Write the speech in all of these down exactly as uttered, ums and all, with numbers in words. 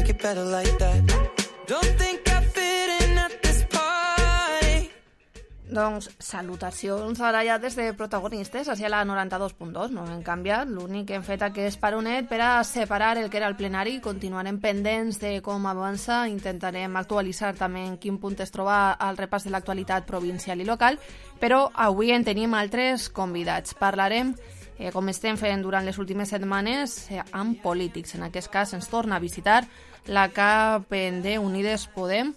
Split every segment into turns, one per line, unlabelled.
make it better like that. Don't think I fit in at this party.
Doncs salutacions ara ja des de protagonistes hacia la noranta-dos punt dos. No hem canviat, l'únic que hem fet aquest paronet per a separar el que era el plenari. Continuarem pendents de com avança, intentarem actualitzar també en quin punt es troba el repàs de l'actualitat provincial i local, però avui en tenim altres convidats. Parlarem, eh, com estem fent durant les últimes setmanes, eh, amb polítics. En aquest cas ens torna a visitar la cap d'Unides Podem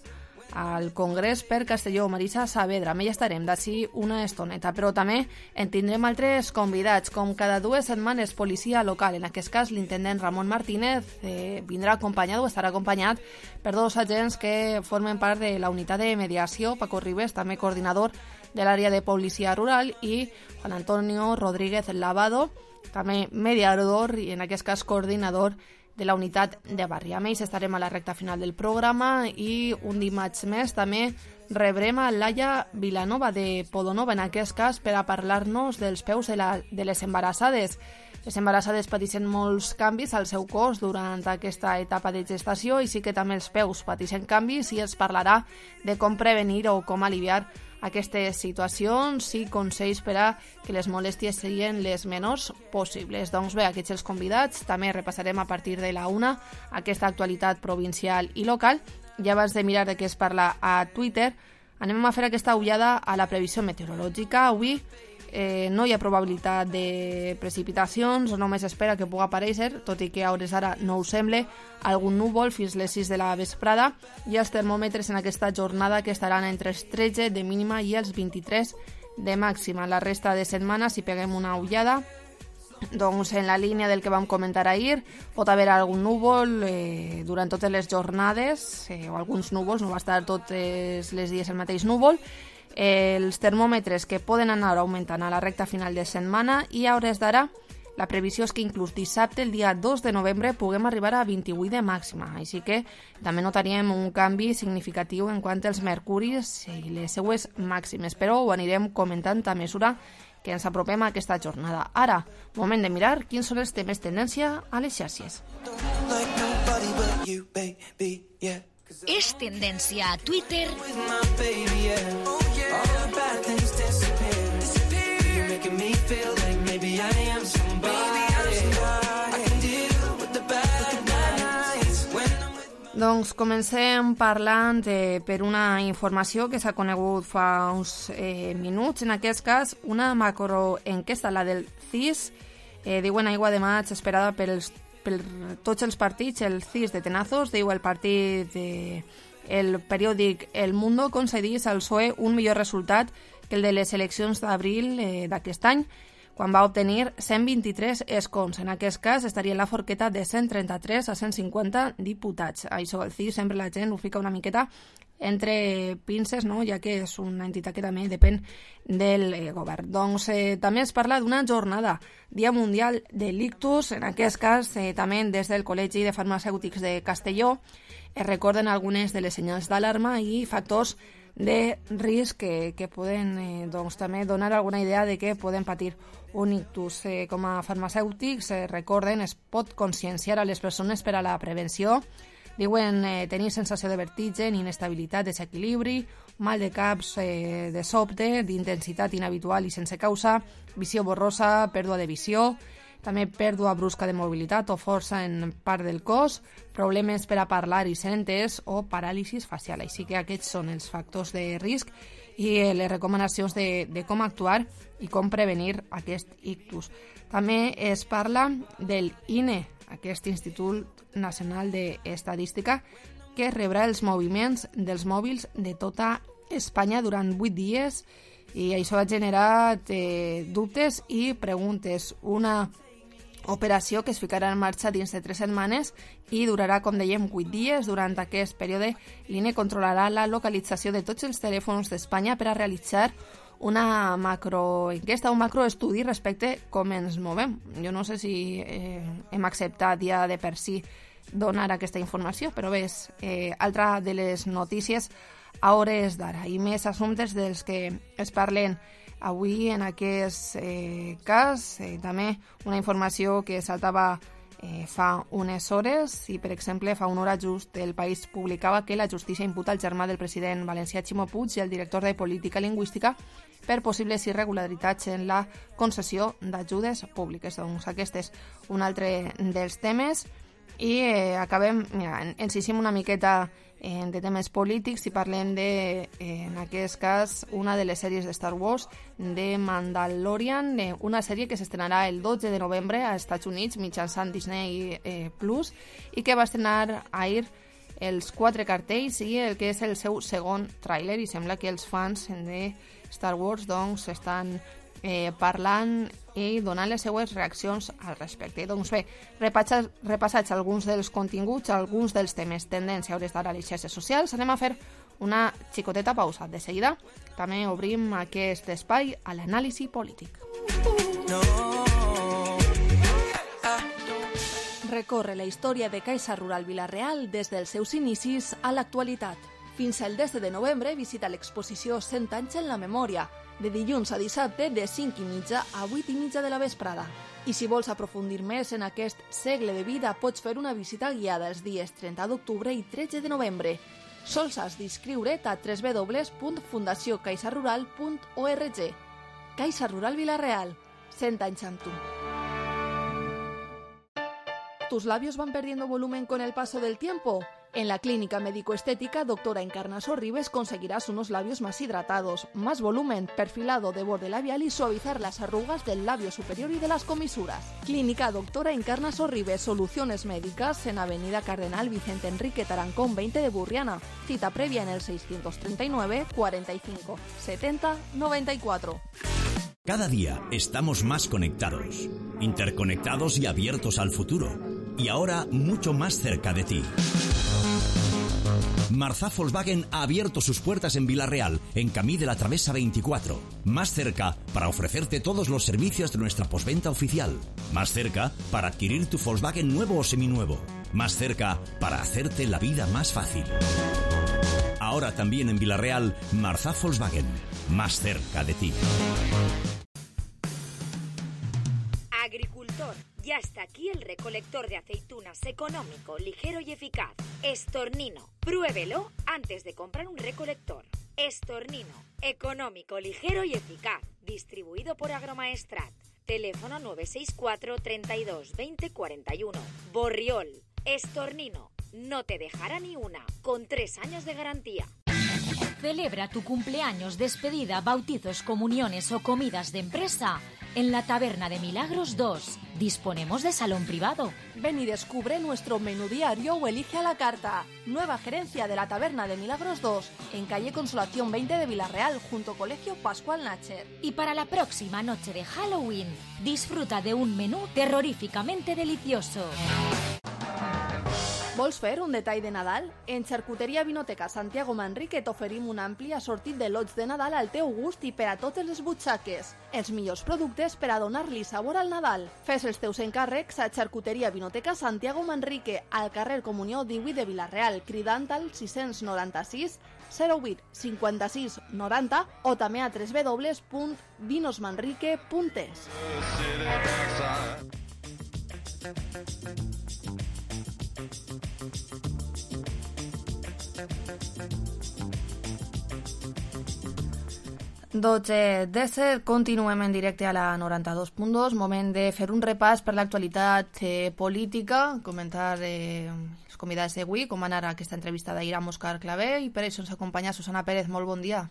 al Congrés per Castelló, Marisa Saavedra. Amb ella estarem d'ací una estoneta, però també en tindrem altres convidats. Com cada dues setmanes, policia local. En aquest cas, l'intendent Ramon Martínez eh, vindrà acompanyat o estarà acompanyat per dos agents que formen part de la unitat de mediació, Paco Ribes, també coordinador de l'àrea de policia rural, i Juan Antonio Rodríguez Lavado, també mediador i en aquest cas coordinador de la unitat de barri. A ells estarem a la recta final del programa i un dimarts més també rebrem a Laia Vilanova de Podonova, en aquest cas per a parlar-nos dels peus de, la, de les embarassades. Les embarassades pateixen molts canvis al seu cos durant aquesta etapa de gestació i sí que també els peus pateixen canvis i es parlarà de com prevenir o com aliviar aquestes situacions i consells per a que les molèsties siguin les menors possibles. Doncs bé, aquests els convidats. També repassarem a partir de la una aquesta actualitat provincial i local. I abans de mirar de què es parla a Twitter, anem a fer aquesta ullada a la previsió meteorològica. Avui eh, no hi ha probabilitat de precipitacions, només espera que pugui aparèixer, tot i que a hores d'ara no ho sembla, algun núvol fins les sis de la vesprada, i els termòmetres en aquesta jornada que estaran entre els tretze de mínima i els vint-i-tres de màxima. La resta de setmana, si peguem una ullada, doncs en la línia del que vam comentar ahir, pot haver algun núvol eh, durant totes les jornades, eh, o alguns núvols, no va estar tots els dies el mateix núvol. Els termòmetres que poden anar augmentant a la recta final de setmana, i a hores d'ara la previsió és que inclús dissabte, el dia dos de novembre, puguem arribar a vint-i-vuit de màxima. Així que també notaríem un canvi significatiu en quant als mercuris i les seues màximes, però ho anirem comentant a mesura que ens apropem a aquesta jornada. Ara, moment de mirar quins són els temes tendència a les xarxes.
És tendència a Twitter
Doncs comencem parlant eh, per una informació que s'ha conegut fa uns eh, minuts. En aquest cas, una macroenquesta, la del C I S, eh, diuen aigua de maig esperada per, els, per tots els partits. El C I S de Tenazos, diu el partit, de, el periòdic El Mundo, concedís al P S O E un millor resultat que el de les eleccions d'abril eh, d'aquest any, quan va obtenir cent vint-i-tres escons. En aquest cas estaria en la forqueta de cent trenta-tres a cent cinquanta diputats. Això, el C I S, sempre la gent ho fica una miqueta entre pinces, no? Ja que és una entitat que també depèn del eh, govern. Doncs eh, també es parla d'una jornada, Dia Mundial de l'Ictus. En aquest cas, eh, també des del Col·legi de Farmacèutics de Castelló es recorden algunes de les senyals d'alarma i factors de risc que, que poden eh, doncs, també donar alguna idea de què poden patir un ictus. Eh, com a farmacèutics, eh, recorden, es pot conscienciar a les persones per a la prevenció. Diuen eh, tenir sensació de vertigen, inestabilitat, desequilibri, mal de caps eh, de sobte, d'intensitat inhabitual i sense causa, visió borrosa, pèrdua de visió, també pèrdua brusca de mobilitat o força en part del cos, problemes per a parlar i ser entès o paràlisis facial. Així que aquests són els factors de risc i les recomanacions de, de com actuar i com prevenir aquest ictus. També es parla del I N E, aquest Institut Nacional d'Estadística, que rebrà els moviments dels mòbils de tota Espanya durant vuit dies, i això ha generat eh, dubtes i preguntes. Una operació que es ficarà en marxa dins de tres setmanes i durarà, com dèiem, vuit dies. Durant aquest període, l'I N E controlarà la localització de tots els telèfons d'Espanya per a realitzar una macroenquesta, un macroestudi respecte com ens movem. Jo no sé si eh, hem acceptat ja de per si donar aquesta informació, però bé, és eh, altra de les notícies a hores d'ara, i més assumptes dels que es parlen avui en aquest eh, cas. Eh, també una informació que saltava eh, fa unes hores i, per exemple, fa una hora just el País publicava que la justícia imputa el germà del president valencià Ximo Puig i el director de Política Lingüística per possibles irregularitats en la concessió d'ajudes públiques. Doncs aquest és un altre dels temes. I eh, acabem, mira, encissim una miqueta eh, de temes polítics i parlem de, eh, en aquest cas, una de les sèries de Star Wars, de Mandalorian, eh, una sèrie que s'estrenarà el dotze de novembre als Estats Units mitjançant Disney eh, Plus i que va estrenar ahir els quatre cartells i el que és el seu segon tràiler, i sembla que els fans de Star Wars doncs estan eh, parlant i donant les seues reaccions al respecte. Doncs bé, repassats, repassats alguns dels continguts, alguns dels temes tendència a hores d'ara a les xarxes socials, anem a fer una xicoteta pausa. De seguida també obrim aquest espai a l'anàlisi polític. No. Recorre la història de Caixa Rural Vila-real des dels seus inicis a l'actualitat. Fins al desè de novembre visita l'exposició cent anys en la memòria, de dilluns a dissabte de cinc i mitja a vuit i mitja de la vesprada. I si vols aprofundir més en aquest segle de vida, pots fer una visita guiada els dies trenta d'octubre i tretze de novembre. Sols has d'inscriure't a w w w punt fundació caixa rural punt org. Caixa Rural Vila-real, cent anys amb tu. ¿Tus labios van perdiendo volumen con el paso del tiempo? En la clínica médico-estética Doctora Encarna Sorribes conseguirás unos labios más hidratados, más volumen, perfilado de borde labial y suavizar las arrugas del labio superior y de las comisuras. Clínica Doctora Encarna Sorribes, soluciones médicas en Avenida Cardenal Vicente Enrique Tarancón veinte de Burriana. Cita previa en el seiscientos treinta y nueve, cuarenta y cinco, setenta, noventa y cuatro.
Cada día estamos más conectados, interconectados y abiertos al futuro. Y ahora mucho más cerca de ti. Marzá Volkswagen ha abierto sus puertas en Vila-real, en Camí de la Travesa veinticuatro. Más cerca para ofrecerte todos los servicios de nuestra postventa oficial. Más cerca para adquirir tu Volkswagen nuevo o seminuevo. Más cerca para hacerte la vida más fácil. Ahora también en Vila-real, Marzá Volkswagen. Más cerca de ti.
Agricultor, ya está aquí el recolector de aceitunas económico, ligero y eficaz. Estornino, pruébelo antes de comprar un recolector. Estornino, económico, ligero y eficaz. Distribuido por Agromaestrat. Teléfono nueve seis cuatro, treinta y dos, veinte, cuarenta y uno. Borriol, Estornino, no te dejará ni una, con tres años de garantía. Celebra tu cumpleaños, despedida, bautizos, comuniones o comidas de empresa en la Taberna de Milagros dos. Disponemos de salón privado.
Ven y descubre nuestro menú diario o elige a la carta. Nueva gerencia de la Taberna de Milagros dos, en calle Consolación veinte de Vila-real, junto Colegio Pascual Nacher.
Y para la próxima noche de Halloween, disfruta de un menú terroríficamente delicioso.
Vols fer un detall de Nadal? En Xarcuteria Vinoteca Santiago Manrique t'oferim un ampli assortit de lots de Nadal al teu gust i per a totes les butxaques. Els millors productes per a donar-li sabor al Nadal. Fes els teus encàrrecs a Xarcuteria Vinoteca Santiago Manrique, al carrer Comunió divuit de Vila-real, cridant al sis noranta-sis, zero vuit, cinquanta-sis, noranta o també a w w w punt vinosmanrique punt es. dotze disset, continuem en directe a la noranta-dos punt dos, moment de fer un repàs per l'actualitat eh, política, comentar eh, els convidats d'avui, com va anar aquesta entrevista d'ahir amb Òscar Clavé, i per això ens acompanya Susana Pérez. Molt bon dia.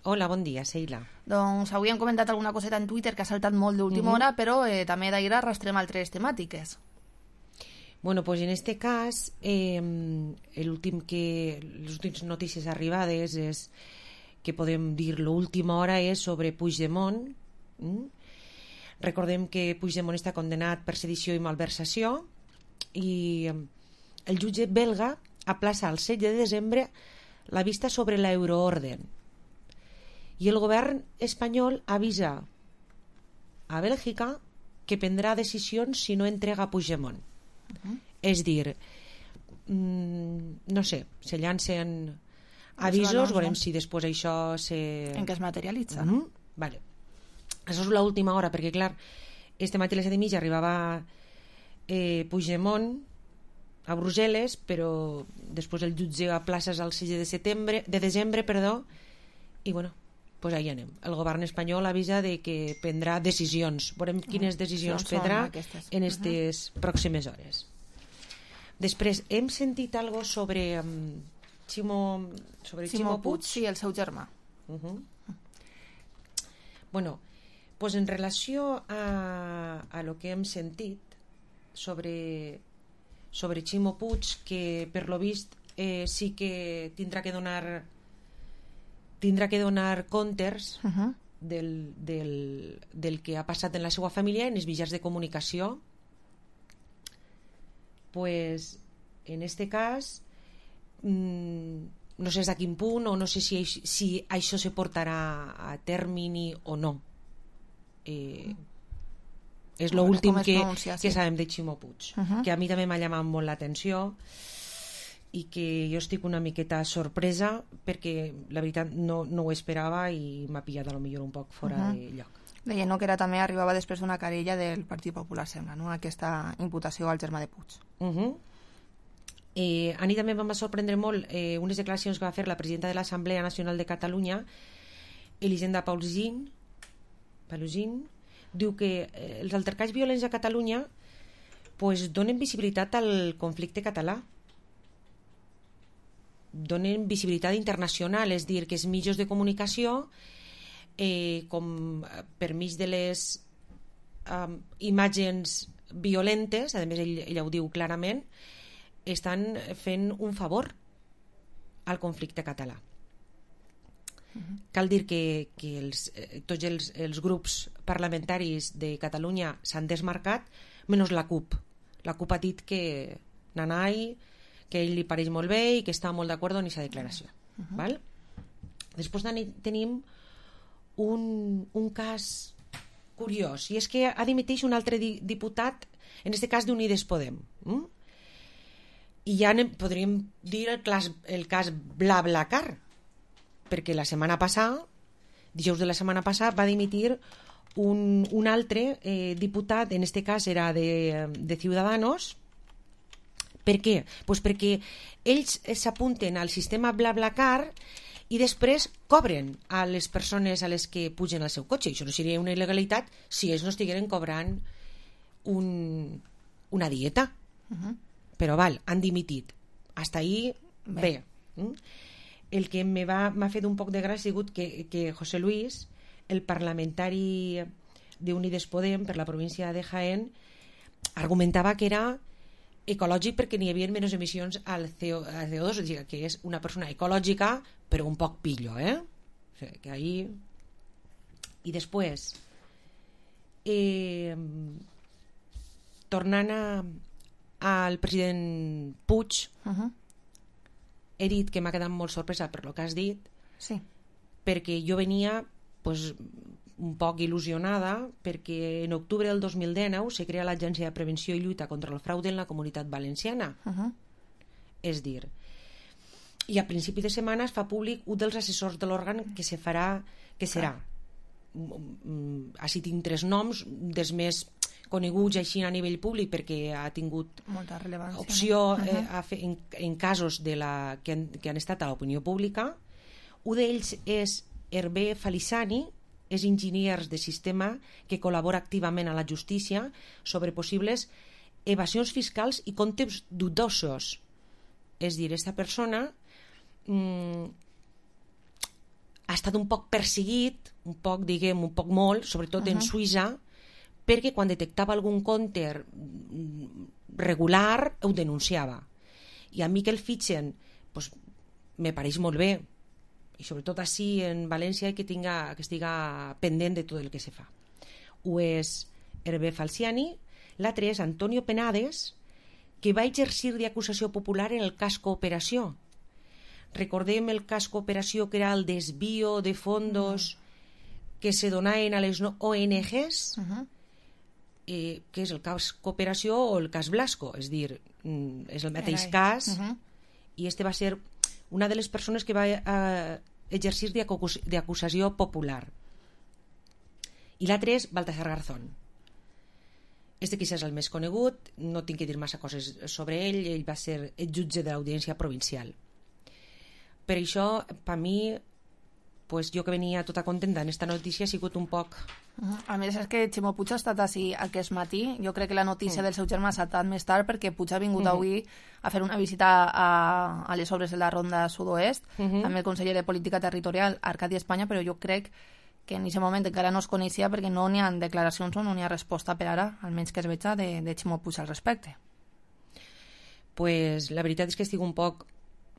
Hola, bon dia, Sheila.
Doncs avui hem comentat alguna coseta en Twitter que ha saltat molt d'última uh-huh. hora, però eh, també d'ahir arrastrem altres temàtiques.
Bueno, pues en este cas, eh, l'últim que, les últimes notícies arribades és que podem dir l'última hora és sobre Puigdemont. Mm? Recordem que Puigdemont està condenat per sedició i malversació i el jutge belga aplaça el set de desembre la vista sobre l'euroorden i el govern espanyol avisa a Bèlgica que prendrà decisions si no entrega Puigdemont. Uh-huh. És dir, mm, no sé, se llancen avisos, veurem si després això se...
en què es materialitza.
Mm-hmm. Vale. Això és l'última hora, perquè clar, este matí a les set i mitja arribava eh, Puigdemont a Brussel·les, però després el jutge a places el sis de setembre, de desembre, perdó, i bueno, pues ahí anem. El govern espanyol avisa de que prendrà decisions. Veurem quines decisions prendrà en aquestes uh-huh. pròximes hores. Després, hem sentit algo sobre um, Ximo, sobre
Ximo
Ximo Puig.
Puig i el seu germà.
Uh-huh. Bueno, pues en relació a, a lo que hem sentit sobre, sobre Ximo Puig, que per lo vist eh, sí que tindrà que donar tindrà que donar comptes
Uh-huh.
del, del, del que ha passat en la seva família en els mitjans de comunicació. Pues en este cas mmm, no sé a quin punt o no sé si, si això se portarà a termini o no. Eh, és l'últim que,
pronuncia, sí.
que sabem de Ximo Puig,
Uh-huh.
que a mi també m'ha llamat molt l'atenció i que jo estic una miqueta sorpresa perquè la veritat no, no ho esperava i m'ha pillat a lo millor un poc fora
Uh-huh.
de lloc.
Deia no, que era també arribava després d'una querella del Partit Popular, sembla, no? Aquesta imputació al germà de Puig.
Uh-huh. Eh, a mi també em va sorprendre molt eh, unes declaracions que va fer la presidenta de l'Assemblea Nacional de Catalunya, Elisenda Paulzin, Paulzin diu que eh, els altercats violents a Catalunya pues, donen visibilitat al conflicte català, donen visibilitat internacional, és dir, que els mitjans de comunicació eh, com per mig de les um, imatges violentes, a més ell, ella ho diu clarament, estan fent un favor al conflicte català. Uh-huh. Cal dir que, que els, eh, tots els, els grups parlamentaris de Catalunya s'han desmarcat, menys la CUP. La CUP ha dit que nanai, que a ell li pareix molt bé i que està molt d'acord amb aquesta declaració. Uh-huh. Val? Després tenim un, un cas curiós, i és que ha dimiteix un altre di, diputat, en aquest cas d'Unides Podem. Mm? I ja anem, podríem dir el, clas, el cas BlaBlaCar, perquè la setmana passada, dijous de la setmana passada, va dimitir un, un altre eh, diputat, en aquest cas era de, de Ciudadanos. Per què? Pues perquè ells s'apunten al sistema BlaBlaCar i després cobren a les persones a les que pugen al seu cotxe. Això no seria una il·legalitat si ells no estigueren cobrant un, una dieta. Uh-huh. Però val, han dimitit. Hasta ahí, bé. bé. El que m'ha fet un poc de gràcia ha sigut que, que José Luis, el parlamentari d'Unides Podem per la província de Jaén, argumentava que era ecològic perquè n'hi havia menys emissions al C O dos, és a dir, que és una persona ecològica però un poc pillo, eh? O sigui, que ahí... I després eh, tornant a, al president Puig,
Uh-huh.
he dit que m'ha quedat molt sorpresa per lo que has dit,
Sí.
perquè jo venia pues, un poc il·lusionada perquè en octubre del dos mil dinou se crea l'Agència de Prevenció i Lluita contra el Fraude en la Comunitat Valenciana.
Uh-huh.
És dir, i a principi de setmana es fa públic un dels assessors de l'òrgan que se farà, que serà. Així tinc tres noms, dels més coneguts així a nivell públic perquè ha tingut
molta rellevància,
opció
no?
eh, a fer, en, en casos de la, que, han, que han estat a l'opinió pública. Un d'ells és Hervé Falissani, és enginyer de sistema que col·labora activament a la justícia sobre possibles evasions fiscals i comptes dubtosos. És dir, aquesta persona mm, ha estat un poc perseguit, un poc, diguem, un poc molt, sobretot uh-huh. en Suïssa, perquè quan detectava algun compte regular ho denunciava. I a mi que el fitxen pues, me pareix molt bé, i sobretot així en València que, tinga, que estiga pendent de tot el que se fa. Ho és Hervé Falciani, l'altre és Antonio Penades, que va exercir d'acusació popular en el cas Cooperació. Recordem el cas Cooperació, que era el desvío de fondos que se donaven a les O N Ges, uh-huh. eh, que és el cas Cooperació o el cas Blasco, és dir, és el mateix cas, uh-huh. i este va ser una de les persones que va eh, exercir d'acusació popular. I l'altre és Baltasar Garzón. Este quizás és el més conegut, no tinc que dir massa coses sobre ell, ell va ser el jutge de l'Audiència Provincial. Per això, per mi, pues, jo que venia tota contenta en esta notícia, ha sigut un poc...
A més, és que Ximo Puig ha estat així aquest matí. Jo crec que la notícia mm. del seu germà s'ha estat més tard perquè Puig ha vingut mm-hmm. avui a fer una visita a, a les obres de la Ronda Sud-oest, mm-hmm. amb el conseller de Política Territorial, Arcadi Espanya, però jo crec que en aquest moment encara no es coneixia perquè no n'hi ha declaracions o no n'hi ha resposta per ara, almenys que es veja, de, de Ximo Puig al respecte.
Pues la veritat és que estic un poc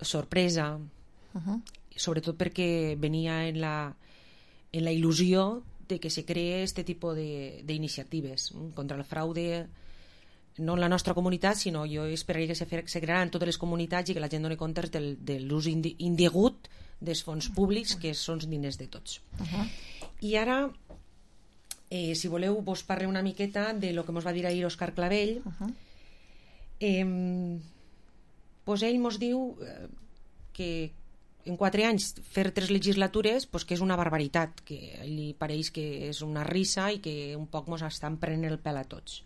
sorpresa, uh-huh. sobretot perquè venia en la, en la il·lusió de que se cree este tipus d'iniciatives contra el fraude, no en la nostra comunitat, sinó jo esperaria que se, se crearan en totes les comunitats i que la gent doni compte del, de l'ús indi, indegut dels fons públics, que són diners de tots. Uh-huh. I ara, eh, si voleu, vos parle una miqueta de lo que mos va dir ahir Òscar Clavell. Uh-huh. eh, pues ell mos diu eh, que en quatre anys fer tres legislatures pues que és una barbaritat, que a ell li pareix que és una risa i que un poc mos estan prenent el pèl a tots.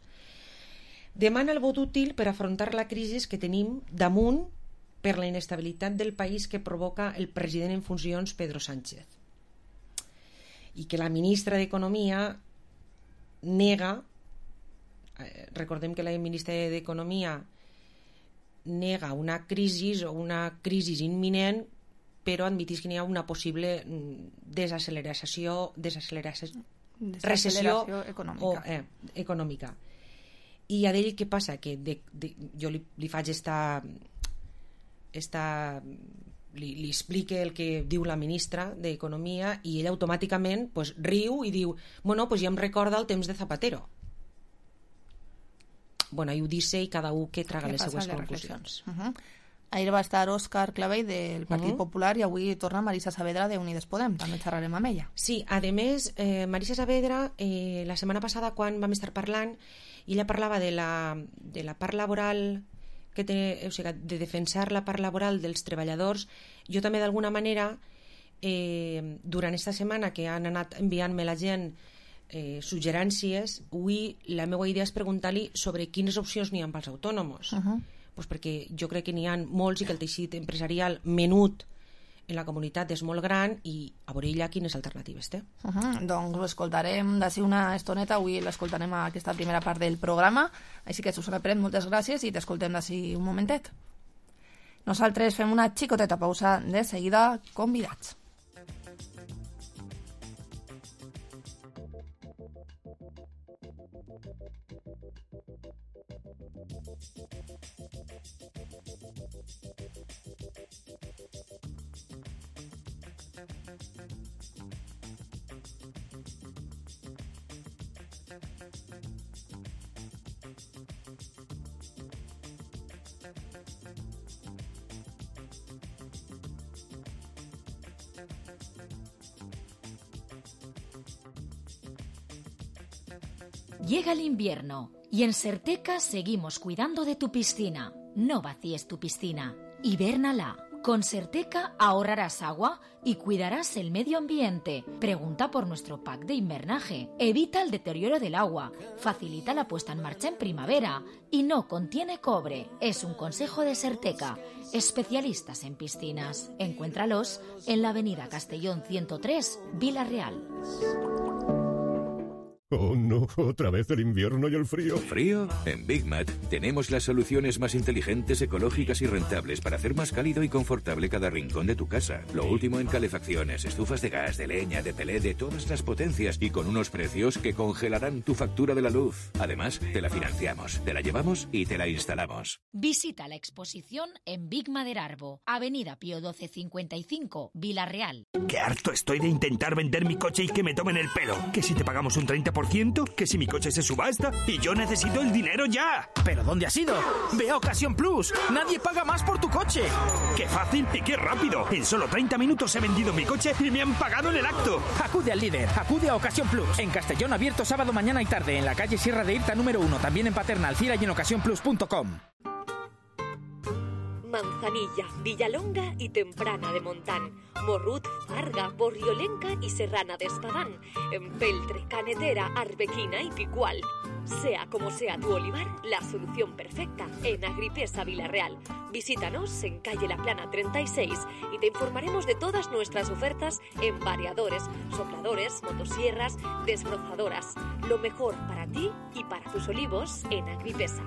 Demana el vot útil per afrontar la crisi que tenim damunt per la inestabilitat del país que provoca el president en funcions Pedro Sánchez, i que la ministra d'Economia nega, eh, recordem que la ministra d'Economia nega una crisi o una crisi imminent, però admetís que n'hi ha una possible desacceleració, desacceleració, recessió
econòmica.
O, eh, econòmica. I a d'ell què passa? Que de, de, jo li, li faig esta, esta li, li explique el que diu la ministra d'Economia i ell automàticament pues, riu i diu, bueno, pues ja em recorda el temps de Zapatero. Bueno, ell ho dice i cada un que traga les seues conclusions.
Uh-huh. Ahir va estar Òscar Clavell del Partit uh-huh. Popular i avui torna Marisa Saavedra de Unides Podem. També xerrarem amb ella.
Sí, a més, eh, Marisa Saavedra, eh, la setmana passada, quan vam estar parlant, ella parlava de la, de la part laboral, que té, o sigui, de defensar la part laboral dels treballadors. Jo també, d'alguna manera, eh, durant aquesta setmana que han anat enviant-me la gent eh, suggerències, avui la meva idea és preguntar-li sobre quines opcions n'hi ha pels autònoms. Uh-huh. Pues perquè jo crec que n'hi ha molts i que el teixit empresarial menut en la comunitat és molt gran i a veure ella quines alternatives té.
Uh-huh. Doncs l'escoltarem d'ací una estoneta, avui l'escoltarem a aquesta primera part del programa, així que Susana Pérez, moltes gràcies i t'escoltem d'ací un momentet. Nosaltres fem una xicoteta pausa, de seguida convidats.
Llega el invierno y en Certeca seguimos cuidando de tu piscina. No vacíes tu piscina, hibérnala. Con Certeca ahorrarás agua y cuidarás el medio ambiente. Pregunta por nuestro pack de invernaje. Evita el deterioro del agua, facilita la puesta en marcha en primavera y no contiene cobre. Es un consejo de Certeca, especialistas en piscinas. Encuéntralos en la avenida Castellón ciento tres, Vila Real.
Oh no, otra vez el invierno y el frío.
¿Frío? En Big Mat tenemos las soluciones más inteligentes, ecológicas y rentables para hacer más cálido y confortable cada rincón de tu casa. Lo último en calefacciones, estufas de gas, de leña, de pelé, de todas las potencias y con unos precios que congelarán tu factura de la luz. Además, te la financiamos, te la llevamos y te la instalamos.
Visita la exposición en Big Maderarbo, avenida Pío doce cincuenta y cinco, Vila Real.
Qué harto estoy de intentar vender mi coche y que me tomen el pelo. Que si te pagamos un treinta por ciento, que si mi coche se subasta y yo necesito el dinero ya.
¿Pero dónde has ido? Ve a Ocasión Plus. Nadie paga más por tu coche.
¡Qué fácil y qué rápido! En solo treinta minutos he vendido mi coche y me han pagado en el acto.
Acude al líder. Acude a Ocasión Plus. En Castellón, abierto sábado, mañana y tarde. En la calle Sierra de Irta número uno. También en Paterna, Alcira y en ocasión plus punto com.
Manzanilla, Villalonga y Temprana de Montán, Morrut, Farga, Borriolenca y Serrana de Espadán, Empeltre, Canetera, Arbequina y Picual. Sea como sea tu olivar, la solución perfecta en Agripesa Villarreal. Visítanos en calle La Plana treinta y seis y te informaremos de todas nuestras ofertas en variadores, sopladores, motosierras, desbrozadoras. Lo mejor para ti y para tus olivos en Agripesa.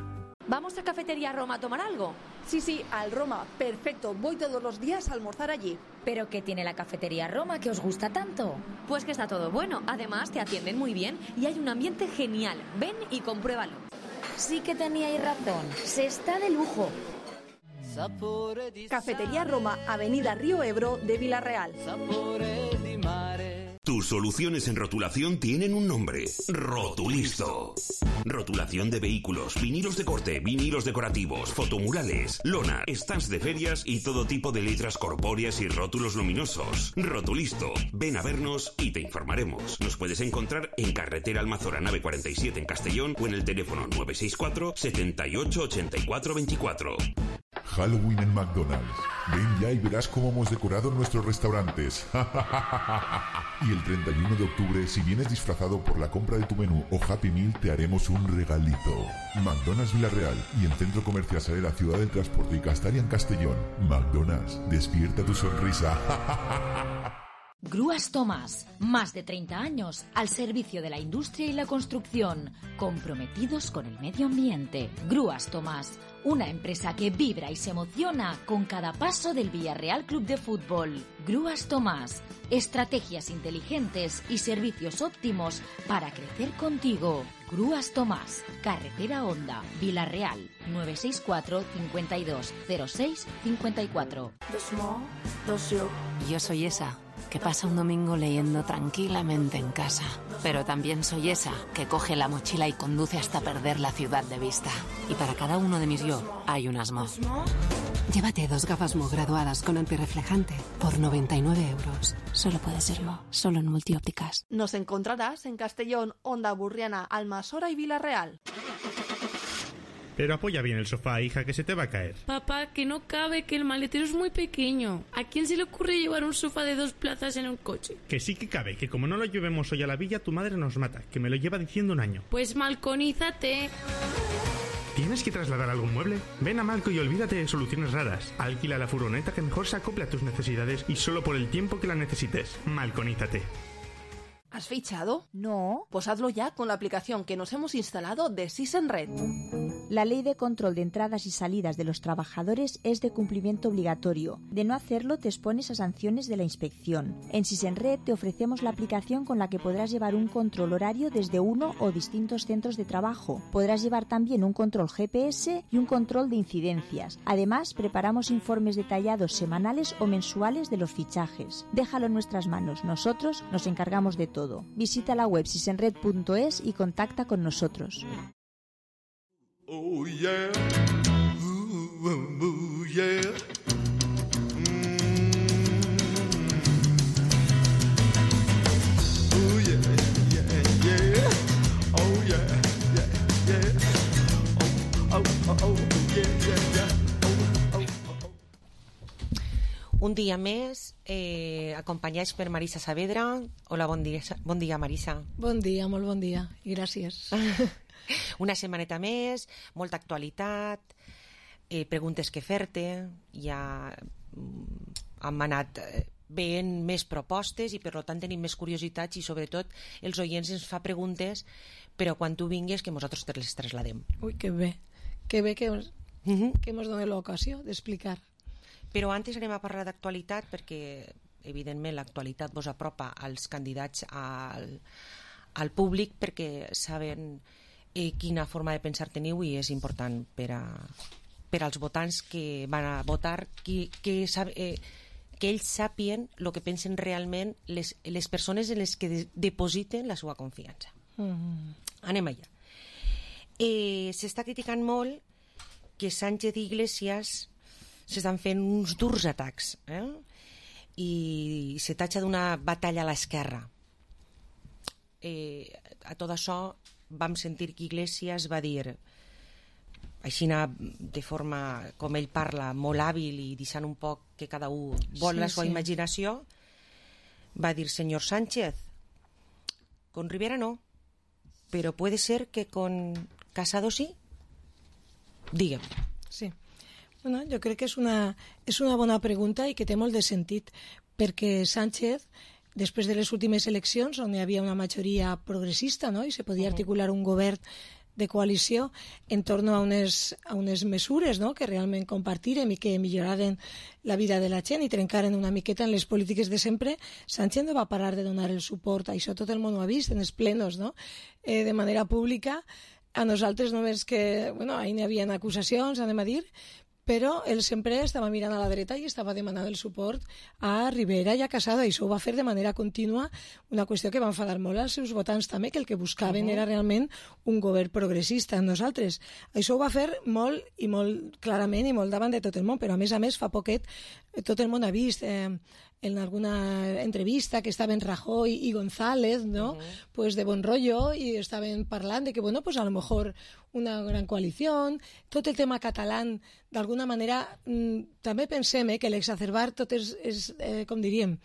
¿Vamos a Cafetería Roma a tomar algo?
Sí, sí, al Roma. Perfecto. Voy todos los días a almorzar allí.
¿Pero qué tiene la Cafetería Roma que os gusta tanto?
Pues que está todo bueno. Además, te atienden muy bien y hay un ambiente genial. Ven y compruébalo.
Sí que teníais razón. Se está de lujo.
Cafetería Roma, Avenida Río Ebro de Villarreal.
Tus soluciones en rotulación tienen un nombre: Rotulisto. Rotulación de vehículos, vinilos de corte, vinilos decorativos, fotomurales, lona, stands de ferias y todo tipo de letras corpóreas y rótulos luminosos. Rotulisto. Ven a vernos y te informaremos. Nos puedes encontrar en Carretera Almazora Nave cuarenta y siete en Castellón o en el teléfono nueve seis cuatro, setenta y ocho, ochenta y cuatro veinticuatro.
Halloween en McDonald's. Ven ya y verás cómo hemos decorado nuestros restaurantes. Y el treinta y uno de octubre, si vienes disfrazado por la compra de tu menú o Happy Meal, te haremos un regalito. McDonald's Villarreal y en Centro Comercial Salera, Ciudad del Transporte y Castalia en Castellón. McDonald's, despierta tu sonrisa.
Grúas Tomás, más de treinta años al servicio de la industria y la construcción, comprometidos con el medio ambiente. Grúas Tomás, una empresa que vibra y se emociona con cada paso del Villarreal Club de Fútbol. Grúas Tomás, estrategias inteligentes y servicios óptimos para crecer contigo. Grúas Tomás, Carretera Honda, Villarreal, nueve seis cuatro, cincuenta y dos, cero seis, cincuenta y cuatro.
Yo soy esa que pasa un domingo leyendo tranquilamente en casa. Pero también soy esa que coge la mochila y conduce hasta perder la ciudad de vista. Y para cada uno de mis yo hay un Asmo. Llévate dos gafas Mo graduadas con antirreflejante por noventa y nueve euros. Solo puede ser Mo, solo en Multiópticas.
Nos encontrarás en Castellón, Honda Burriana, Almasora y Villarreal.
Pero apoya bien el sofá, hija, que se te va a caer.
Papá, que no cabe, que el maletero es muy pequeño. ¿A quién se le ocurre llevar un sofá de dos plazas en un coche?
Que sí que cabe, que como no lo llevemos hoy a la villa, tu madre nos mata, que me lo lleva diciendo un año.
Pues malconízate.
¿Tienes que trasladar algún mueble? Ven a Malco y olvídate de soluciones raras. Alquila la furgoneta que mejor se acople a tus necesidades y solo por el tiempo que la necesites. Malconízate.
¿Has fichado?
No.
Pues hazlo ya con la aplicación que nos hemos instalado de SysEnRed.
La ley de control de entradas y salidas de los trabajadores es de cumplimiento obligatorio. De no hacerlo te expones a sanciones de la inspección. En SysEnRed te ofrecemos la aplicación con la que podrás llevar un control horario desde uno o distintos centros de trabajo. Podrás llevar también un control G P S y un control de incidencias. Además, preparamos informes detallados semanales o mensuales de los fichajes. Déjalo en nuestras manos. Nosotros nos encargamos de todo. Visita la web sysenred punto es y contacta con nosotros.
Oh yeah, ooh, ooh, ooh, yeah. Mm. Oh yeah, yeah, yeah. Oh yeah, yeah, yeah. Oh, oh, oh, yeah, yeah, yeah. Oh, oh, oh.
Un dia més, eh, acompanyats per Marisa Saavedra. Hola, bon dia, bon dia, Marisa.
Bon dia, molt bon dia, i gràcies.
Una setmaneta més, molta actualitat, eh, preguntes que fer-te, ja hem anat veient més propostes i per tant tenim més curiositats i sobretot els oients ens fa preguntes, però quan tu vingues que nosaltres te les trasladem.
Ui, que bé, que bé que ens, uh-huh. que ens doni l'ocasió d'explicar.
Però antes anem a parlar d'actualitat perquè evidentment l'actualitat vos apropa als candidats al, al públic perquè saben eh, quina forma de pensar teniu i és important per, a, per als votants que van a votar que, que, eh, que ells sàpien el que pensen realment les, les persones en les que de, depositen la seva confiança. Mm. Anem allà. Eh, s'està criticant molt que Sánchez i Iglesias s'estan fent uns durs atacs eh? i se tatxa d'una batalla a l'esquerra. Eh, a tot això vam sentir que Iglesias va dir així de forma com ell parla molt hàbil i deixant un poc que cada un vol sí, la seva sí. imaginació, va dir: senyor Sánchez, con Rivera no, pero puede ser que con Casado sí? Digue'm.
Sí. Bueno, jo crec que és una, és una bona pregunta i que té molt de sentit, perquè Sánchez, després de les últimes eleccions, on hi havia una majoria progressista, no?, i se podia articular un govern de coalició en torno a unes, a unes mesures, no?, que realment compartirem i que milloraren la vida de la gent i trencaren una miqueta en les polítiques de sempre, Sánchez no va parar de donar el suport. Això tot el món ho ha vist en els plenos, no?, eh, de manera pública. A nosaltres només que, bueno, ahir n'hi havia acusacions, anem a dir, però ell sempre estava mirant a la dreta i estava demanant el suport a Rivera i a Casado, i això ho va fer de manera contínua, una qüestió que va enfadar molt als seus votants també, que el que buscaven uh-huh. era realment un govern progressista en nosaltres. Això ho va fer molt i molt clarament i molt davant de tot el món, però a més a més fa poquet tot el món ha vist eh, en alguna entrevista que estaven Rajoy i González, ¿no? Uh-huh. Pues de bon rollo, i estaven parlant de que, bueno, pues a lo mejor una gran coalició, tot el tema català, d'alguna manera, mmm, també pensem eh, que l'exacerbar tot és, és eh, com diríem,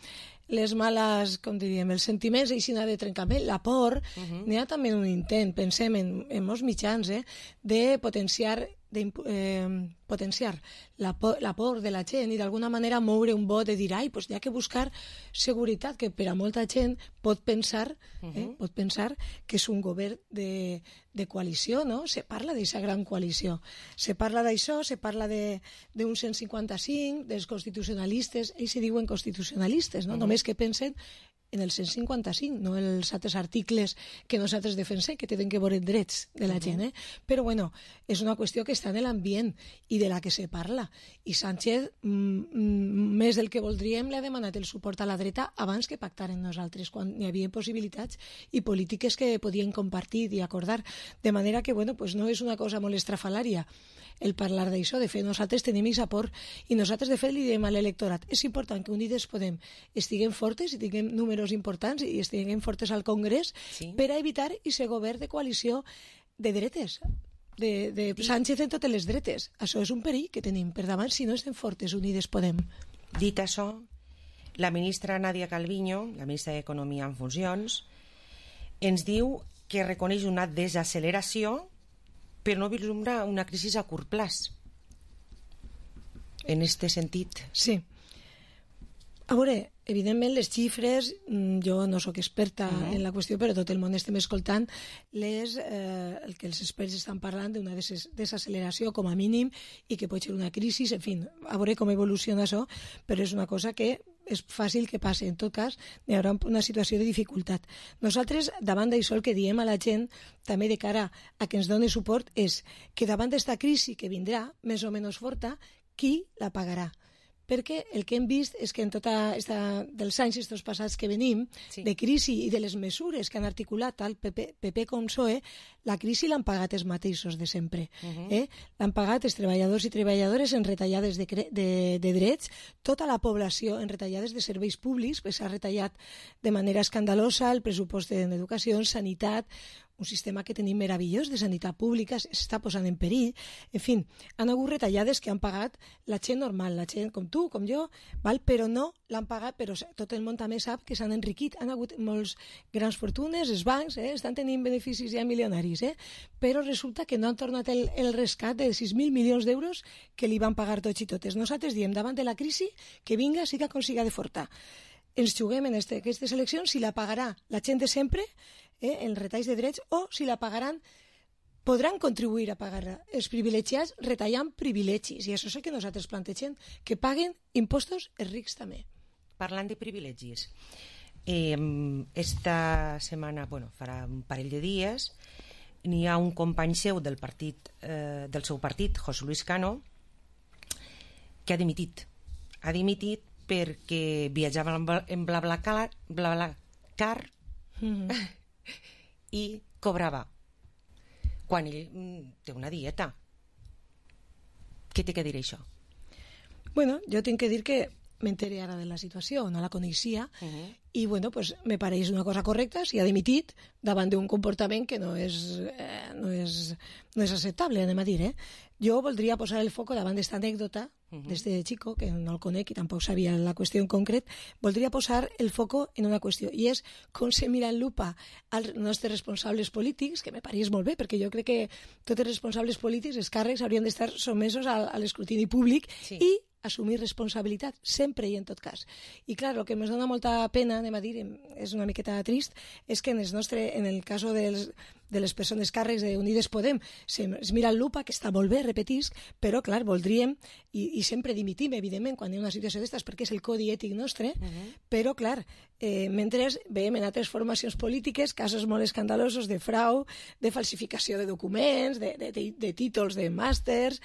les males, com diríem, els sentiments així de trencament, la por, uh-huh. n'hi ha també un intent, pensem en, en molts mitjans, eh, de potenciar de eh, potenciar la por, la por de la gent i d'alguna manera moure un vot de dir, ai, pues hi ha que buscar seguretat, que per a molta gent pot pensar, eh, uh-huh. pot pensar que és un govern de, de coalició, no? Se parla d'aquesta gran coalició, se parla d'això, se parla d'un cent cinquanta-cinc, dels constitucionalistes, ells se diuen constitucionalistes, no? Uh-huh. Només que pensen en el cent cinquanta-cinc, no en els altres articles que nosaltres defensem, que tenen que veure drets de la gent, eh? Però bueno, és una qüestió que està en l'ambient i de la que se parla, i Sánchez mm, més del que voldríem li ha demanat el suport a la dreta abans que pactaren nosaltres, quan hi havia possibilitats i polítiques que podien compartir i acordar, de manera que bueno, pues no és una cosa molt estrafalària el parlar d'això. De fet, nosaltres tenim aquest aport i nosaltres de fet li diem a l'electorat, és important que Unides Podem estiguem fortes i tinguem números importants i estiguem fortes al Congrés, sí, per a evitar aquest govern de coalició de dretes, de, de Sánchez en totes les dretes. Això és un perill que tenim per davant si no estem fortes Unides Podem.
Dit això, la ministra Nadia Calviño, la ministra d'Economia en funcions, ens diu que reconeix una desacceleració però no vislumbra una crisi a curt plaç. En este sentit.
Sí. A veure, evidentment les xifres, jo no sóc experta uh-huh. en la qüestió, però tot el món estem escoltant les, eh, el que els experts estan parlant d'una des desacceleració com a mínim i que pot ser una crisi, en fi, a veure com evoluciona això, però és una cosa que és fàcil que passi. En tot cas, hi haurà una situació de dificultat. Nosaltres, davant d'això, el que diem a la gent, també de cara a que ens doni suport, és que davant d'esta crisi que vindrà, més o menys forta, qui la pagarà? Perquè el que hem vist és que en tota esta, dels anys estos passats que venim, sí, de crisi i de les mesures que han articulat tant P P, P P com P S O E, la crisi l'han pagat els mateixos de sempre. Uh-huh. eh? L'han pagat els treballadors i treballadores en retallades de, de, de drets, tota la població en retallades de serveis públics, que s'ha retallat de manera escandalosa el pressupost en educació, en sanitat, un sistema que tenim meravellós de sanitat pública s'està posant en perill. En fi, han hagut retallades que han pagat la gent normal, la gent com tu, com jo, val? Però no l'han pagat, però tot el món també sap que s'han enriquit. Han hagut molts grans fortunes, els bancs eh, estan tenint beneficis ja milionaris, eh? Però resulta que no han tornat el, el rescat de sis mil milions d'euros que li van pagar tots i totes. Nosaltres diem, davant de la crisi, que vinga, siga com siga de forta. Ens juguem en este, aquestes eleccions si la pagarà la gent de sempre, eh, en retalls de drets, o si la pagaran, podran contribuir a pagar els privilegiats retallant privilegis. I això és el que nosaltres plantegem, que paguen impostos els rics també.
Parlant de privilegis, eh, esta setmana, bueno, farà un parell de dies, n'hi ha un company seu del partit, eh, del seu partit, José Luis Cano, que ha dimitit. Ha dimitit perquè viatjava en BlaBlaCar, BlaBlaCar mm-hmm. i cobrava quan ell té una dieta. Què té que dir això?
Bueno, jo tinc que dir que m'entere ara de la situació, no la coneixia, uh -huh. i bueno, pues, me pareix una cosa correcta si ha dimitit davant d'un comportament que no és, eh, no és, no és acceptable, anem a dir. Eh? Jo voldria posar el foco davant d'esta anècdota, uh -huh. des de Chico, que no el conec i tampoc sabia la qüestió en concret, voldria posar el foco en una qüestió, i és com se mira en lupa als nostres responsables polítics, que me pareix molt bé, perquè jo crec que tots els responsables polítics, els càrrecs, haurien d'estar sotmesos a, a l'escrutini públic sí. i assumir responsabilitat, sempre i en tot cas. I clar, el que ens dona molta pena, anem a dir, és una miqueta trist, és que en el, nostre, en el cas dels, de les persones càrrecs d'Unides Podem se, es mira el lupa, que està molt bé, repetisc, però clar, voldríem, i, i sempre dimitim, evidentment, quan hi ha una situació d'estes, perquè és el codi ètic nostre, uh -huh. però clar, eh, mentre veiem en altres formacions polítiques casos molt escandalosos de frau, de falsificació de documents, de, de, de, de títols de màsters,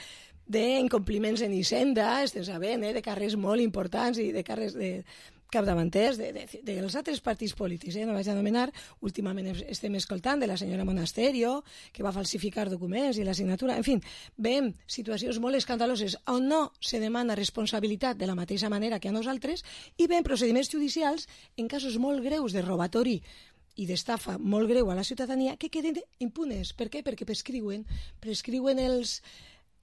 d'incompliments en Hisenda, estem sabent, eh, de càrrecs molt importants i de càrrecs de capdavanters de, de, de, dels altres partits polítics, eh, no vaig anomenar. Últimament estem escoltant de la senyora Monasterio, que va falsificar documents i la signatura, en fi, veiem situacions molt escandaloses on no se demana responsabilitat de la mateixa manera que a nosaltres, i veiem procediments judicials en casos molt greus de robatori i d'estafa molt greu a la ciutadania que queden impunes. Per què? Perquè prescriuen, prescriuen els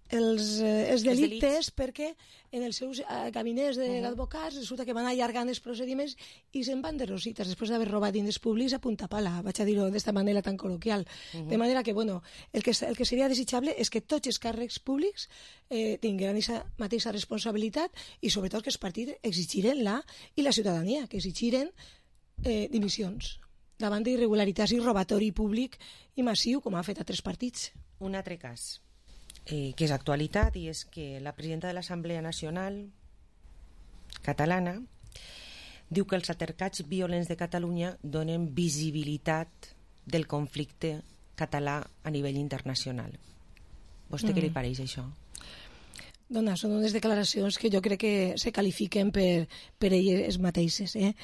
els, eh, els delictes, perquè en els seus eh, gabinets d'advocats uh -huh. resulta que van allargant els procediments i se'n van de rosites després d'haver robat diners públics a punta pala, vaig a dir-ho d'esta manera tan col·loquial. Uh -huh. De manera que, bueno, el que, el que seria desitjable és que tots els càrrecs públics eh, tinguin aquesta mateixa responsabilitat i sobretot que els partits exigiren la i la ciutadania, que exigiren eh, dimissions davant d'irregularitats i robatori públic i massiu, com han fet altres partits.
Un altre cas Eh, que és actualitat, i és que la presidenta de l'Assemblea Nacional catalana diu que els altercats violents de Catalunya donen visibilitat del conflicte català a nivell internacional. Vostè mm. què li pareix això?
Dona, són unes declaracions que jo crec que se qualifiquen per, per elles mateixes. Eh?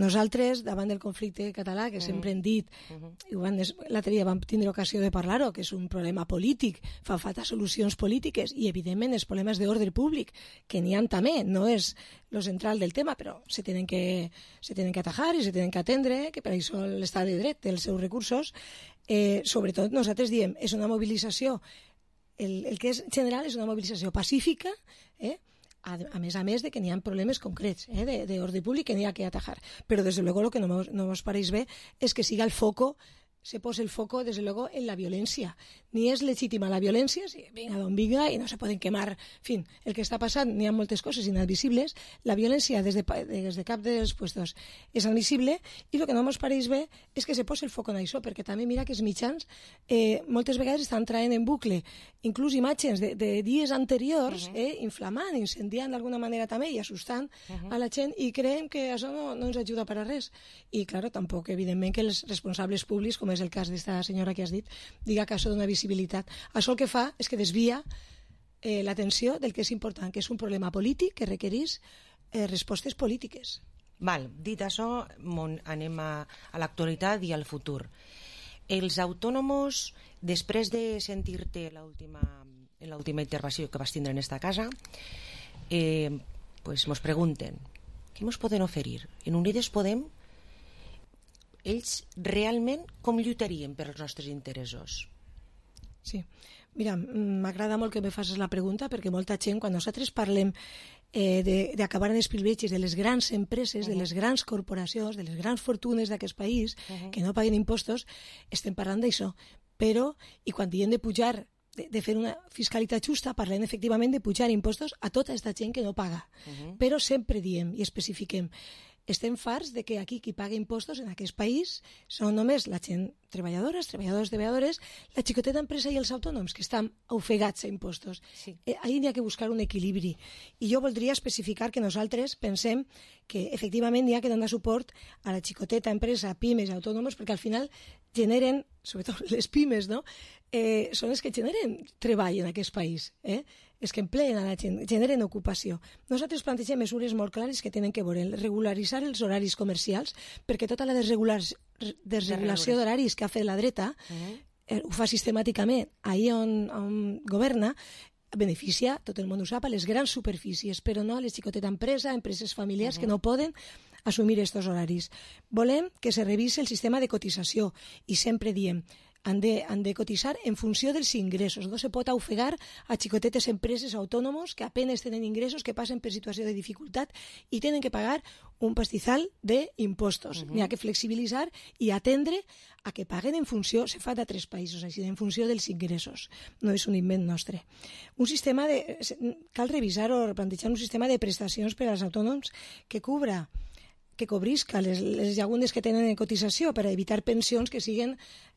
Nosaltres, davant del conflicte català, que uh -huh. sempre hem dit, uh -huh. l'altre dia vam tindre ocasió de parlar-ho, que és un problema polític, fa falta solucions polítiques, i evidentment els problemes d'ordre públic, que n'hi ha també, no és lo central del tema, però se tenen que, se tenen que atajar i se tenen que atendre, que per això l'estat de dret té els seus recursos. Eh, sobretot nosaltres diem, és una mobilització. El, el que és general és una mobilització pacífica, eh? a, a més a més de que n'hi ha problemes concrets eh? d'ordre públic que n'hi ha que atajar. Però, des de luego, el que no mos, no mos pareix bé és que siga el foco, se posa el foco, desde luego, en la violència. Ni és legítima la violència, si vinga d'on vinga i no se poden quemar. En fi, el que està passant, n'hi ha moltes coses inadmissibles. La violència des de, des de cap dels puestos és admissible, i el que no ens pareix bé és que se posa el foc en això, perquè també mira que els mitjans eh, moltes vegades estan traient en bucle inclús imatges de, de dies anteriors, uh -huh. eh, inflamant, incendiant d'alguna manera també i assustant uh -huh. a la gent, i creiem que això no, no ens ajuda per a res. I, clar, tampoc, evidentment, que els responsables públics, com és el cas d'esta senyora que has dit, diga que això dona visibilitat. Això el que fa és que desvia eh, l'atenció del que és important, que és un problema polític que requereix eh, respostes polítiques.
Val, dit això, anem a, a l'actualitat i al futur. Els autònoms, després de sentir-te l'última en l'última intervenció que vas tindre en esta casa, eh, pues mos pregunten què mos poden oferir? En Unides Podem, ells realment com lluitarien per als nostres interessos?
Sí, mira, m'agrada molt que me facis la pregunta, perquè molta gent, quan nosaltres parlem eh, d'acabar en els privilegis de les grans empreses, uh -huh. de les grans corporacions, de les grans fortunes d'aquest país, uh -huh. que no paguen impostos, estem parlant d'això. Però, i quan diem de pujar, de, de fer una fiscalitat justa, parlem efectivament de pujar impostos a tota aquesta gent que no paga. Uh -huh. Però sempre diem i especifiquem, estem farts de que aquí qui paga impostos en aquest país són només la gent treballadores, treballadors, treballadores, la xicoteta empresa i els autònoms, que estan ofegats a impostos. Sí. Eh, ahí n'hi ha que buscar un equilibri. I jo voldria especificar que nosaltres pensem que efectivament n'hi ha que donar suport a la xicoteta empresa, pimes i autònoms, perquè al final generen, sobretot les pimes, no? eh, són els que generen treball en aquest país, eh? els que empleen a la gent, generen ocupació. Nosaltres plantegem mesures molt clares que tenen que veure regularitzar els horaris comercials, perquè tota la desregulació, desregulació d'horaris que ha fet la dreta uh -huh. eh, ho fa sistemàticament ahir on, on governa, beneficia, tot el món ho sap, a les grans superfícies, però no a les xicotetes empreses, empreses familiars, uh-huh. que no poden assumir aquests horaris. Volem que se revise el sistema de cotització i sempre diem han de, han de cotitzar en funció dels ingressos. No se pot ofegar a xicotetes empreses autònomos que apenas tenen ingressos, que passen per situació de dificultat i tenen que pagar un pastizal d'impostos. Uh-huh. N'hi ha que flexibilitzar i atendre a que paguen en funció, se fa d'altres països, així, en funció dels ingressos. No és un invent nostre. Un sistema de, cal revisar o plantejar un sistema de prestacions per als autònoms que cubra que cobrisca les, les llagunes que tenen en cotització per a evitar pensions que siguin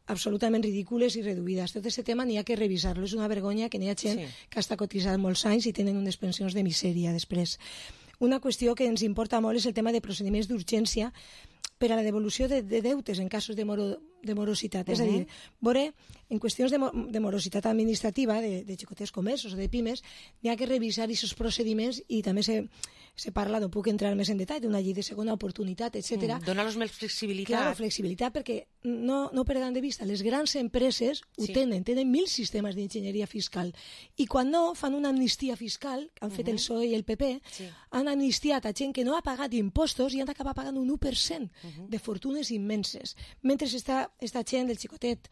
absolutament ridícules i reduïdes. Tot aquest tema n'hi ha que revisar-lo. És una vergonya que n'hi ha gent sí. que està cotitzant molts anys i tenen unes pensions de misèria després. Una qüestió que ens importa molt és el tema de procediments d'urgència per a la devolució de, de deutes en casos de, moro, de morositat. Uh-huh. És a dir, veure, en qüestions de, de morositat administrativa, de, de xicotés comerços o de pimes, n'hi ha que revisar aquests procediments i també se, se parla, no puc entrar més en detall, d'una llei de segona oportunitat, etcètera.
Mm, donar-los més flexibilitat.
Claro, flexibilitat, perquè no, no perdran de vista, les grans empreses ho sí. tenen, tenen mil sistemes d'enginyeria fiscal, i quan no, fan una amnistia fiscal, que han fet uh-huh. el P S O E i el P P, sí. han amnistiat a gent que no ha pagat impostos i han d'acabar pagant un u per cent uh-huh. de fortunes immenses. Mentre està esta gent del xicotet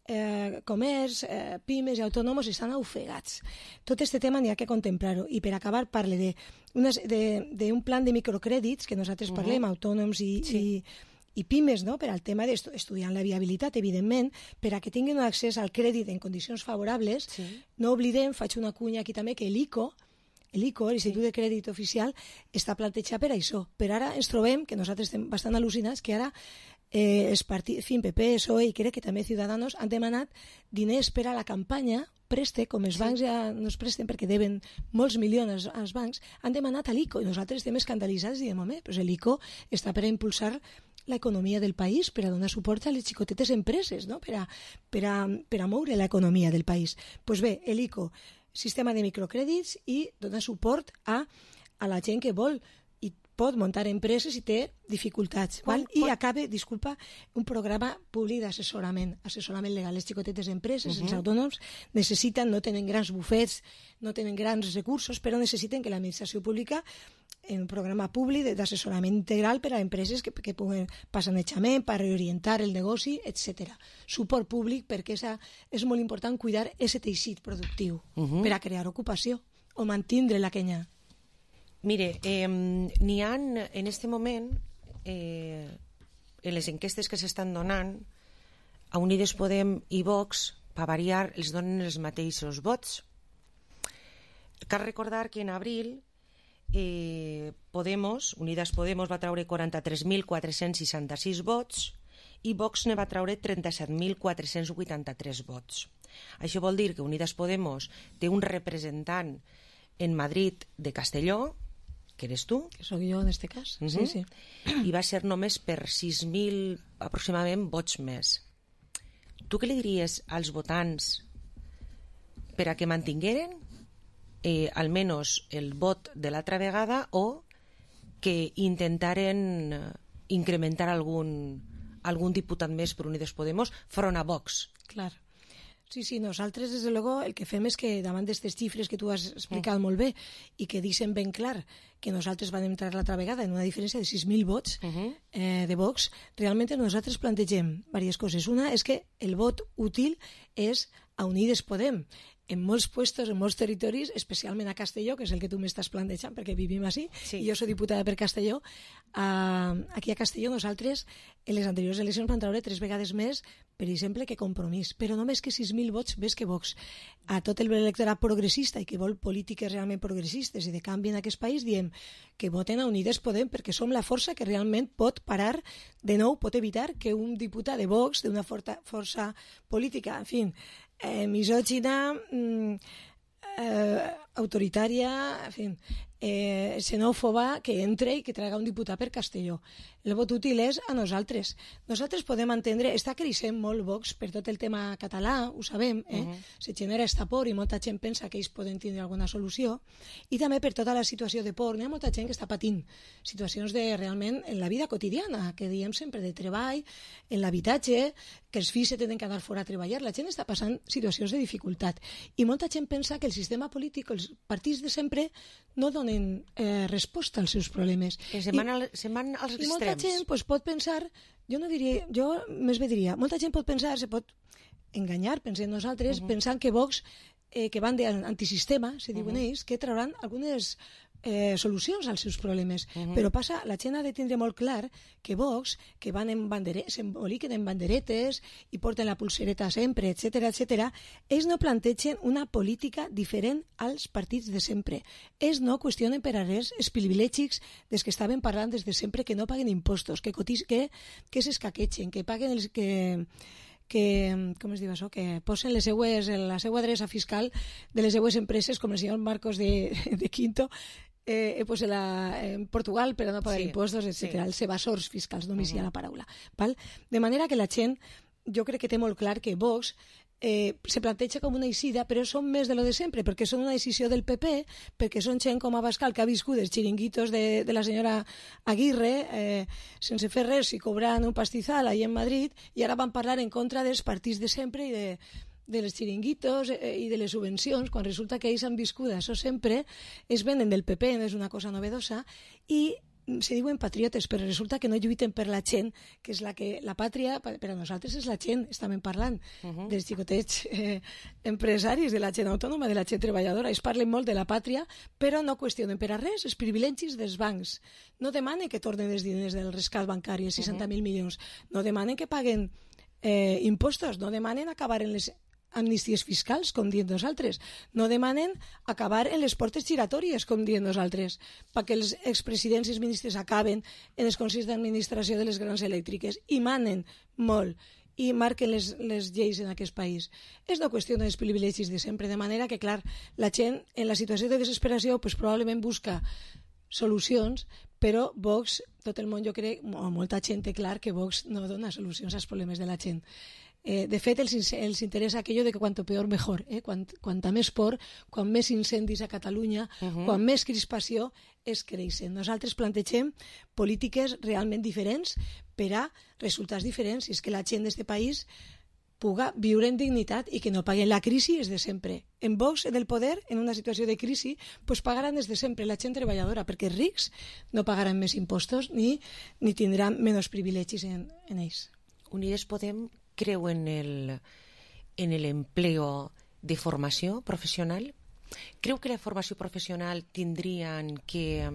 eh, comerç, eh, pimes i autònoms estan ofegats. Tot aquest tema n'hi ha que contemplar-ho. I per acabar parle d'un plan de microcrèdits que nosaltres uh-huh. parlem, autònoms i, sí. i, i pimes, no? Per al tema d'estudiar la viabilitat, evidentment, per a que tinguin un accés al crèdit en condicions favorables. Sí. No oblidem, faig una cunya aquí també, que l'ICO, l'ICO, l'Institut sí. de Crèdit Oficial, està plantejat per això. Però ara ens trobem, que nosaltres estem bastant al·lucinats, que ara eh, els partits, en fi, P P, P S O E i crec que també Ciudadanos han demanat diners per a la campanya, preste, com els sí. bancs ja no es presten perquè deben molts milions als bancs, han demanat a l'ICO i nosaltres estem escandalitzats i diem, home, doncs l'ICO està per a impulsar l'economia del país, per a donar suport a les xicotetes empreses, no? per, a, per, a, per a moure l'economia del país. Doncs pues bé, l'ICO, sistema de microcrèdits i donar suport a, a la gent que vol i pot muntar empreses i té dificultats. Quan, val? I quan... acabe, disculpa, un programa públic d'assessorament, assessorament legal. Les xicotetes empreses, uh-huh. els autònoms, necessiten, no tenen grans bufets, no tenen grans recursos, però necessiten que l'administració pública en un programa públic d'assessorament integral per a empreses que, que puguen passar sanejament, per reorientar el negoci, etcètera. Suport públic perquè esa, és molt important cuidar aquest teixit productiu uh-huh. per a crear ocupació o mantindre la que hi ha.
Mire, eh, n'hi ha en este moment, eh, en les enquestes que s'estan donant, a Unides Podem i Vox, per variar, els donen els mateixos vots. Cal recordar que en abril eh, Podemos, Unidas Podemos va treure quaranta-tres mil quatre-cents seixanta-sis vots i Vox ne va treure trenta-set mil quatre-cents vuitanta-tres vots. Això vol dir que Unidas Podemos té un representant en Madrid de Castelló, que eres tu.
Que sóc jo en este cas, uh-huh. sí, sí.
I va ser només per sis mil aproximadament vots més. Tu què li diries als votants per a que mantingueren eh, almenys el vot de l'altra vegada o que intentaren incrementar algun, algun diputat més per Unides Podemos front a Vox?
Clar. Sí, sí, nosaltres, des de luego, el que fem és que davant d'aquestes xifres que tu has explicat molt bé i que deixen ben clar que nosaltres vam entrar l'altra vegada en una diferència de sis mil vots uh-huh. eh, de Vox, realment nosaltres plantegem diverses coses. Una és que el vot útil és a Unides Podem. En molts puestos, en molts territoris, especialment a Castelló, que és el que tu m'estàs plantejant, perquè vivim així, sí. i jo soc diputada per Castelló, uh, aquí a Castelló nosaltres, en les anteriors eleccions van treure tres vegades més, per exemple, que Compromís, però només que sis mil vots més que Vox. A tot el electorat progressista i que vol polítiques realment progressistes i de canvi en aquest país, diem que voten a Unides Podem perquè som la força que realment pot parar, de nou, pot evitar que un diputat de Vox, d'una forta força política, en fi, eh, misògina, mm, eh, autoritària, en fi, eh, xenòfoba que entre i que traiga un diputat per Castelló. El vot útil és a nosaltres. Nosaltres podem entendre, està creixent molt Vox per tot el tema català, ho sabem, eh? Uh -huh. Se genera esta por i molta gent pensa que ells poden tindre alguna solució, i també per tota la situació de por. Hi ha molta gent que està patint situacions de realment en la vida quotidiana, que diem sempre de treball, en l'habitatge, que els fills se tenen que anar fora a treballar. La gent està passant situacions de dificultat. I molta gent pensa que el sistema polític, els partits de sempre, no donen eh, resposta als seus problemes.
Que se'n van, al, se van als
extrems. I molta gent pues, pot pensar, jo no diria, jo més bé diria, molta gent pot pensar, se pot enganyar, pensem nosaltres, uh -huh. pensant que Vox, eh, que van d'antisistema, se diuen uh -huh. ells, que trauran algunes eh, solucions als seus problemes. Uh -huh. Però passa, la gent ha de tindre molt clar que Vox, que van en bandere, s'emboliquen en banderetes i porten la pulsereta sempre, etcètera, etcètera, ells no plantegen una política diferent als partits de sempre. Ells no qüestionen per a res els privilegis des que estaven parlant des de sempre, que no paguen impostos, que, cotis, que, que s'escaquegen, que paguen els... que que, com es diu això, que posen les seues, la seva adreça fiscal de les seues empreses, com el senyor Marcos de, de Quinto, eh, pues en, la, en Portugal per a no pagar sí, impostos, etcètera. Sí. Els evasors fiscals, només uh -huh. hi ha la paraula. Val? De manera que la gent, jo crec que té molt clar que Vox eh, se planteja com una eixida, però són més de lo de sempre, perquè són una decisió del P P, perquè són gent com Abascal, que ha viscut els xiringuitos de, de la senyora Aguirre, eh, sense fer res i cobrant un pastizal ahí en Madrid, i ara van parlar en contra dels partits de sempre i de de les xiringuitos eh, i de les subvencions, quan resulta que ells han viscut això sempre, es venen del P P, no és una cosa novedosa, i se diuen patriotes, però resulta que no lluiten per la gent, que és la que la pàtria, per a nosaltres és la gent, estàvem parlant uh -huh. dels xicotets eh, empresaris, de la gent autònoma, de la gent treballadora. Ells parlen molt de la pàtria, però no qüestionen per a res els privilegis dels bancs. No demanen que tornen els diners del rescat bancari, els seixanta mil uh -huh. milions. No demanen que paguen eh, impostos, no demanen acabar en les amnisties fiscals, com diem nosaltres. No demanen acabar en les portes giratòries, com diem nosaltres, perquè els expresidents i els ministres acaben en els consells d'administració de les grans elèctriques i manen molt i marquen les, les lleis en aquest país. És una qüestió dels privilegis de sempre, de manera que, clar, la gent en la situació de desesperació pues, probablement busca solucions, però Vox, tot el món jo crec, o molta gent té clar que Vox no dona solucions als problemes de la gent. Eh, de fet, els, els interessa aquello de que cuanto peor mejor, eh? Quant, quanta més por, quan més incendis a Catalunya, uh -huh. quan més crispació es creixen. Nosaltres plantegem polítiques realment diferents per a resultats diferents, i és que la gent d'aquest país puga viure en dignitat i que no paguen la crisi és de sempre. En Vox, en el poder, en una situació de crisi, pues pagaran des de sempre la gent treballadora, perquè els rics no pagaran més impostos ni, ni tindran menys privilegis en, en ells.
Unides Podem creu en el, en el empleo de formació professional? Creu que la formació professional tindrien que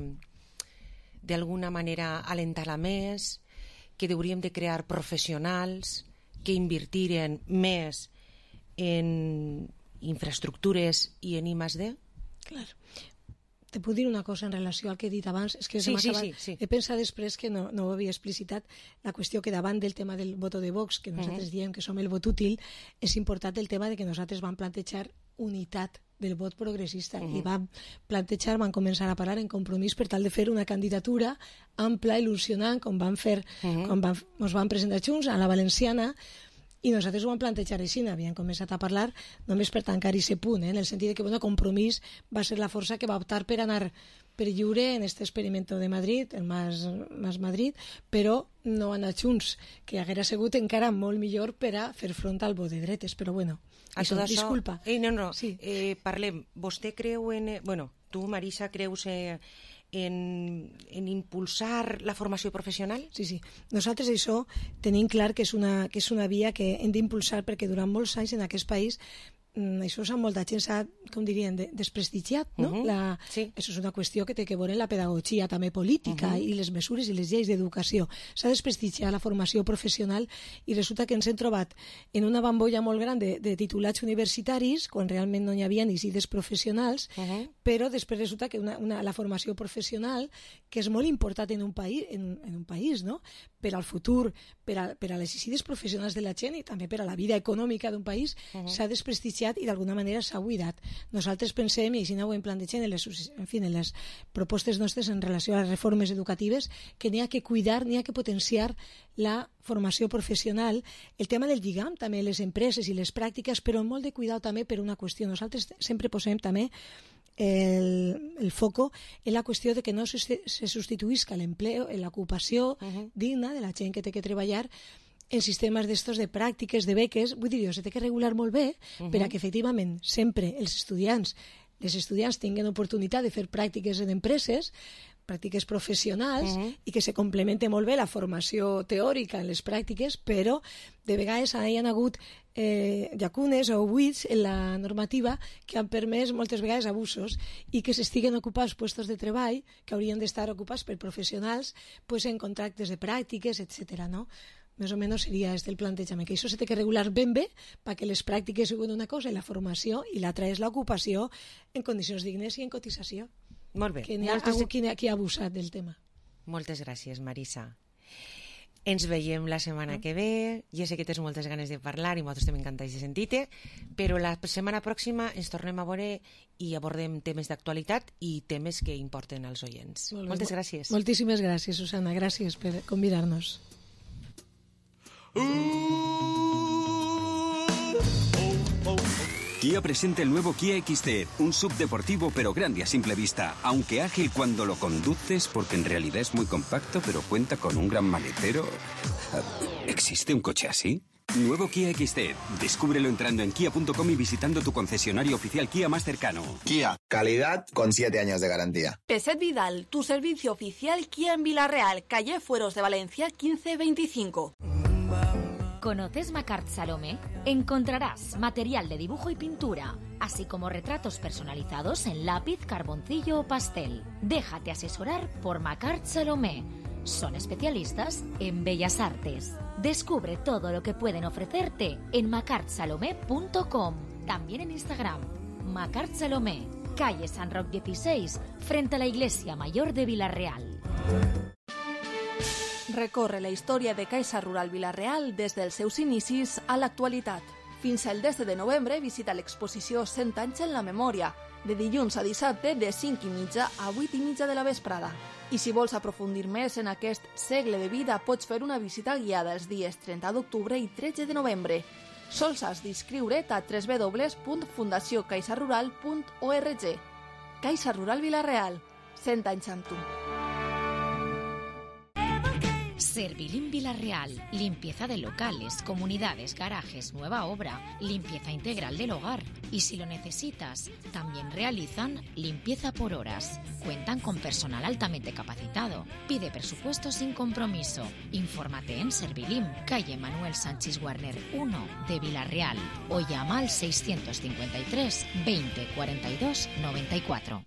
d'alguna manera alentar-la més, que hauríem de crear professionals que invertiren més en infraestructures i en I más D?
Clar. Te puc dir una cosa en relació al que he dit abans? És que
sí, sí, sí, sí.
He pensat després que no, no ho havia explicitat, la qüestió que davant del tema del voto de Vox, que nosaltres uh -huh. diem que som el vot útil, és important el tema de que nosaltres vam plantejar unitat del vot progressista uh -huh. i vam plantejar, vam començar a parlar en compromís per tal de fer una candidatura ampla, il·lusionant, com vam fer, uh -huh. com vam, ens vam presentar junts a la Valenciana, i nosaltres ho vam plantejar així, havíem començat a parlar només per tancar aquest punt, eh? En el sentit de que bueno, Compromís va ser la força que va optar per anar per lliure en aquest experimento de Madrid, el Mas, Mas Madrid, però no anar junts, que haguera sigut encara molt millor per a fer front al vot de dretes, però bueno,
a
això,
tot això,
disculpa.
Eh, no, no,
sí.
eh, parlem, vostè creu en... Eh, bueno, tu, Marisa, creus... Eh, En, en impulsar la formació professional?
Sí, sí. Nosaltres això tenim clar que és una, que és una via que hem d'impulsar, perquè durant molts anys en aquest país això s'ha molta gent s'ha, com dirien, de, desprestigiat, no? Uh -huh. la, sí. Això és una qüestió que té que veure en la pedagogia també política uh -huh. i les mesures i les lleis d'educació. S'ha desprestigiat la formació professional i resulta que ens hem trobat en una bambolla molt gran de, de titulats universitaris, quan realment no hi havia ni cides professionals, uh -huh. però després resulta que una, una, la formació professional, que és molt important en un país, en, en un país, no? Per al futur, per a, per a les cides professionals de la gent i també per a la vida econòmica d'un país, uh -huh. s'ha desprestigiat potenciat i d'alguna manera s'ha buidat. Nosaltres pensem, i així ho hem plantejat en les, en fi, en les propostes nostres en relació a les reformes educatives, que n'hi ha que cuidar, n'hi ha que potenciar la formació professional, el tema del lligam també, les empreses i les pràctiques, però molt de cuidado també per una qüestió. Nosaltres sempre posem també el, el foco en la qüestió de que no se, se substituïsca l'empleo, l'ocupació uh-huh. digna de la gent que té que treballar en sistemes d'estos de pràctiques, de beques. Vull dir, s'ha de que regular molt bé uh-huh. per a que efectivament sempre els estudiants, les estudiants tinguin oportunitat de fer pràctiques en empreses, pràctiques professionals uh-huh. i que se complemente molt bé la formació teòrica en les pràctiques, però de vegades hi ha hagut eh, llacunes o buits en la normativa que han permès moltes vegades abusos i que s'estiguen ocupats puestos de treball que haurien d'estar ocupats per professionals pues, en contractes de pràctiques, etcètera, no? Més o menys seria este el plantejament, que això s'ha de regular ben bé perquè les pràctiques siguin una cosa i la formació i l'altra és l'ocupació en condicions dignes i en cotització.
Molt bé.
Que n'hi ha
Moltes...
algú qui, qui ha abusat del tema.
Moltes gràcies, Marisa. Ens veiem la setmana que ve. Jo sé que tens moltes ganes de parlar i nosaltres també encantats de sentir-te, però la setmana pròxima ens tornem a veure i abordem temes d'actualitat i temes que importen als oients. Molt Moltes gràcies.
Moltíssimes gràcies, Susana. Gràcies per convidar-nos.
Kia presenta el nuevo Kia X T, un subdeportivo pero grande a simple vista, aunque ágil cuando lo conduces porque en realidad es muy compacto pero cuenta con un gran maletero. ¿Existe un coche así? Nuevo Kia X T. Descúbrelo entrando en kia punto com y visitando tu concesionario oficial Kia más cercano.
Kia, calidad con siete años de garantía.
Peset Vidal, tu servicio oficial Kia en Villarreal, calle Fueros de Valencia quince veinticinco.
¿Conoces Macart Salomé? Encontrarás material de dibujo y pintura, así como retratos personalizados en lápiz, carboncillo o pastel. Déjate asesorar por Macart Salomé. Son especialistas en bellas artes. Descubre todo lo que pueden ofrecerte en macart salomé punto com. También en Instagram. Macart Salomé, calle San Roc dieciséis, frente a la Iglesia Mayor de Villarreal.
Recorre la història de Caixa Rural Villarreal des dels seus inicis a l'actualitat. Fins al desè de novembre visita l'exposició cent anys en la memòria, de dilluns a dissabte de cinc i mitja a vuit i mitja de la vesprada. I si vols aprofundir més en aquest segle de vida, pots fer una visita guiada els dies trenta d'octubre i tretze de novembre. Sols has d'inscriure't a w w w punt fundació caixa rural punt org. Caixa Rural Villarreal, cent anys amb tu.
Servilim Villarreal, limpieza de locales, comunidades, garajes, nueva obra, limpieza integral del hogar. Y si lo necesitas, también realizan limpieza por horas. Cuentan con personal altamente capacitado. Pide presupuesto sin compromiso. Infórmate en Servilim, calle Manuel Sánchez Warner uno de Villarreal o llama al seiscientos cincuenta y tres veinte cuarenta y dos noventa y cuatro.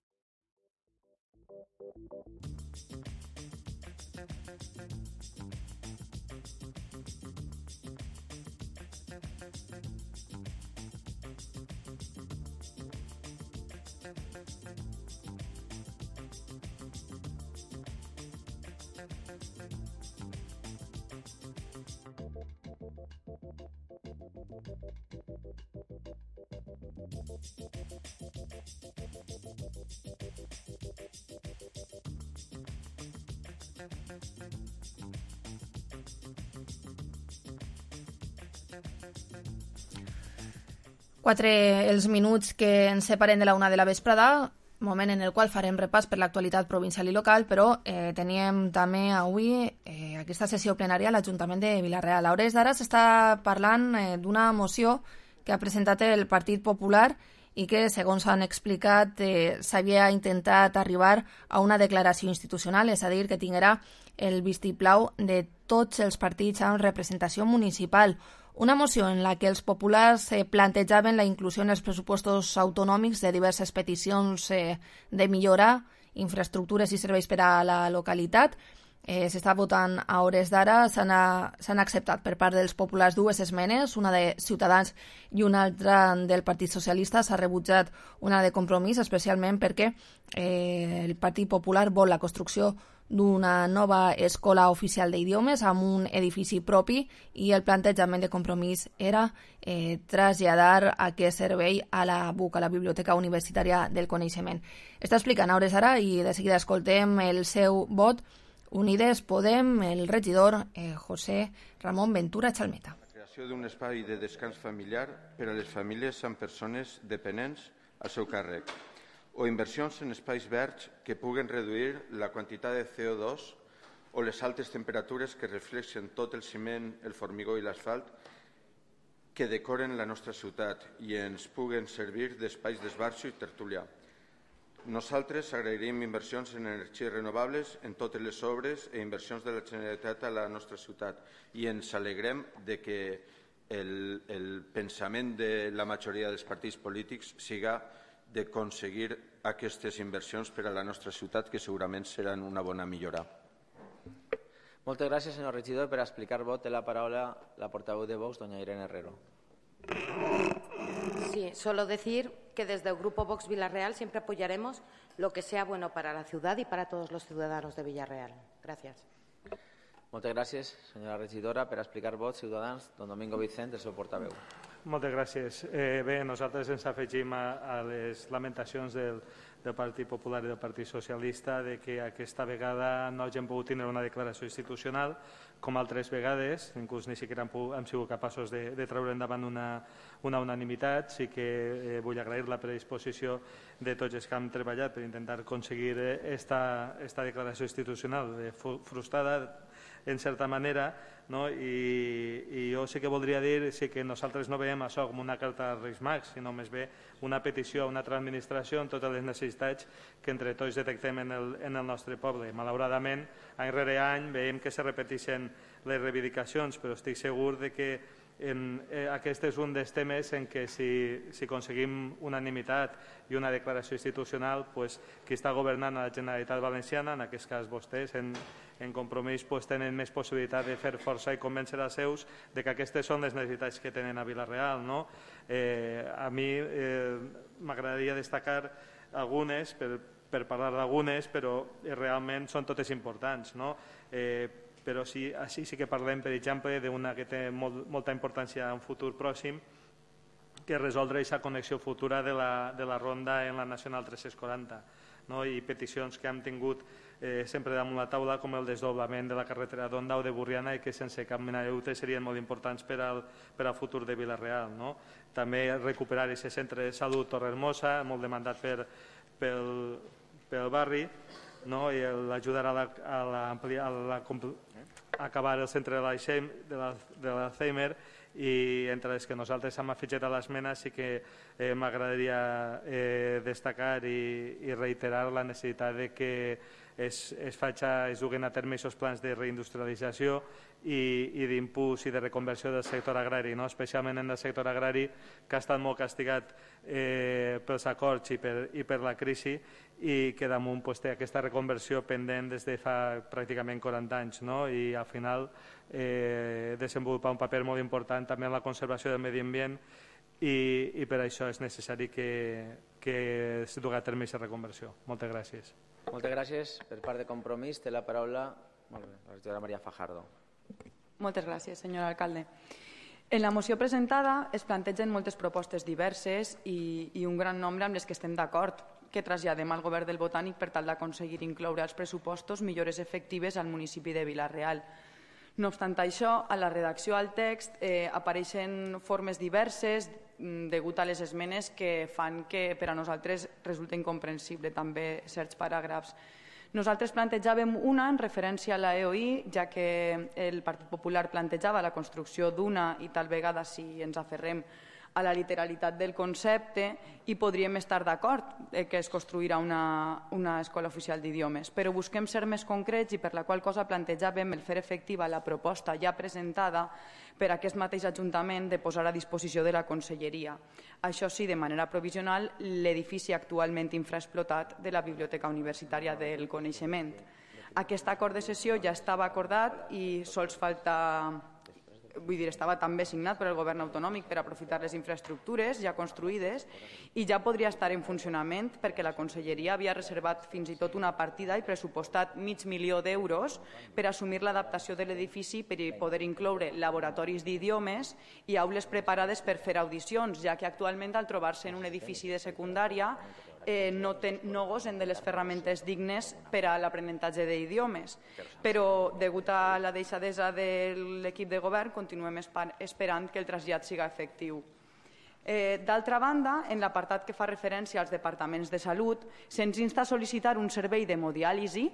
Quatre els minuts que ens separen de la una de la vesprada, moment en el qual farem repàs per l'actualitat provincial i local, però eh, teníem també avui eh, aquesta sessió plenària a l'Ajuntament de Villarreal. A hores d'ara s'està parlant eh, d'una moció que ha presentat el Partit Popular i que, segons han explicat, eh, s'havia intentat arribar a una declaració institucional, és a dir, que tinguera el vistiplau de tots els partits amb representació municipal. Una moció en la que els populars eh, plantejaven la inclusió en els pressupostos autonòmics de diverses peticions eh, de millorar infraestructures i serveis per a la localitat. Eh, S'està votant a hores d'ara, s'han acceptat per part dels populars dues esmenes, una de Ciutadans i una altra del Partit Socialista. S'ha rebutjat una de Compromís, especialment perquè eh, el Partit Popular vol la construcció d'una nova escola oficial d'idiomes amb un edifici propi i el plantejament de Compromís era eh, traslladar aquest servei a la B U C, a la Biblioteca Universitària del Coneixement. Està explicant a hores ara i de seguida escoltem el seu vot. Unides Podem, el regidor eh, José Ramon Ventura Chalmeta.
La creació d'un espai de descans familiar per a les famílies amb persones dependents al seu càrrec o inversions en espais verds que puguen reduir la quantitat de C O dos o les altes temperatures que reflexen tot el ciment, el formigó i l'asfalt que decoren la nostra ciutat i ens puguen servir d'espais d'esbarjo i tertúlia. Nosaltres agrairíem inversions en energies renovables en totes les obres i inversions de la Generalitat a la nostra ciutat i ens alegrem de que el, el pensament de la majoria dels partits polítics siga d'aconseguir aquestes inversions per a la nostra ciutat, que segurament seran una bona millora.
Moltes gràcies, senyor regidor. Per explicar vot té la paraula la portaveu de Vox, doña Irene Herrero.
Sí, solo decir que desde el Grupo Vox Villarreal siempre apoyaremos lo que sea bueno para la ciudad y para todos los ciudadanos de Villarreal. Gracias.
Moltes gràcies, senyora regidora. Per explicar vot, Ciutadans, don Domingo Vicent, el seu portaveu.
Moltes gràcies. Eh, bé, nosaltres ens afegim a, a les lamentacions del, del Partit Popular i del Partit Socialista de que aquesta vegada no hagin pogut tenir una declaració institucional com altres vegades, inclús ni siquiera hem, hem sigut capaços de, de treure endavant una, una unanimitat. Sí que eh, vull agrair la predisposició de tots els que han treballat per intentar aconseguir esta, esta declaració institucional eh, frustrada en certa manera, no? I, i jo sí que voldria dir sí que nosaltres no veiem això com una carta als Reis Mags, sinó més bé una petició a una altra administració en totes les necessitats que entre tots detectem en el, en el nostre poble. Malauradament, any rere any veiem que se repeteixen les reivindicacions, però estic segur de que en, eh, aquest és un dels temes en què si, si aconseguim unanimitat i una declaració institucional, pues, qui està governant a la Generalitat Valenciana, en aquest cas vostès, en, en Compromís, pues, tenen més possibilitat de fer força i convèncer els seus de que aquestes són les necessitats que tenen a Vila-real. No? Eh, a mi eh, m'agradaria destacar algunes, per, per parlar d'algunes, però eh, realment són totes importants. No? Eh, però sí, així sí que parlem, per exemple, d'una que té molt, molta importància en un futur pròxim, que resoldre aquesta connexió futura de la, de la ronda en la Nacional tres-cents quaranta, no? I peticions que hem tingut eh, sempre damunt la taula, com el desdoblament de la carretera d'Onda o de Burriana, i que sense cap mena de dubte serien molt importants per al, per al futur de Vila-real. No? També recuperar aquest centre de salut Torrehermosa, molt demandat per, pel, pel barri, no? I l'ajudar a, la, a, la, a, la, a acabar el centre de l'Alzheimer, i entre les que nosaltres hem afegit a l'esmena sí que eh, m'agradaria eh, destacar i, i reiterar la necessitat de que es, es, faci, es duguen a terme aquests plans de reindustrialització i, i d'impuls i de reconversió del sector agrari, no? Especialment en el sector agrari, que ha estat molt castigat eh, pels acords i per, i per la crisi, i que damunt pues, té aquesta reconversió pendent des de fa pràcticament quaranta anys, no? I al final eh, desenvolupar un paper molt important també en la conservació del medi ambient, i, i per això és necessari que, que es dugui a terme aquesta reconversió. Moltes gràcies.
Moltes gràcies. Per part de Compromís té la paraula molt bé, la regidora Maria Fajardo.
Moltes gràcies, senyor alcalde. En la moció presentada es plantegen moltes propostes diverses i, i un gran nombre amb les que estem d'acord, que traslladem al govern del Botànic per tal d'aconseguir incloure als pressupostos millores efectives al municipi de Vila-real. No obstant això, a la redacció al text eh, apareixen formes diverses degut a les esmenes que fan que per a nosaltres resulta incomprensible també certs paràgrafs. Nosaltres plantejàvem una en referència a la E O I, ja que el Partit Popular plantejava la construcció d'una i tal vegada si ens aferrem a la literalitat del concepte i podríem estar d'acord que es construirà una, una escola oficial d'idiomes, però busquem ser més concrets i per la qual cosa plantejàvem el fer efectiva la proposta ja presentada per aquest mateix Ajuntament de posar a disposició de la Conselleria. Això sí, de manera provisional, l'edifici actualment infraexplotat de la Biblioteca Universitària del Coneixement. Aquest acord de sessió ja estava acordat i sols falta vull dir, estava també signat per el govern autonòmic per aprofitar les infraestructures ja construïdes i ja podria estar en funcionament perquè la Conselleria havia reservat fins i tot una partida i pressupostat mig milió d'euros per assumir l'adaptació de l'edifici per poder incloure laboratoris d'idiomes i aules preparades per fer audicions, ja que actualment al trobar-se en un edifici de secundària Eh, no, ten, no gosen de les ferramentes dignes per a l'aprenentatge d'idiomes. Però, degut a la deixadesa de l'equip de govern, continuem esperant que el trasllat siga efectiu. Eh, D'altra banda, en l'apartat que fa referència als departaments de salut, se'ns insta a sol·licitar un servei d'hemodiàlisi,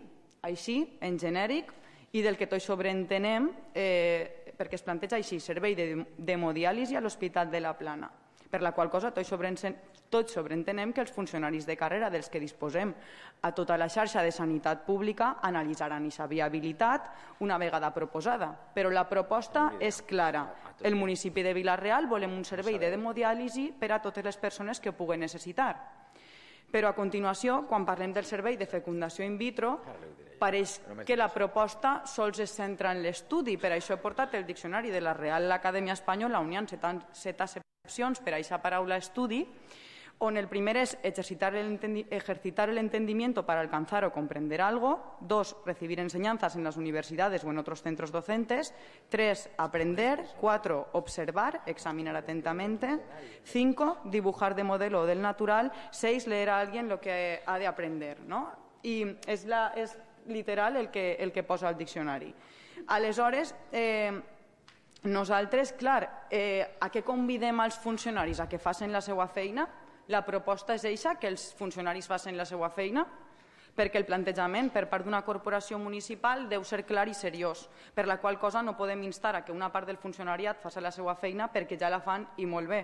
així, en genèric, i del que tots sobreentenem, eh, perquè es planteja així, servei d'hemodiàlisi a l'Hospital de la Plana, per la qual cosa tots sobreentenem Tots sobreentenem que els funcionaris de carrera dels que disposem a tota la xarxa de sanitat pública analitzaran aquesta viabilitat una vegada proposada. Però la proposta és clara. El municipi de Vila-real volem un servei d'hemodiàlisi per a totes les persones que ho puguen necessitar. Però a continuació, quan parlem del servei de fecundació in vitro, pareix que la proposta sols es centra en l'estudi. Per això he portat el diccionari de la Real Acadèmia Espanyola, on hi ha set accepcions per a aquesta paraula estudi, on el primer es ejercitar el, ejercitar el entendimiento para alcanzar o comprender algo. Dos, recibir enseñanzas en las universidades o en otros centros docentes. Tres, aprender. Cuatro, observar, examinar atentamente. Cinco, dibujar de modelo o del natural. Seis, leer a alguien lo que ha de aprender, ¿no? I és, la, és literal el que, el que posa el diccionari. Aleshores, eh, nosaltres, clar, eh, a què convidem als funcionaris? A que facin la seva feina? La proposta és eixa, que els funcionaris facin la seva feina, perquè el plantejament per part d'una corporació municipal deu ser clar i seriós, per la qual cosa no podem instar a que una part del funcionariat faci la seva feina perquè ja la fan i molt bé.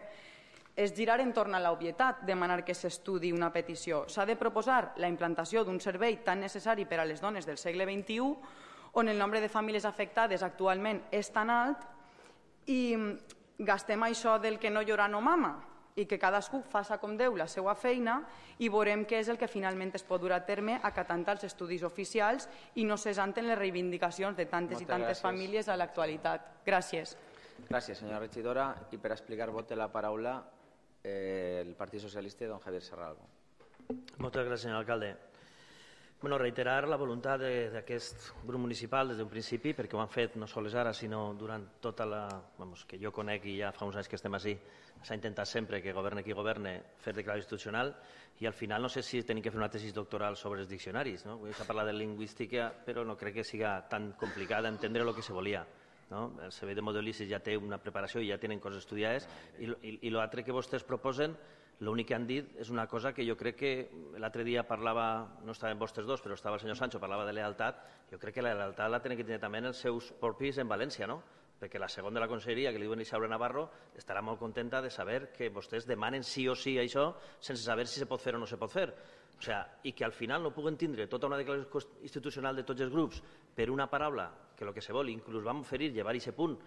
És girar entorn a l'obvietat demanar que s'estudi una petició. S'ha de proposar la implantació d'un servei tan necessari per a les dones del segle vint-i-u, on el nombre de famílies afectades actualment és tan alt i gastem això del que no llora no mama, i que cadascú faça com Déu la seva feina i veurem què és el que finalment es pot dur a terme acatant els estudis oficials i no cessant en les reivindicacions de tantes i tantes famílies a l'actualitat. Gràcies.
Gràcies, senyora regidora. I per explicar vot té la paraula eh, el Partit Socialista, don Javier Serralvo.
Moltes gràcies, senyor alcalde. Bueno, reiterar la voluntat d'aquest grup municipal des d'un principi, perquè ho han fet no sols ara, sinó durant tota la... Vamos, que jo conec i ja fa uns anys que estem així, s'ha intentat sempre que governe qui governe fer declaració institucional i al final no sé si tenim que fer una tesis doctoral sobre els diccionaris, no? S'ha parlat de lingüística, però no crec que siga tan complicat entendre el que se volia. No? El servei de modelicis ja té una preparació i ja tenen coses estudiades i, i, i l'altre que vostès proposen, l'únic que han dit és una cosa que jo crec que l'altre dia parlava, no estaven vostres dos, però estava el senyor Sancho, parlava de lealtat. Jo crec que la lealtat la tenen que tenir també en els seus propis en València, no? Perquè la segona de la conselleria, que li diuen Isaura Navarro, estarà molt contenta de saber que vostès demanen sí o sí això sense saber si se pot fer o no se pot fer. O sea, i que al final no puguen tindre tota una declaració institucional de tots els grups per una paraula, que el que se vol, inclús vam oferir llevar aquest punt,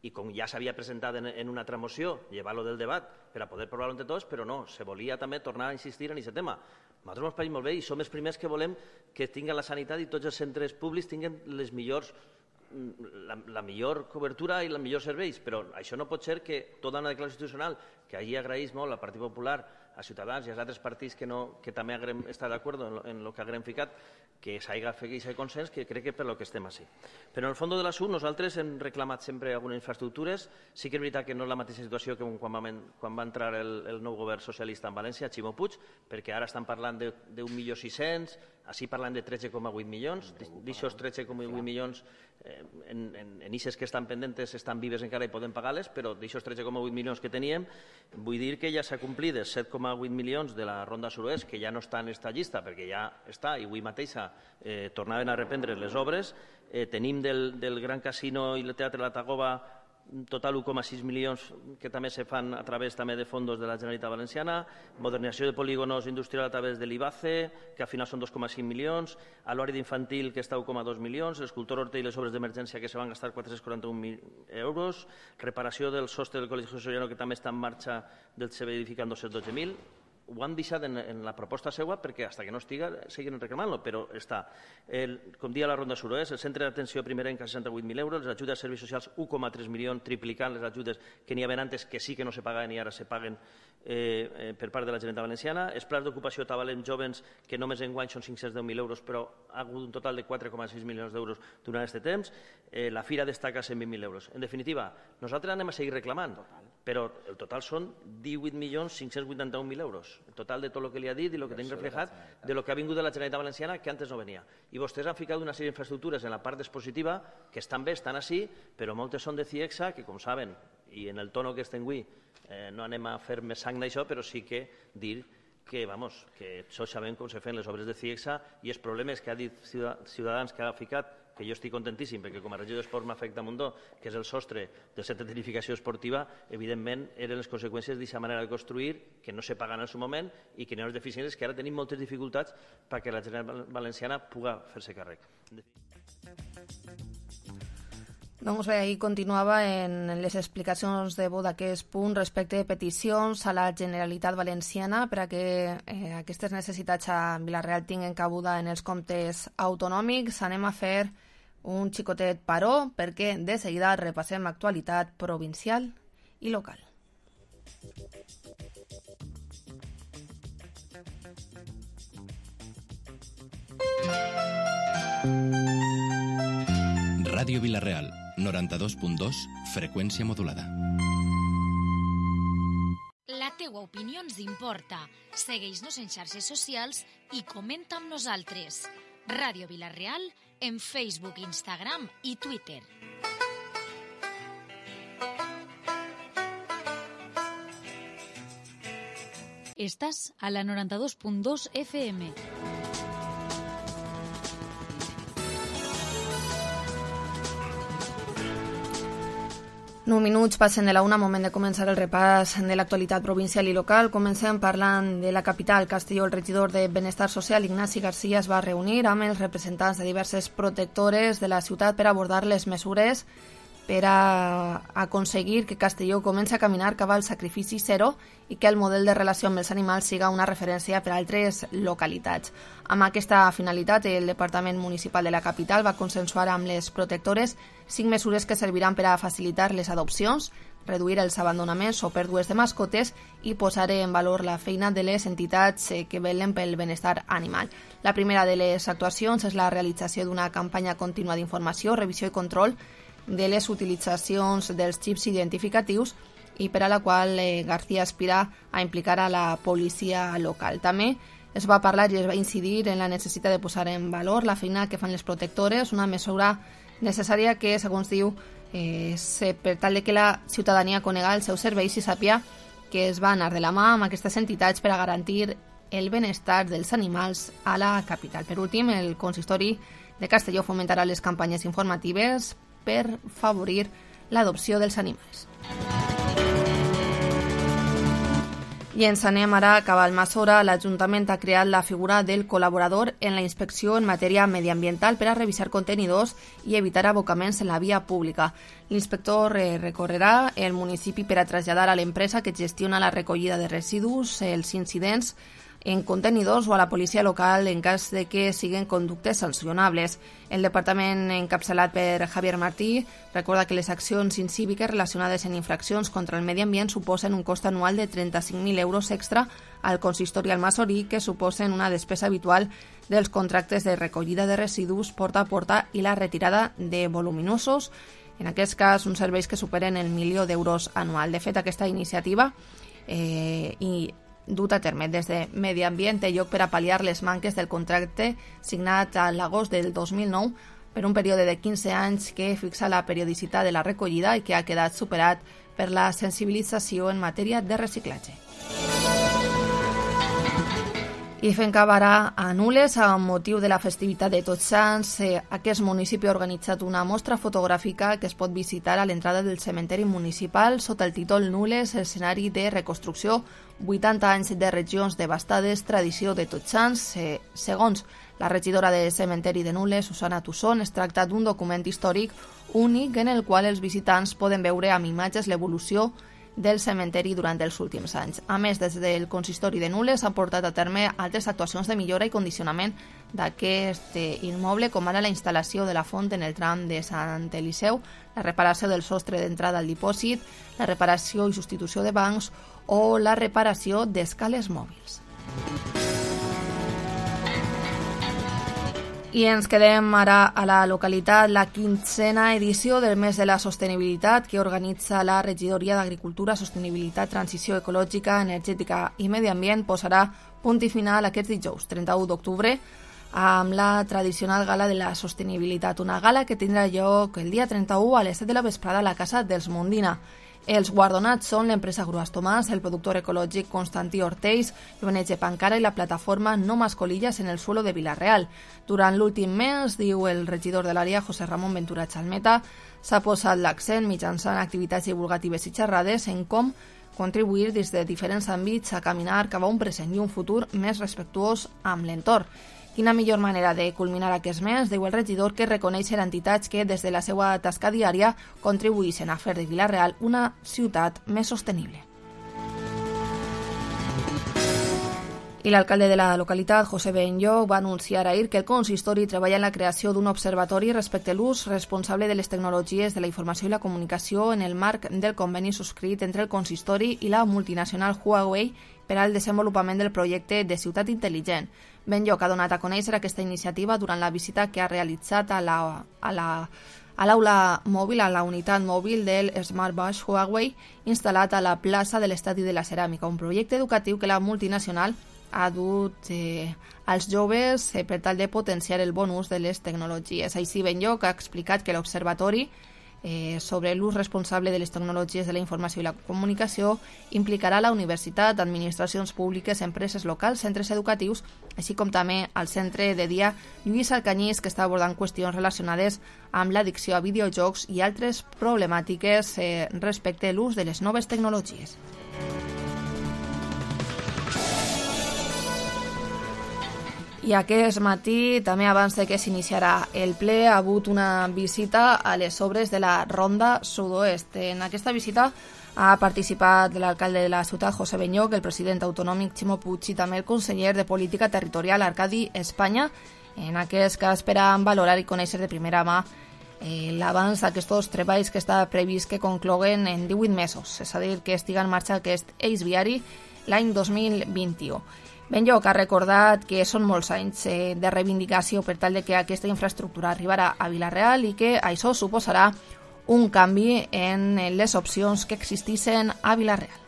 i com ja s'havia presentat en, en una altra moció, llevar-lo del debat per a poder provar-lo entre tots, però no, se volia també tornar a insistir en aquest tema. A nosaltres ens pareix molt bé i som els primers que volem que tinguin la sanitat i tots els centres públics tinguin les millors, la, la millor cobertura i els millors serveis, però això no pot ser que tota una declaració institucional, que allí agraeix molt al Partit Popular, a Ciutadans i als altres partits que, no, que també haguem estat d'acord en el que haguem ficat, que s'hagi fet aquest consens, que crec que per lo que estem així. Però en el fons de l'assumpte nosaltres hem reclamat sempre algunes infraestructures. Sí que és veritat que no és la mateixa situació que quan va, quan va entrar el, el nou govern socialista en València, Ximo Puig, perquè ara estan parlant d'un milió sis-cents, així parlant de tretze coma vuit milions, d'aixòs tretze coma vuit milions eh, en, en, en ixes que estan pendentes estan vives encara i poden pagar-les, però d'aixòs tretze coma vuit milions que teníem, vull dir que ja s'ha complit els set coma vuit milions de la Ronda Suroest, que ja no està en esta llista, perquè ja està, i avui mateixa eh, tornaven a reprendre les obres. Eh, tenim del, del Gran Casino i el Teatre La Tagoba total un coma sis milions que també se fan a través també de fondos de la Generalitat Valenciana, modernització de polígonos industrials a través de l'IBACE, que al final són dos coma cinc milions, a l'hora d'infantil que està un coma dos milions, l'escultor Horta i les obres d'emergència que se van gastar quatre-cents quaranta-un mil euros, reparació del sostre del Col·legi Soriano que també està en marxa del servei edificant dos-cents dotze mil, ho han deixat en, en la proposta seva perquè fins que no estiga seguin reclamant-lo, però està. El, com dia la Ronda Suroest, el centre d'atenció primerenca seixanta-vuit mil euros, les ajudes a serveis socials un coma tres milions, triplicant les ajudes que n'hi havia antes, que sí que no se pagaven i ara se paguen eh, eh, per part de la Generalitat Valenciana. Els plans d'ocupació tavalent jovens, que només enguany són cinc-cents deu mil euros, però ha hagut un total de quatre coma sis milions d'euros durant aquest temps. Eh, la Fira destaca cent vint mil euros. En definitiva, nosaltres anem a seguir reclamant, però el total són divuit milions cinc-cents vuitanta-un mil euros. El total de tot el que li ha dit i el que tenim reflejat de lo que ha vingut de la Generalitat Valenciana, que antes no venia. I vostès han ficat una sèrie d'infraestructures en la part expositiva que estan bé, estan així, però moltes són de CIEXA, que com saben, i en el tono que estem avui, eh, no anem a fer més sang d'això, però sí que dir que, vamos, que tots sabem com se fan les obres de CIEXA i els problemes que ha dit Ciutadans que ha ficat, que jo estic contentíssim, perquè com a regidor d'Esports m'afecta un munt, que és el sostre del centre de tecnificació esportiva, evidentment eren les conseqüències d'aquesta manera de construir, que no se paguen en el seu moment i que n'hi ha unes deficiències que ara tenim moltes dificultats perquè la Generalitat Valenciana pugui fer-se càrrec.
Doncs bé, ahir continuava en les explicacions de vot d'aquest punt respecte de peticions a la Generalitat Valenciana per a que eh, aquestes necessitats a Vila-real tinguin cabuda en els comptes autonòmics. Anem a fer un xicotet paró perquè de seguida repassem actualitat provincial i local.
Ràdio Vila-real, noranta-dos punt dos, freqüència modulada.
La teua opinió ens importa. Segueix-nos en xarxes socials i comenta amb nosaltres. Ràdio Vila-real en Facebook, Instagram i Twitter. Estàs a la noranta-dos punt dos F M.
Nou minuts passen de la una, moment de començar el repàs de l'actualitat provincial i local. Comencem parlant de la capital, Castelló. El regidor de Benestar Social, Ignasi Garcia, es va reunir amb els representants de diverses protectores de la ciutat per abordar les mesures per a aconseguir que Castelló comenci a caminar cap al sacrifici zero i que el model de relació amb els animals siga una referència per a altres localitats. Amb aquesta finalitat, el Departament Municipal de la capital va consensuar amb les protectores cinc mesures que serviran per a facilitar les adopcions, reduir els abandonaments o pèrdues de mascotes i posar en valor la feina de les entitats que velen pel benestar animal. La primera de les actuacions és la realització d'una campanya contínua d'informació, revisió i control de les utilitzacions dels xips identificatius i per a la qual eh, García aspira a implicar a la policia local. També es va parlar i es va incidir en la necessitat de posar en valor la feina que fan les protectores, una mesura necessària que, segons diu, eh, per tal de que la ciutadania conega els seus serveis i sàpia que es va anar de la mà amb aquestes entitats per a garantir el benestar dels animals a la capital. Per últim, el consistori de Castelló fomentarà les campanyes informatives per favorir l'adopció dels animals. I ens anem ara cap al Masora. L'Ajuntament ha creat la figura del col·laborador en la inspecció en matèria mediambiental per a revisar contenidors i evitar abocaments en la via pública. L'inspector recorrerà el municipi per a traslladar a l'empresa que gestiona la recollida de residus els incidents en contenidors o a la policia local en cas de que siguin conductes sancionables. El departament encapçalat per Javier Martí recorda que les accions incíviques relacionades en infraccions contra el medi ambient suposen un cost anual de trenta-cinc mil euros extra al consistori almasorí, que suposen una despesa habitual dels contractes de recollida de residus, porta a porta i la retirada de voluminosos, en aquest cas uns serveis que superen el milió d'euros anual. De fet, aquesta iniciativa eh, i dut a terme des de Medi Ambient té lloc per a pal·liar les manques del contracte signat a l'agost del dos mil nou per un període de quinze anys que fixa la periodicitat de la recollida i que ha quedat superat per la sensibilització en matèria de reciclatge. I fent cap ara a Nules, amb motiu de la festivitat de Tots Sants, eh, aquest municipi ha organitzat una mostra fotogràfica que es pot visitar a l'entrada del cementeri municipal sota el títol Nules, escenari de reconstrucció, vuitanta anys de regions devastades, tradició de Tots Sants. Eh, segons la regidora de cementeri de Nules, Susana Tusson, es tracta d'un document històric únic en el qual els visitants poden veure amb imatges l'evolució del cementeri durant els últims anys. A més, des del consistori de Nules s'han portat a terme altres actuacions de millora i condicionament d'aquest immoble, com ara la instal·lació de la font en el tram de Sant Eliseu, la reparació del sostre d'entrada al dipòsit, la reparació i substitució de bancs o la reparació d'escales mòbils. I ens quedem ara a la localitat. La quinzena edició del mes de la sostenibilitat que organitza la Regidoria d'Agricultura, Sostenibilitat, Transició Ecològica, Energètica i Medi Ambient posarà punt i final aquest dijous, trenta-u d'octubre, amb la tradicional gala de la sostenibilitat, una gala que tindrà lloc el dia trenta-u a les set de la vesprada a la Casa dels Mondina. Els guardonats són l'empresa Grues Tomàs, el productor ecològic Constantí Ortells, l'O N G Pancara i la plataforma No Más Colillas en el Suelo de Vila-real. Durant l'últim mes, diu el regidor de l'àrea, José Ramón Ventura Chalmeta, s'ha posat l'accent mitjançant activitats divulgatives i xerrades en com contribuir des de diferents àmbits a caminar cap a un present i un futur més respectuós amb l'entorn. Quina millor manera de culminar aquest mes, diu el regidor, que reconèixer entitats que des de la seva tasca diària contribuïssin a fer de Vila-real una ciutat més sostenible. I l'alcalde de la localitat, José Benlloch, va anunciar ahir que el consistori treballa en la creació d'un observatori respecte a l'ús responsable de les tecnologies de la informació i la comunicació en el marc del conveni subscrit entre el consistori i la multinacional Huawei per al desenvolupament del projecte de ciutat intel·ligent. Benlloch ha donat a conèixer aquesta iniciativa durant la visita que ha realitzat a la, a la, a l'aula mòbil, a la unitat mòbil del Smart Bush Huawei instal·lat a la plaça de l'Estadi de la Ceràmica, un projecte educatiu que la multinacional ha dut eh, als joves eh, per tal de potenciar el bon ús de les tecnologies. Així, Benlloch ha explicat que l'observatori Eh, sobre l'ús responsable de les tecnologies de la informació i la comunicació implicarà la universitat, administracions públiques, empreses locals, centres educatius, així com també el centre de dia Lluís Alcanyís, que està abordant qüestions relacionades amb l'addicció a videojocs i altres problemàtiques eh, respecte a l'ús de les noves tecnologies. I aquest matí, també abans de que s'iniciarà el ple, ha hagut una visita a les obres de la Ronda Sud-oest. En aquesta visita ha participat l'alcalde de la ciutat, José Benlloch, el president autonòmic, Ximo Puig, i també el conseller de Política Territorial, Arcadi Espanya, en aquest cas per a valorar i conèixer de primera mà eh, l'abans d'aquests treballs que està previst que concloguen en divuit mesos, és a dir, que estiga en marxa aquest eix viari l'any dos mil vint-i-u. Benlloch ha recordat que són molts anys eh, de reivindicació per tal de que aquesta infraestructura arribarà a Vila-real i que això suposarà un canvi en les opcions que existissin a Vila-real.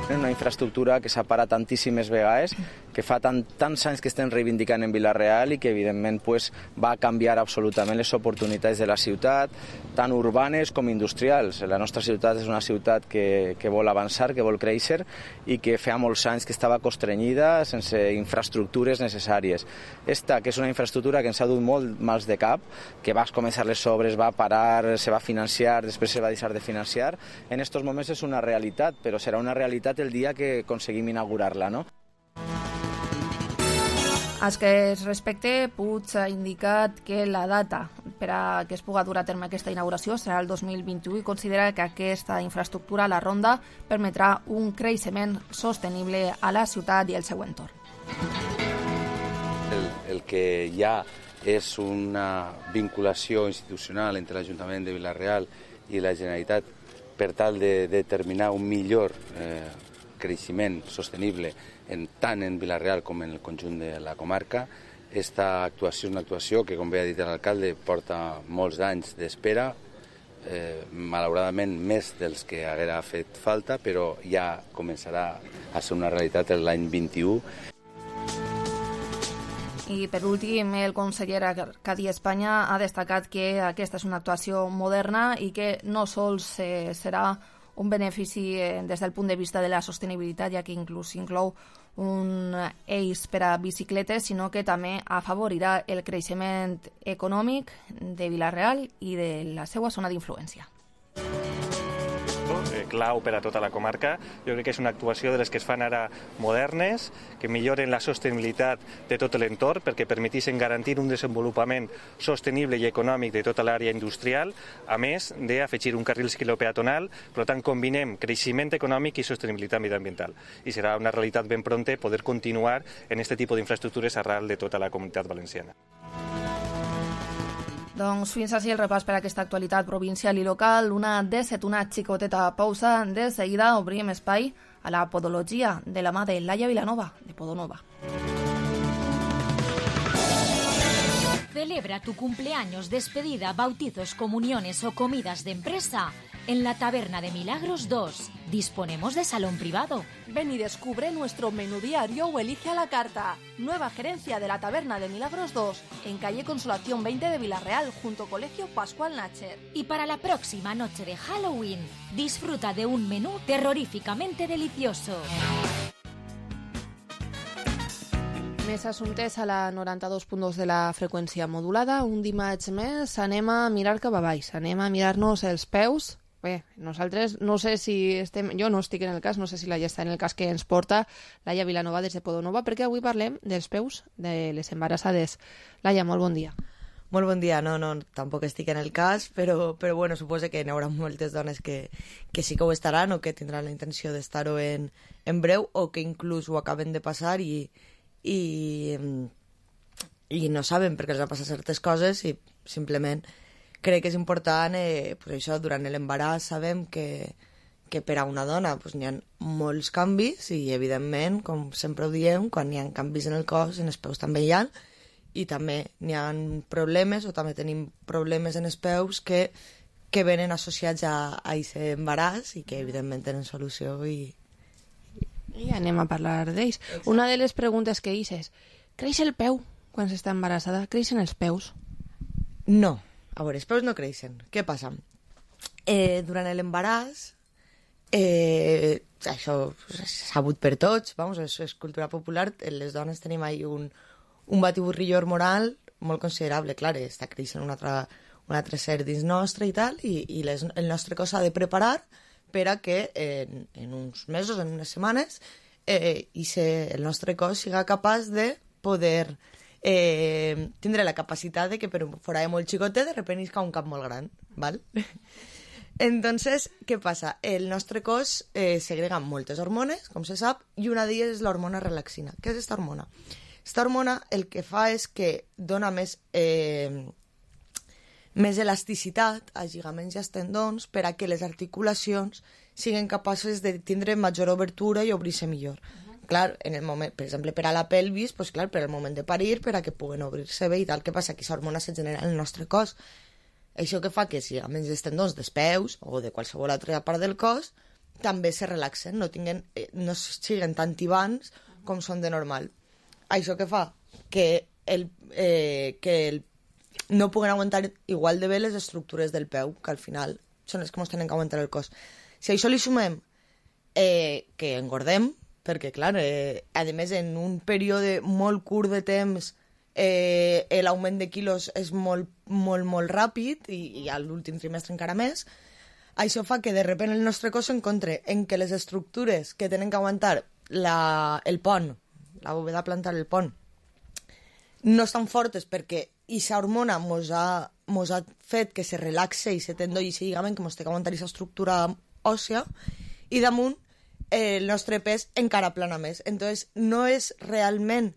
Una infraestructura que s'ha parat tantíssimes vegades, que fa tant, tants anys que estem reivindicant en Vila-real i que evidentment pues, va canviar absolutament les oportunitats de la ciutat, tant urbanes com industrials. La nostra ciutat és una ciutat que, que vol avançar, que vol créixer i que fa molts anys que estava constrenyida sense infraestructures necessàries. Esta, que és una infraestructura que ens ha dut molt mals de cap, que va començar les obres, va parar, se va financiar, després se va deixar de financiar, en aquests moments és una realitat, però serà una realitat el dia que aconseguim inaugurar-la, no?
Al que es respecte, Puig ha indicat que la data per a que es pugui dur a terme aquesta inauguració serà el dos mil vint-i-u i considera que aquesta infraestructura, la Ronda, permetrà un creixement sostenible a la ciutat i el seu entorn.
El, el que ja és una vinculació institucional entre l'Ajuntament de Vila-real i la Generalitat per tal de determinar un millor eh, creixement sostenible en, tant en Vila-real com en el conjunt de la comarca. Esta actuació és una actuació que, com bé ha dit l'alcalde, porta molts anys d'espera, eh, malauradament més dels que haguera fet falta, però ja començarà a ser una realitat l'any vint-i-u.
I per últim, el conseller Arcadi Espanya ha destacat que aquesta és una actuació moderna i que no sols eh, serà un benefici eh, des del punt de vista de la sostenibilitat, ja que inclús inclou un eix per a bicicletes, sinó que també afavorirà el creixement econòmic de Vila-real i de la seva zona d'influència.
eh, clau per a tota la comarca. Jo crec que és una actuació de les que es fan ara modernes, que milloren la sostenibilitat de tot l'entorn perquè permetissin garantir un desenvolupament sostenible i econòmic de tota l'àrea industrial, a més d'afegir un carril ciclopeatonal. Per tant, combinem creixement econòmic i sostenibilitat mediambiental. I serà una realitat ben pronta poder continuar en aquest tipus d'infraestructures arrel de tota la comunitat valenciana.
Doncs fins així el repàs per a aquesta actualitat provincial i local. Una de set, una xicoteta pausa. De seguida obrim espai a la podologia de la mà de Laia Vilanova, de Podonova.
Celebra tu cumpleaños, despedida, bautizos, comuniones o comidas de empresa en la Taberna de Milagros dos. Disponemos de salón privado.
Ven y descubre nuestro menú diario o elige a la carta. Nueva gerencia de la Taberna de Milagros dos, en calle Consolación veinte de Villarreal, junto Colegio Pascual Nacher.
Y para la próxima noche de Halloween, disfruta de un menú terroríficamente delicioso.
Més assumptes a la noranta-dos punt dos de la freqüència modulada. Un dimarts més anem a mirar cap a baix, anem a mirar-nos els peus. Bé, nosaltres no sé si estem... Jo no estic en el cas, no sé si Laia està en el cas que ens porta Laia Vilanova des de Podonova, perquè avui parlem dels peus de les embarassades. Laia, molt bon dia.
Molt bon dia, no, no, tampoc estic en el cas, però, però bueno, suposo que n'hi haurà moltes dones que, que sí que ho estaran o que tindran la intenció d'estar-ho en, en breu o que inclús ho acaben de passar i, i, i no saben perquè els ha passat certes coses i simplement crec que és important, eh, pues això, durant l'embaràs sabem que, que per a una dona pues, n'hi ha molts canvis i evidentment, com sempre ho diem, quan n'hi ha canvis en el cos, en els peus també hi ha, i també n'hi ha problemes o també tenim problemes en els peus que, que venen associats a aquest embaràs i que evidentment tenen solució i,
I anem a parlar d'ells. Una de les preguntes que hice és, creix el peu quan s'està embarassada? Creixen els peus?
No. A veure, els peus no creixen. Què passa? Eh, durant l'embaràs, eh, això és sabut per tots, vamos, és, és cultura popular, les dones tenim ahí un, un batiburrillo hormonal molt considerable. Clar, està creixent un altre, un altre ser dins nostre i tal, i, i les, el nostre cos s'ha de preparar per a que en, en uns mesos, en unes setmanes, eh, i se, el nostre cos siga capaç de poder eh, tindre la capacitat de que per un forade molt xicotet de repente isca un cap molt gran, ¿val? Entonces, què passa? El nostre cos eh, segrega moltes hormones, com se sap, i una d'elles és l'hormona relaxina. Què és aquesta hormona? Aquesta hormona el que fa és que dona més... Eh, més elasticitat als lligaments i als tendons per a que les articulacions siguin capaces de tindre major obertura i obrir-se millor. Uh-huh. Clar, en el moment, per exemple, per a la pelvis, pues, clar, per al moment de parir, per a que puguen obrir-se bé i tal. Què passa? Que aquesta hormona se genera en el nostre cos. Això que fa que els lligaments dels tendons dels peus o de qualsevol altra part del cos també se relaxen, no, tinguen, no siguin tan tibants com són de normal. Això que fa que el, eh, que el no puguen aguantar igual de bé les estructures del peu, que al final són les que ens tenen que aguantar el cos. Si a això li sumem eh, que engordem, perquè, clar, eh, a més, en un període molt curt de temps eh, l'augment de quilos és molt, molt, molt ràpid i, i a l'últim trimestre encara més, això fa que de sobte el nostre cos s'encontre en què les estructures que tenen que aguantar la, el pont, la bóveda plantar, el pont, no estan fortes perquè aquesta hormona mos ha, mos ha fet que se relaxe i se tendó i se lligament que mos té que aguantar aquesta estructura òssia i damunt eh, el nostre pes encara plana més. Entonces no és realment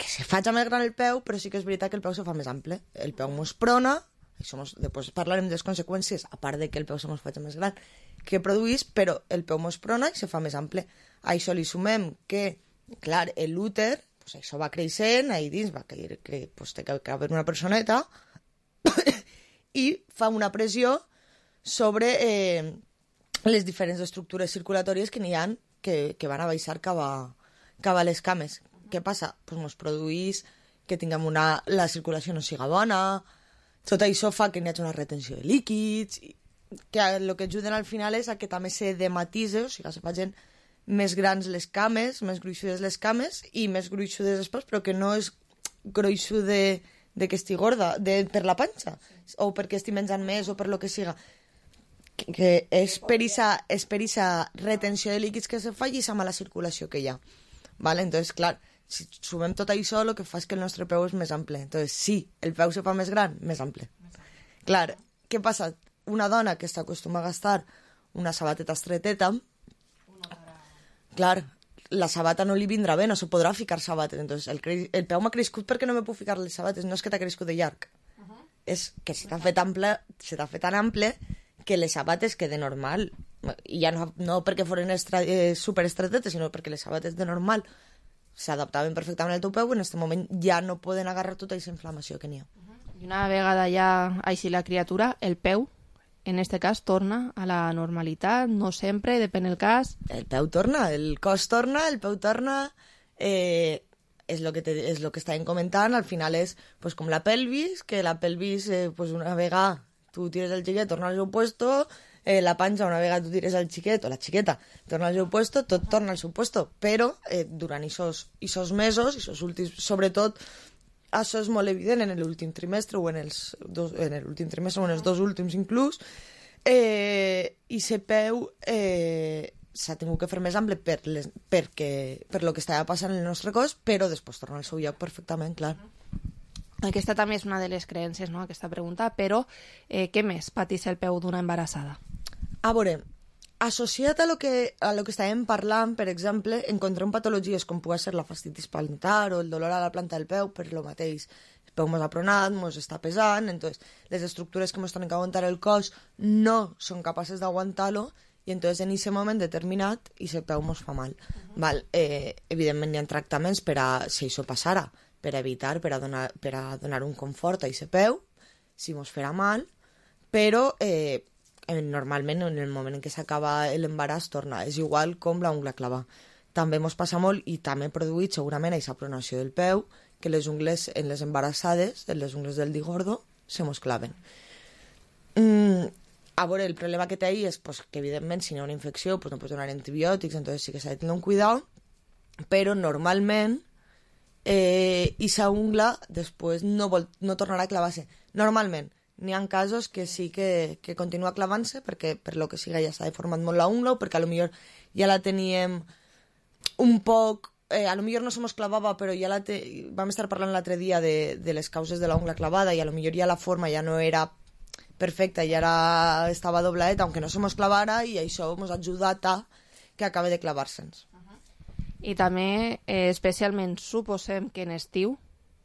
que se faci més gran el peu, però sí que és veritat que el peu se fa més ample. El peu mos prona, això mos, després parlarem de les conseqüències, a part de que el peu se mos faci més gran, que produís, però el peu mos prona i se fa més ample. A això li sumem que, clar, l'úter, pues això va creixent, ahí dins va caure, que, pues, té que haver una personeta i fa una pressió sobre eh, les diferents estructures circulatòries que n'hi ha que, que van a baixar cap a, cap a les cames. Què passa? Pues mos produís que tinguem una... la circulació no siga bona, tot això fa que n'hi hagi una retenció de líquids, que el que ajuden al final és a que també se dematise, o sigui, se facin més grans les cames, més gruixudes les cames i més gruixudes les peus, però que no és gruixut de, de que estigui gorda, de, per la panxa, o perquè estigui menjant més, o per lo que siga. que, que és per aquesta retenció de líquids que se fa i aquesta mala circulació que hi ha. Vale? Entonces, clar, si sumem tot això, el que fa és que el nostre peu és més ample. Entonces, sí, el peu se fa més gran, més ample. Clar, què passa? Una dona que està acostumada a gastar una sabateta estreteta, clar, la sabata no li vindrà bé, no se podrà ficar sabates. Entonces, el, cre... el peu m'ha crescut perquè no me puc ficar les sabates, no és que t'ha crescut de llarg. Uh -huh. És que se t'ha fet ample, se t'ha fet tan ample que les sabates que de normal, i ja no, no perquè foren estra... eh, superestretetes, sinó perquè les sabates de normal s'adaptaven perfectament al teu peu, en aquest moment ja no poden agarrar tota aquesta inflamació que n'hi ha.
Uh -huh. I una vegada ja així la criatura, el peu, en este cas, torna a la normalitat, no sempre, depèn del cas.
El peu torna, el cos torna, el peu torna, eh, és el que, te, és lo que estàvem comentant, al final és pues, com la pelvis, que la pelvis, eh, pues, una vegada tu tires el xiquet, torna al seu puesto, eh, la panxa, una vegada tu tires el xiquet, o la xiqueta, torna al seu puesto, tot torna al seu puesto, però eh, durant aquests mesos, esos últims, sobretot, això és molt evident en l'últim trimestre o en els dos, en l'últim trimestre o en els dos últims inclús, eh, i se peu eh, s'ha tingut que fer més ample per, les, perquè, per lo que estava passant en el nostre cos, però després torna al seu lloc perfectament, clar.
Aquesta també és una de les creences, no?, aquesta pregunta, però eh, què més pateix el peu d'una embarassada?
A veure, associat a lo que, a lo que estàvem parlant, per exemple, encontrem patologies com pugui ser la fastitis plantar o el dolor a la planta del peu, per lo mateix. El peu mos ha pronat, mos està pesant, entonces les estructures que mos tenen que aguantar el cos no són capaces d'aguantar-lo i entonces en aquest moment determinat i el peu mos fa mal. Uh-huh. Val? Eh, evidentment hi ha tractaments per a, si això passara, per a evitar, per a donar, per a donar un confort a aquest peu, si mos farà mal, però eh, normalment en el moment en què s'acaba l'embaràs torna. És igual com la ungla clava. També mos passa molt i també produït segurament aquesta pronació del peu, que les ungles en les embarassades, en les ungles del dit gordo, se mos claven. Mm, a veure, el problema que té ahí és pues, que evidentment si hi ha una infecció pues, no pots donar antibiòtics, entonces sí que s'ha de tenir un cuidado, però normalment eh, aquesta ungla després no, vol, no tornarà a clavar-se. Normalment, n'hi ha casos que sí que, que continua clavant-se perquè per lo que siga ja s'ha deformat molt la ungla o perquè a lo millor ja la teníem un poc, eh, a lo millor no se mos clavava però ja la te... vam estar parlant l'altre dia de, de les causes de la ungla clavada i a lo millor ja la forma ja no era perfecta, ja era, estava dobladeta aunque no se mos clavara i això mos ha ajudat a que acabe de clavar-se'ns.
I també, eh, especialment, suposem que en estiu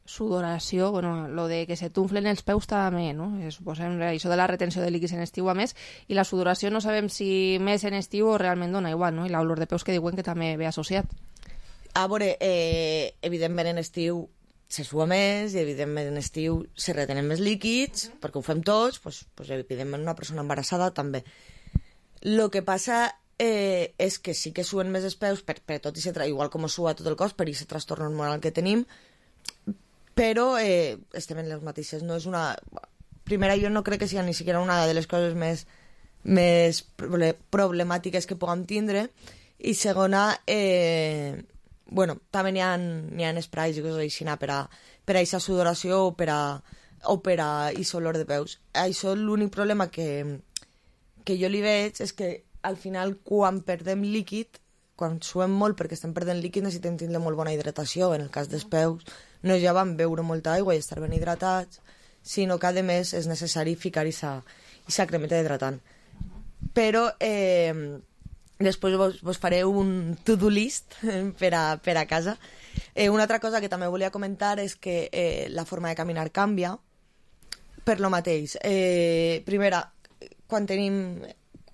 sudoració, bueno, lo de que se t'unflen els peus també, no? Eh, suposem això de la retenció de líquids en estiu a més, i la sudoració no sabem si més en estiu o realment dona igual, no? I l'olor de peus que diuen que també ve associat.
A veure, eh, evidentment en estiu se sua més i evidentment en estiu se retenen més líquids, uh-huh. perquè ho fem tots, pues, pues, evidentment una persona embarassada també. Lo que passa eh, és que sí que suen més els peus, per, per tot i se tra... igual com sua tot el cos, per aquest trastorn hormonal que tenim, però eh, estem en les mateixes, no és una... Primera, jo no crec que sigui ni siquiera una de les coses més, més problemàtiques que puguem tindre, i segona, eh, bueno, també n'hi ha, n'hi ha sprays i coses així per a, per a aquesta sudoració o per a, o per a aquest olor de peus. Això l'únic problema que, que jo li veig és que al final quan perdem líquid, quan suem molt perquè estem perdent líquid necessitem tindre molt bona hidratació, en el cas dels peus no ja vam beure molta aigua i estar ben hidratats, sinó que a més és necessari ficar aquesta cremeta hidratant. Però eh, després vos, vos faré un to-do list per a, per a casa. Eh, una altra cosa que també volia comentar és que eh, la forma de caminar canvia per lo mateix. Eh, primera, quan tenim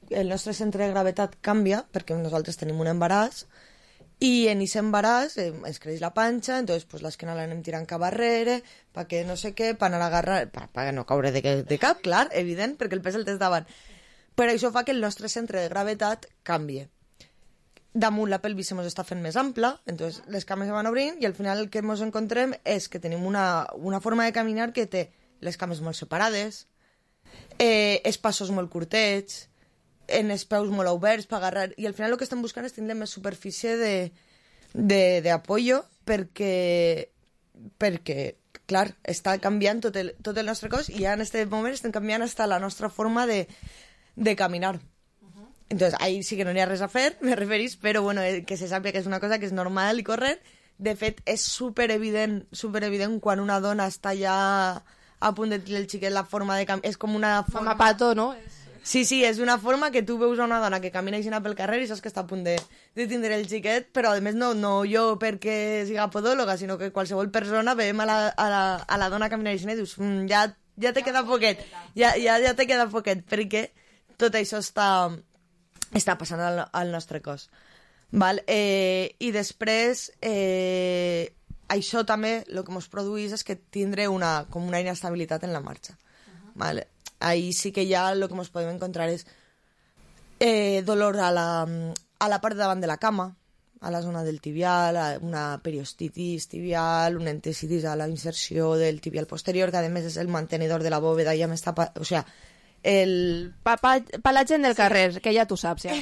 el nostre centre de gravetat canvia perquè nosaltres tenim un embaràs i en aquest embaràs eh, ens creix la panxa, entonces pues, l'esquena l'anem tirant cap darrere perquè no sé què, per anar a agarrar per, per no caure de, de cap, clar, evident, perquè el pes el tens davant. Però això fa que el nostre centre de gravetat canvie. Damunt la pelvis se mos està fent més ampla, entonces les cames se van obrint i al final el que ens encontrem és que tenim una, una forma de caminar que té les cames molt separades, eh, els passos molt curtets, en els peus molt oberts per agarrar, i al final el que estem buscant és tindre més superfície de, de, de apoyo perquè, perquè, clar, està canviant tot el, tot el nostre cos i ja en aquest moment estem canviant hasta la nostra forma de, de caminar. Entonces, ahí sí que no n'hi ha res a fer, me referís, però bueno, que se sàpiga que és una cosa que és normal i corrent. De fet, és superevident, superevident quan una dona està ja a punt de tenir el xiquet, la forma de caminar... És com una forma...
Mama pato, no?
Sí, sí, és una forma que tu veus a una dona que camina així pel carrer i saps que està a punt de, de tindre el xiquet, però a més no, no jo perquè siga podòloga, sinó que qualsevol persona veiem a la, a la, a la dona caminar així i dius, mm, ja, ja te queda poquet, ja, ja, ja te queda poquet, perquè tot això està... està passant al, al nostre cos. Val? Eh, I després, eh, això també el que ens produeix és que tindre una, com una inestabilitat en la marxa. Uh-huh. Val? Ahí sí que ja el que ens podem encontrar és eh, dolor a la, a la part de davant de la cama, a la zona del tibial, una periostitis tibial, una entesitis a la inserció del tibial posterior, que a més és el mantenidor de la bóveda, ja m'està... O sea, el...
Pa, pa, pa la gent del carrer, sí. Que ja tu saps, ja.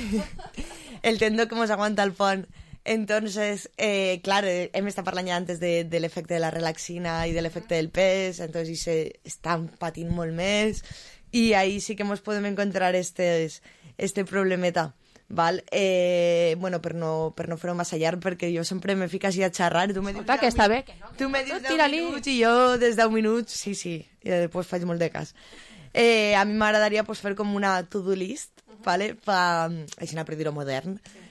El tendó que ens aguanta el pont. Entonces, eh, claro, hem estat parlant ja antes de, de l'efecte de la relaxina i de l'efecte del pes, entonces i se estan patint molt més, i ahí sí que ens podem encontrar estes, este problemeta. Val? Eh, bueno, per no, per no fer-ho massa llarg, perquè jo sempre me fico així a xerrar. Tu me dius
Escolta, que està bé. Que no,
tu me dius
deu
minuts i jo des deu minuts, sí, sí, i després faig molt de cas. Eh, a mi m'agradaria pues, fer com una to-do list, uh-huh. Vale? Pa, així per dir-ho modern, sí.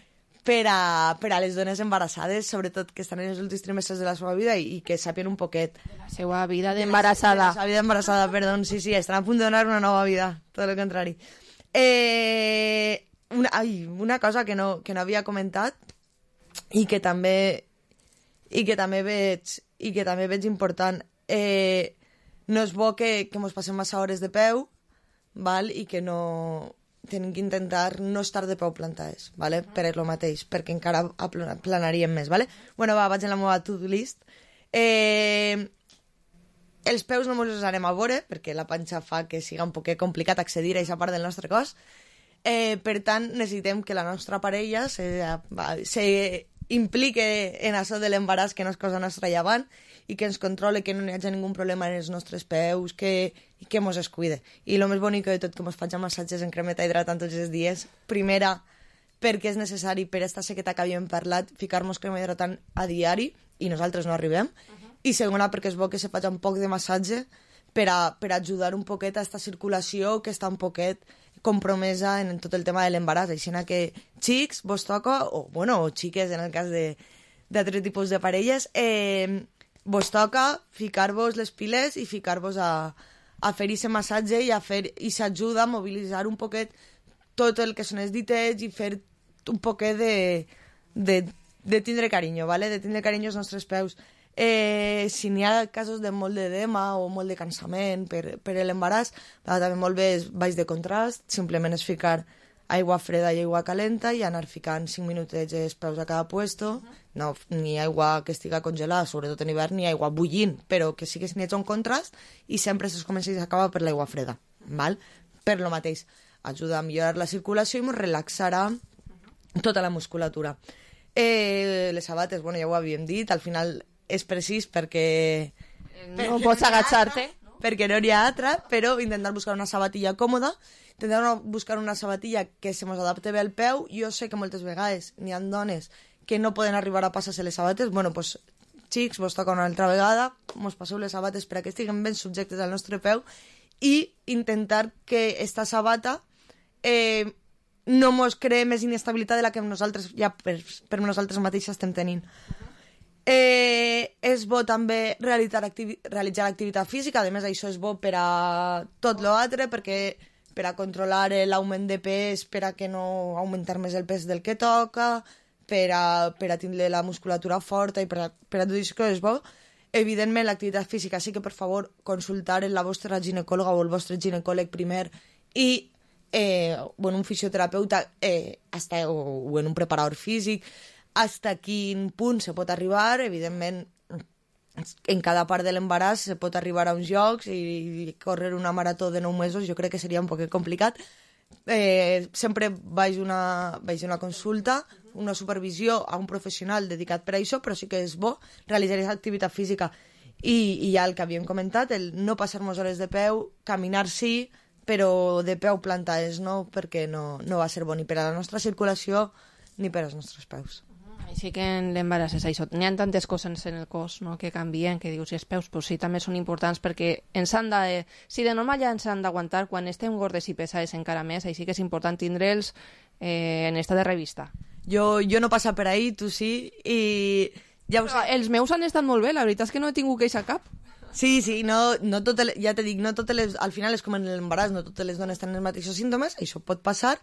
per, a, per a les dones embarassades, sobretot que estan en els últims trimestres de la seva vida i, i que sàpien un poquet.
De la seva vida d'embarassada.
De la seva vida d'embarassada, perdó, sí, sí, estan a punt de donar una nova vida, tot el contrari. Eh, una, ai, una cosa que no, que no havia comentat i que també i que també veig, i que també veig important, eh, no és bo que, que ens passem massa hores de peu, val? I que no... Tenim que intentar no estar de peu plantades, vale? Per el mateix, perquè encara planaríem més. Vale? Bueno, va, vaig en la meva to-do list. Eh, els peus no ens els anem a veure, perquè la panxa fa que siga un poc complicat accedir a aquesta part del nostre cos. Eh, per tant, necessitem que la nostra parella se, se implique en això de l'embaràs, que no és cosa nostra llevant, i que ens controle, que no hi hagi ningú problema en els nostres peus, que, i que mos es cuide. I el més bonic de tot, que mos faig massatges en cremeta hidratant tots els dies. Primera, perquè és necessari, per esta sequeta que havíem parlat, ficar-nos crema hidratant a diari, i nosaltres no arribem. Uh-huh. I segona, perquè és bo que se faci un poc de massatge per a, per a ajudar un poquet a esta circulació que està un poquet compromesa en tot el tema de l'embaràs. Així que, xics, vos toca, o, bueno, o xiques, en el cas d'altres tipus de parelles, eh, vos toca ficar-vos les piles i ficar-vos a, a fer aquest massatge i a fer i s'ajuda a mobilitzar un poquet tot el que són els ditets i fer un poquet de, de, de tindre carinyo, ¿vale? De tindre carinyo als nostres peus. Eh, si n'hi ha casos de molt d'edema o molt de cansament per, per l'embaràs, també molt bé és baix de contrast, simplement és ficar aigua freda i aigua calenta i anar ficant cinc minutets els peus a cada puesto, uh-huh. No, ni aigua que estiga congelada, sobretot en hivern, ni aigua bullint, però que sí que n'hi hagi un contrast i sempre es comença i s'acaba per l'aigua freda, val? Per lo mateix, ajuda a millorar la circulació i ens relaxarà tota la musculatura. Eh, les sabates, bueno, ja ho havíem dit, al final és precís perquè...
No pots agachar-te.
Perquè no n'hi ha altra, però intentar buscar una sabatilla còmoda, intentar buscar una sabatilla que se mos adapte bé al peu. Jo sé que moltes vegades n'hi ha dones que no poden arribar a passar-se les sabates. Bueno, doncs, pues, xics, vos toca una altra vegada, mos passeu les sabates per a que estiguin ben subjectes al nostre peu i intentar que esta sabata eh, no mos cree més inestabilitat de la que nosaltres ja per, per nosaltres mateixes estem tenint. Eh, és bo també realitzar, activi realitzar activitat física, a més això és bo per a tot l'altre, perquè per a controlar l'augment de pes, per a que no augmentar més el pes del que toca, per a, per a tindre la musculatura forta i per a, per a tot això que és bo. Evidentment, l'activitat física sí que, per favor, consultar en la vostra ginecòloga o el vostre ginecòleg primer i eh, o en un fisioterapeuta eh, hasta, o, o en un preparador físic, hasta quin punt se pot arribar. Evidentment, en cada part de l'embaràs se pot arribar a uns jocs i córrer una marató de nou mesos jo crec que seria un poc complicat. Eh, sempre vaig una, vaig una consulta, una supervisió a un professional dedicat per a això, però sí que és bo realitzar aquesta activitat física. I, i ja el que havíem comentat, el no passar-nos hores de peu, caminar sí, però de peu plantades no, perquè no, no va ser bo ni per a la nostra circulació ni per als nostres peus.
Així que en l'embaràs és això. N'hi ha tantes coses en el cos no, que canvien, que dius, i els peus pues, sí, també són importants perquè ens han de, si de normal ja ens han d'aguantar, quan estem gordes i pesades encara més, així que és important tindre'ls eh, en estat de revista.
Jo, jo no passa per ahí, tu sí, i... Ja ho sé.
Els meus han estat molt bé, la veritat és que no he tingut queixa cap.
Sí, sí, no, no totes, ja te dic, no totes les, al final és com en l'embaràs, no totes les dones tenen els mateixos símptomes, això pot passar,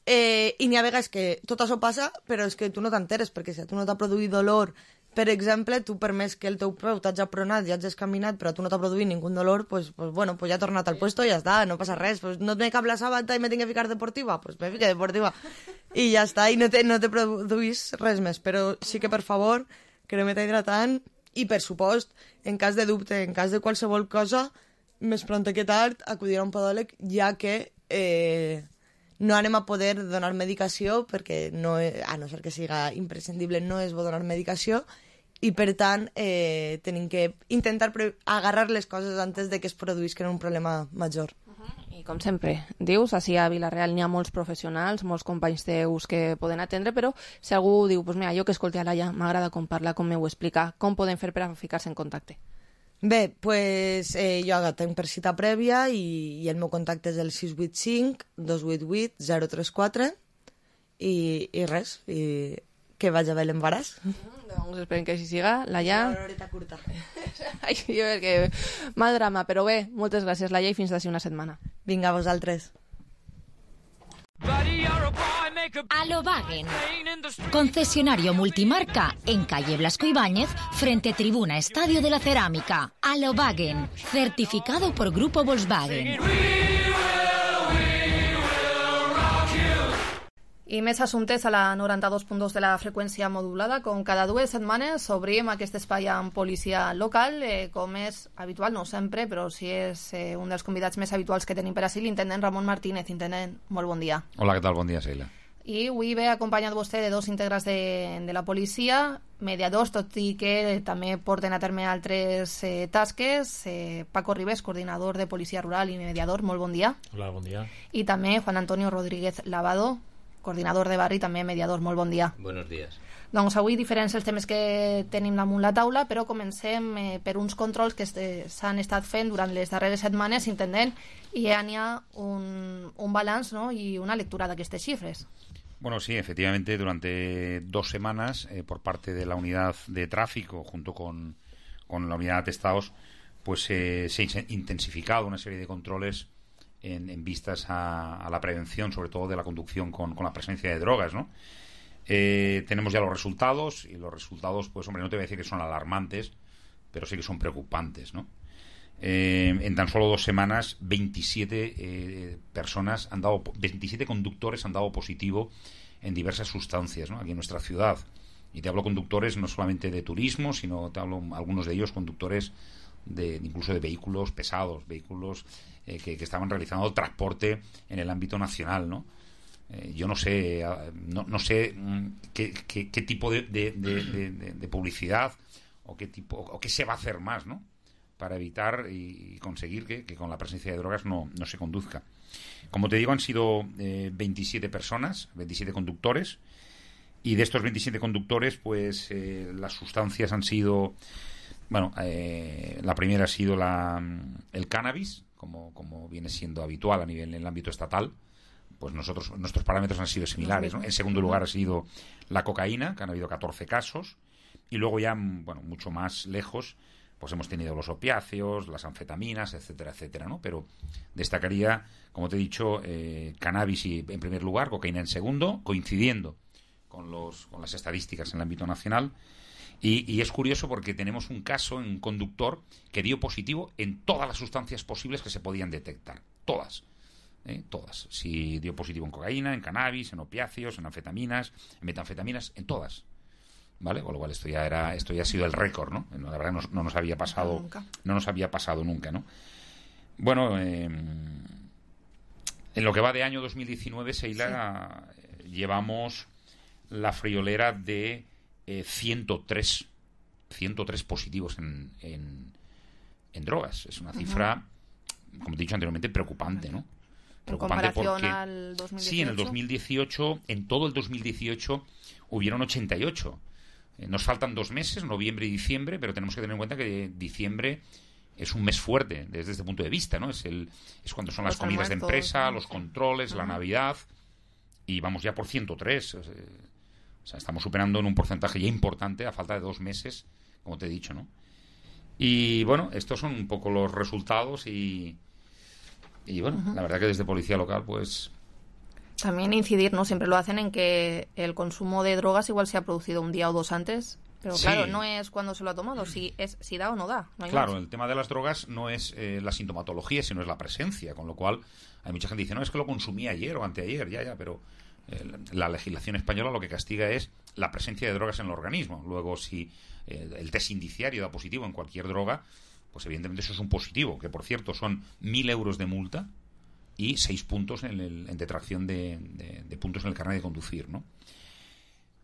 eh, i n'hi ha vegades que tot això passa, però és que tu no t'enteres, perquè si a tu no t'ha produït dolor, per exemple, tu per més que el teu peu t'has apronat, ja has caminat, però a tu no t'ha produït ningú dolor, pues, pues bueno, pues ja ha tornat al puesto i ja està, no passa res, pues no et me cap la sabata i me tinc que ficar deportiva, pues me fique deportiva, i ja està, i no te, no te produís res més, però sí que per favor, crema hidratant, i per supost, en cas de dubte, en cas de qualsevol cosa, més pront que tard, acudir a un podòleg, ja que eh, no anem a poder donar medicació, perquè no, a no ser que siga imprescindible, no és bo donar medicació, i per tant eh, tenim que intentar agarrar les coses antes de que es produïsquen un problema major.
I com sempre, dius, així a Vila-real n'hi ha molts professionals, molts companys teus que poden atendre, però si algú diu, pues mira, jo que escolti a Laia, m'agrada com parla, com m'ho explica, com poden fer per a ficar-se en contacte?
Bé, pues, eh, jo tinc per cita prèvia i, i el meu contacte és el sis vuit cinc, dos vuit vuit, zero tres quatre i, i res, i que vagi bé l'embaràs.
Doncs esperem que així siga. Laia...
Una horeta curta.
Ai, jo, perquè... Mal drama, però bé, moltes gràcies, Laia, i fins d'ací una setmana.
Vinga, vosaltres.
Alobagen, concesionario multimarca en calle Blasco Ibáñez, frente Tribuna Estadio de la Cerámica. Alobagen, certificado por Grupo Volkswagen.
I més assumptes a la noranta-dos punt dos de la freqüència modulada. Com cada dues setmanes obrim aquest espai amb policia local, eh, com és habitual, no sempre, però sí és eh, un dels convidats més habituals que tenim per ací, l'intendent Ramon Martínez. Intendent, molt bon dia.
Hola, què tal? Bon dia, Sheila.
I avui ve acompanyat vostè de dos íntegres de, de la policia, mediadors, tot i que també porten a terme altres eh, tasques. Eh, Paco Ribes, coordinador de Policia Rural i mediador, molt bon dia.
Hola, bon dia.
I també Juan Antonio Rodríguez Lavado, coordinador de barri, també mediador. Molt bon dia.
Buenos días.
Doncs avui diferents els temes que tenim damunt la taula, però comencem eh, per uns controls que s'han estat fent durant les darreres setmanes, intendent, i ja n'hi ha un, un balanç, ¿no?, i una lectura d'aquestes xifres.
Bueno, sí, efectivamente, durante dos semanas, eh, por parte de la unidad de tráfico, junto con, con la unidad de atestados, pues eh, se ha intensificado una serie de controles En, en vistas a, a la prevención, sobre todo de la conducción con, con la presencia de drogas, ¿no? Eh, tenemos ya los resultados, y los resultados, pues hombre, no te voy a decir que son alarmantes, pero sí que son preocupantes, ¿no? Eh, en tan solo dos semanas, veintisiete eh, personas han dado, veintisiete conductores han dado positivo en diversas sustancias, ¿no?, aquí en nuestra ciudad. Y te hablo conductores no solamente de turismo, sino te hablo algunos de ellos conductores de incluso de vehículos pesados, vehículos eh, que, que estaban realizando transporte en el ámbito nacional, ¿no? Eh, yo no sé, no, no sé qué, qué, qué tipo de, de, de, de, de publicidad o qué tipo o qué se va a hacer más, ¿no?, para evitar y conseguir que, que con la presencia de drogas no, no se conduzca. Como te digo, han sido eh, veintisiete personas, veintisiete conductores, y de estos veintisiete conductores, pues eh, las sustancias han sido... Bueno, eh, la primera ha sido la, el cannabis, como, como viene siendo habitual a nivel en el ámbito estatal. Pues nosotros nuestros parámetros han sido similares, ¿no? En segundo lugar ha sido la cocaína, que han habido catorce casos. Y luego ya, bueno, mucho más lejos, pues hemos tenido los opiáceos, las anfetaminas, etcétera, etcétera, ¿no? Pero destacaría, como te he dicho, eh, cannabis y, en primer lugar, cocaína en segundo, coincidiendo con, los, con las estadísticas en el ámbito nacional. Y, y es curioso porque tenemos un caso en un conductor que dio positivo en todas las sustancias posibles que se podían detectar. Todas. ¿eh? Todas. Si dio positivo en cocaína, en cannabis, en opiáceos, en anfetaminas, en metanfetaminas, en todas. ¿Vale? Con lo cual esto ya era, esto ya ha sido el récord, ¿no? La verdad no, no nos había pasado, nunca. no nos había pasado nunca, ¿no? Bueno, eh, en lo que va de año dos mil diecinueve, Sheila, sí. llevamos la friolera de Eh, ciento tres positivos en, en, en drogas. Es una cifra, uh-huh. como te he dicho anteriormente, preocupante, ¿no?
En comparación al dos mil dieciocho.
Sí, en el dos mil dieciocho, en todo el dos mil dieciocho hubieron ochenta y ocho. Eh, nos faltan dos meses, noviembre y diciembre, pero tenemos que tener en cuenta que diciembre es un mes fuerte desde este punto de vista, ¿no? Es el es cuando son las comidas de empresa, los controles, la Navidad, y vamos ya por ciento tres. O sea, estamos superando en un porcentaje ya importante a falta de dos meses, como te he dicho, ¿no? Y bueno, estos son un poco los resultados y, y bueno, uh-huh. la verdad que desde Policía Local, pues...
También incidir, ¿no? Siempre lo hacen en que el consumo de drogas igual se ha producido un día o dos antes. Pero sí. claro, no es cuando se lo ha tomado, si es si da o no da. No hay
claro,
más.
El tema de las drogas no es eh, la sintomatología, sino es la presencia, con lo cual hay mucha gente que dice, no, es que lo consumí ayer o anteayer, ya, ya, pero eh, la legislación española lo que castiga es la presencia de drogas en el organismo. Luego, si eh, el test indiciario da positivo en cualquier droga, pues evidentemente eso es un positivo, que por cierto son mil euros de multa y seis puntos en, el, en detracción de, de, de puntos en el carnet de conducir, ¿no?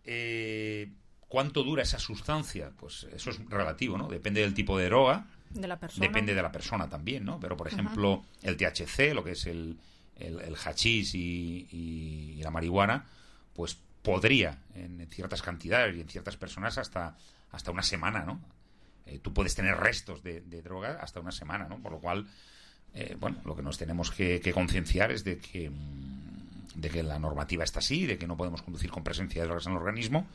Eh... ¿Cuánto dura esa sustancia? Pues eso es relativo, ¿no? Depende del tipo de droga.
De la persona.
Depende de la persona también, ¿no? Pero, por ejemplo, uh-huh. el T H C, lo que es el, el, el hachís y, y, y la marihuana, pues podría, en ciertas cantidades y en ciertas personas, hasta, hasta una semana, ¿no? Eh, tú puedes tener restos de, de droga hasta una semana, ¿no? Por lo cual, eh, bueno, lo que nos tenemos que, que concienciar es de que, de que la normativa está así, de que no podemos conducir con presencia de drogas en el organismo.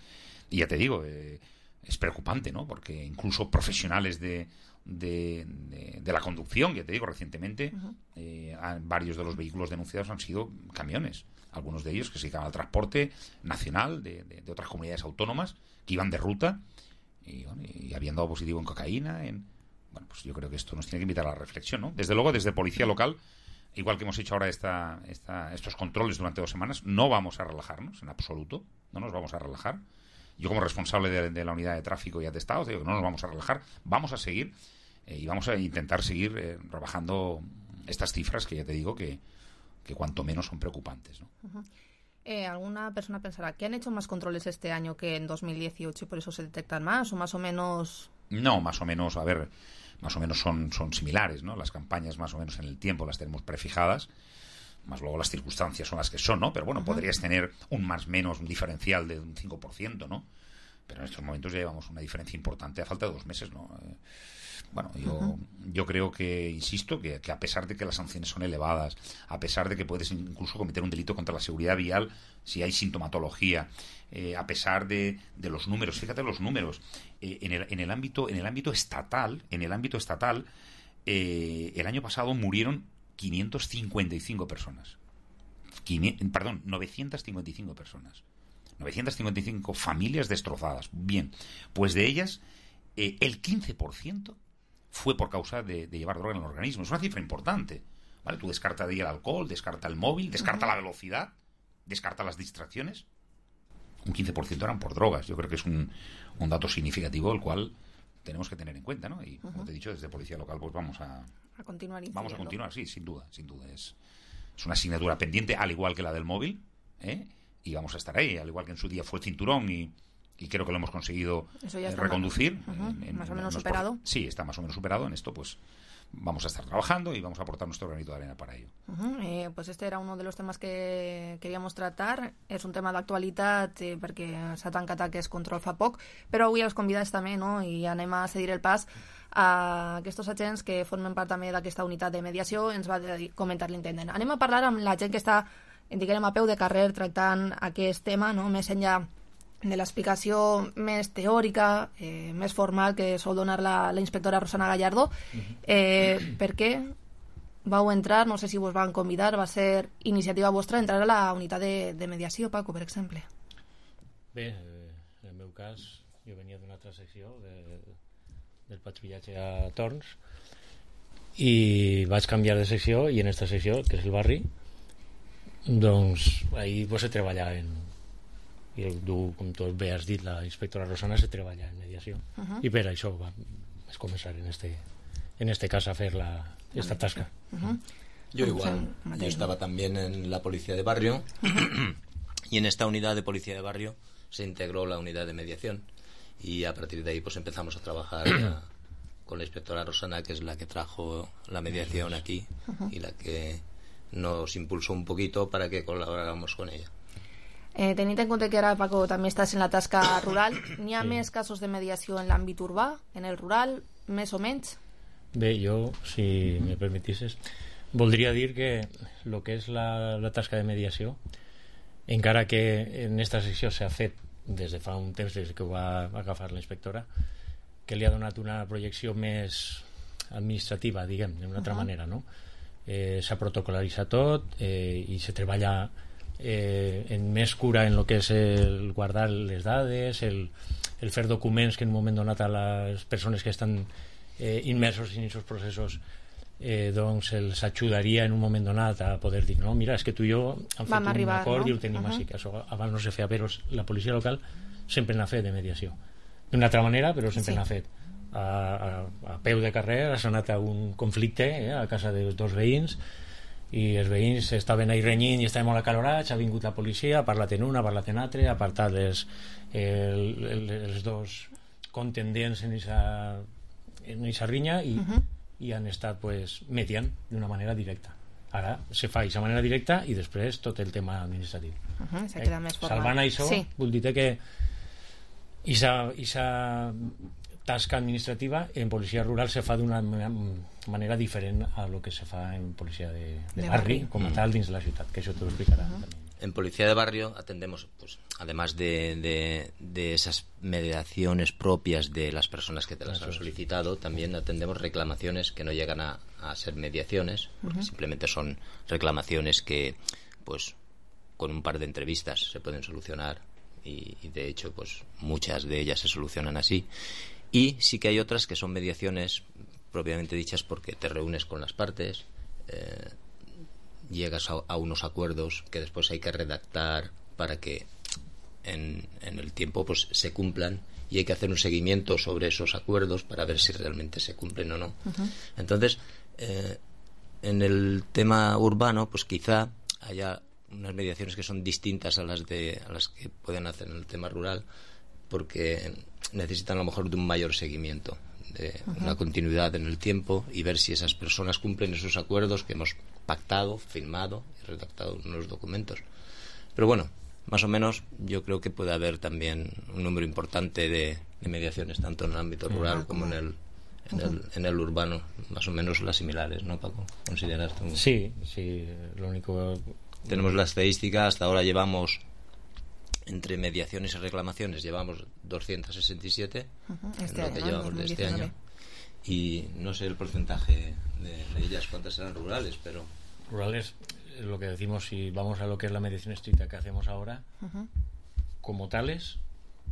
Y ya te digo, eh, es preocupante, ¿no? Porque incluso profesionales de, de, de, de la conducción, ya te digo, recientemente, uh-huh. eh, varios de los vehículos denunciados han sido camiones. Algunos de ellos que se dedicaban al transporte nacional de, de, de otras comunidades autónomas, que iban de ruta y, bueno, y habían dado positivo en cocaína. En, bueno, pues yo creo que esto nos tiene que invitar a la reflexión, ¿no? Desde luego, desde Policía Local, igual que hemos hecho ahora esta, esta, estos controles durante dos semanas, no vamos a relajarnos en absoluto, no nos vamos a relajar. Yo como responsable de, de la unidad de tráfico y atestados digo que no nos vamos a relajar, vamos a seguir eh, y vamos a intentar seguir eh, rebajando estas cifras que ya te digo que, que cuanto menos son preocupantes, ¿no?
Uh-huh. eh, alguna persona pensará que han hecho más controles este año que en dos mil dieciocho y por eso se detectan más o más o menos...
No, más o menos, a ver, más o menos son, son similares, ¿no? Las campañas más o menos en el tiempo las tenemos prefijadas, más luego las circunstancias son las que son, ¿no? Pero bueno, uh-huh. podrías tener un más menos, un diferencial de un cinco por ciento, ¿no? Pero en estos momentos ya llevamos una diferencia importante a falta de dos meses, ¿no? Eh, bueno, yo, uh-huh. yo creo que, insisto, que, que a pesar de que las sanciones son elevadas, a pesar de que puedes incluso cometer un delito contra la seguridad vial si hay sintomatología, eh, a pesar de, de los números, fíjate los números, eh, en, el, en el ámbito, en el ámbito estatal, en el ámbito estatal, eh, el año pasado murieron quinientas cincuenta y cinco personas. quinientas, perdón, novecientas cincuenta y cinco personas. novecientas cincuenta y cinco familias destrozadas. Bien, pues de ellas, eh, el quince por ciento fue por causa de, de llevar droga en el organismo. Es una cifra importante, ¿vale? Tú descarta de ahí el alcohol, descarta el móvil, descarta uh-huh. la velocidad, descarta las distracciones. Un quince por ciento eran por drogas. Yo creo que es un, un dato significativo, el cual tenemos que tener en cuenta, ¿no? Y, uh-huh. como te he dicho, desde Policía Local, pues vamos a...
A continuar
Vamos a continuar, sí, sin duda, sin duda. Es, es una asignatura pendiente, al igual que la del móvil, ¿eh? Y vamos a estar ahí, al igual que en su día fue el cinturón y, y creo que lo hemos conseguido eh, reconducir.
Más, uh-huh,
en, en,
más o menos
en
superado.
Por, sí, está más o menos superado. En esto, pues vamos a estar trabajando y vamos a aportar nuestro granito de arena para ello.
Uh-huh. Eh, pues este era uno de los temes que queríamos tratar. És un tema d'actualitat eh, perquè s'ha tancat aquest control fa poc, però avui els convidats també, no? I anem a cedir el pas a aquests agents que formen part també d'aquesta unitat de mediació. Ens va comentar l'intendent. Anem a parlar amb la gent que està, diguem, a peu de carrer tractant aquest tema, no? Més enllà de l'explicació més teòrica, eh, més formal que sol donar la, la inspectora Rosana Gallardo. Eh, per què vau entrar, no sé si vos van convidar, va ser iniciativa vostra entrar a la unitat de, de mediació, Paco, per exemple?
Bé, en el meu cas, jo venia d'una altra secció de, del patrullatge a Torns i vaig canviar de secció i en aquesta secció, que és el barri, doncs ahir pues, se treballa en i tu, com tu bé has dit, la inspectora Rosana se treballa en mediació uh-huh. i per això va, vaig començar en este, en este cas a fer la, esta tasca.
Uh-huh. Yo igual, yo estaba también en la policía de barrio uh-huh. y en esta unidad de policía de barrio se integró la unidad de mediación y a partir de ahí pues empezamos a trabajar ya con la inspectora Rosana, que es la que trajo la mediación aquí uh-huh. y la que nos impulsó un poquito para que colaboráramos con ella.
Eh, tenint en compte que ara, Paco, també estàs en la tasca rural, n'hi ha sí. més casos de mediació en l'àmbit urbà, en el rural, més o menys?
Bé, jo, si me permetisses, voldria dir que el que és la, la tasca de mediació, encara que en esta secció s'ha fet des de fa un temps, des que ho va agafar la inspectora, que li ha donat una projecció més administrativa, diguem, d'una altra uh -huh. manera, no? Eh, s'ha protocolaritzat tot eh, i se treballa eh, en més cura en el que és el guardar les dades, el, el fer documents que en un moment donat a les persones que estan eh, immersos en aquests processos eh, doncs els ajudaria en un moment donat a poder dir, no, mira, és que tu i jo hem fet un acord, no? I ho tenim uh -huh. així, que això abans no se feia, però la policia local sempre n'ha fet de mediació d'una altra manera, però sempre sí. n'ha fet a, a, a peu de carrer. S'ha anat a un conflicte eh, a casa dels dos veïns i els veïns estaven ahí renyint i estaven molt acalorats, ha vingut la policia, ha parlat en una, ha parlat en altra, ha apartat les, el, el, els dos contendents en aquesta en aquesta rinya i, uh -huh. i han estat pues, mediant d'una manera directa. Ara se fa d'aquesta manera directa i després tot el tema administratiu.
Uh -huh, se queda eh, més formal.
Salvant això, sí. Vull dir que aquesta tasca administrativa en policia rural se fa d'una manera diferent a lo que se fa en policia de, de, de barri, barri, com a tal, dins de la ciutat, que això te lo explicará. Uh-huh.
En policía de barrio atendemos, pues, además de, de, de esas mediaciones propias de las personas que te las han solicitado, también atendemos reclamaciones que no llegan a, a ser mediaciones, porque uh-huh. simplemente son reclamaciones que, pues, con un par de entrevistas se pueden solucionar y, y de hecho, pues, muchas de ellas se solucionan así. Y sí que hay otras que son mediaciones propiamente dichas porque te reúnes con las partes, eh, llegas a, a unos acuerdos que después hay que redactar para que en, en el tiempo pues se cumplan y hay que hacer un seguimiento sobre esos acuerdos para ver si realmente se cumplen o no. Uh-huh. Entonces, eh, en el tema urbano, pues quizá haya unas mediaciones que son distintas a las de a las que pueden hacer en el tema rural, porque necesitan a lo mejor de un mayor seguimiento, de uh-huh. una continuidad en el tiempo y ver si esas personas cumplen esos acuerdos que hemos pactado, firmado y redactado en los documentos. Pero bueno, más o menos yo creo que puede haber también un número importante de, de mediaciones, tanto en el ámbito rural uh-huh. como en el, en, uh-huh. el, en el urbano, más o menos las similares, ¿no, Paco? ¿Consideras tú?
Sí, sí, lo único...
Tenemos la estadística, hasta ahora llevamos... entre mediaciones y reclamaciones llevamos doscientos sesenta y siete uh-huh. este en lo que año, llevamos ¿no? de este año y no sé el porcentaje de, de ellas cuántas serán rurales, pero
rurales, lo que decimos, si vamos a lo que es la mediación estricta que hacemos ahora, uh-huh. como tales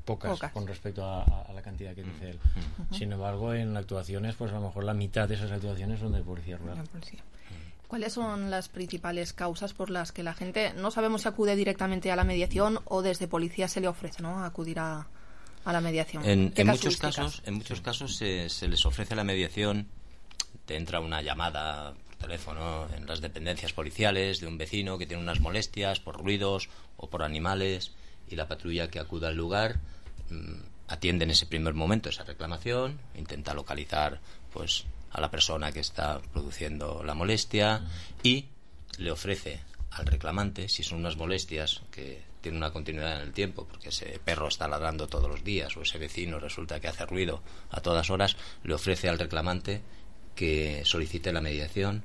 pocas, pocas con respecto a, a la cantidad que dice él. Uh-huh. Sin embargo, en actuaciones pues a lo mejor la mitad de esas actuaciones son de policía rural. La policía.
¿Cuáles son las principales causas por las que la gente, no sabemos si acude directamente a la mediación o desde policía se le ofrece, ¿no?, acudir a, a la mediación?
En, en muchos casos, en muchos casos se, se les ofrece la mediación, te entra una llamada por teléfono en las dependencias policiales de un vecino que tiene unas molestias por ruidos o por animales y la patrulla que acuda al lugar mmm, atiende en ese primer momento esa reclamación, intenta localizar pues a la persona que está produciendo la molestia y le ofrece al reclamante, si son unas molestias que tienen una continuidad en el tiempo, porque ese perro está ladrando todos los días o ese vecino resulta que hace ruido a todas horas, le ofrece al reclamante que solicite la mediación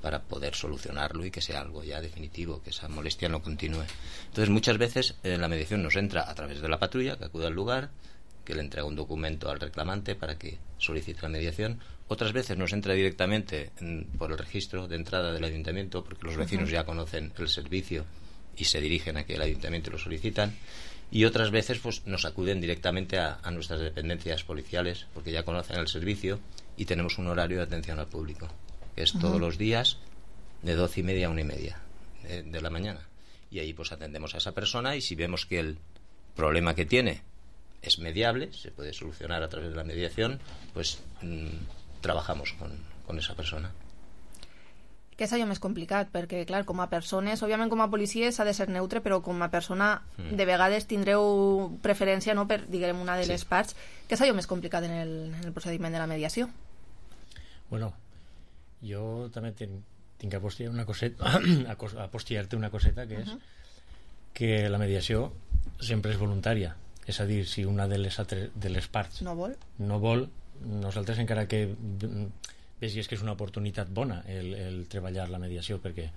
para poder solucionarlo y que sea algo ya definitivo, que esa molestia no continúe. Entonces muchas veces eh, la mediación nos entra a través de la patrulla que acude al lugar, que le entrega un documento al reclamante para que solicite la mediación. Otras veces nos entra directamente en, por el registro de entrada del ayuntamiento, porque los vecinos uh-huh. ya conocen el servicio y se dirigen a que el ayuntamiento lo solicitan. Y otras veces pues nos acuden directamente a, a nuestras dependencias policiales, porque ya conocen el servicio y tenemos un horario de atención al público, que es uh-huh. todos los días de doce y media a una y media de, de la mañana. Y ahí pues atendemos a esa persona y si vemos que el problema que tiene es mediable, se puede solucionar a través de la mediación, pues mmm, trabajamos con, con esa persona.
Que és allò més complicat, perquè, clar, com a persones, òbviament com a policia s'ha de ser neutre, però com a persona mm. de vegades tindreu preferència, no, per, diguem, una de les sí. parts. Què és allò més complicat en el, en el procediment de la mediació?
Bueno, jo també ten, tinc que apostillar una coseta, apostillar-te una coseta, que és uh -huh. que la mediació sempre és voluntària. És a dir, si una de les, altres, de les parts
no vol,
no vol, nosaltres encara que vegis que és una oportunitat bona el, el treballar la mediació, perquè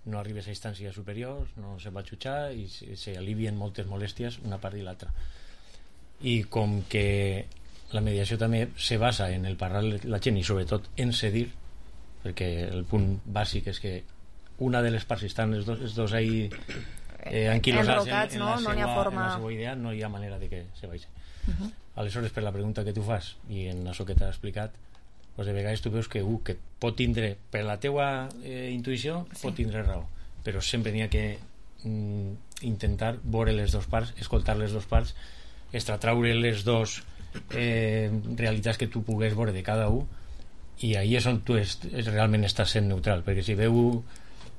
no arribes a instàncies superiors, no se va jutjar i s'alivien moltes molèsties una part i l'altra. I com que la mediació també se basa en el parlar la gent i sobretot en cedir, perquè el punt bàsic és que una de les parts, si estan els dos, els dos ahí eh, anquilosats en, en, no? la seva, no forma... en la seva idea, no hi ha manera de que se vagi. Uh-huh. Aleshores, per la pregunta que tu fas i en això que t'ha explicat, pues de vegades tu veus que, uh, que pot tindre, per la teua eh, intuïció, sí. pot tindre raó, però sempre n'hi ha que mm, intentar veure les dues parts, escoltar les dues parts, extratraure les dues eh, realitats que tu pugues veure de cada un, i ahí és on tu és, és realment estàs sent neutral, perquè si veu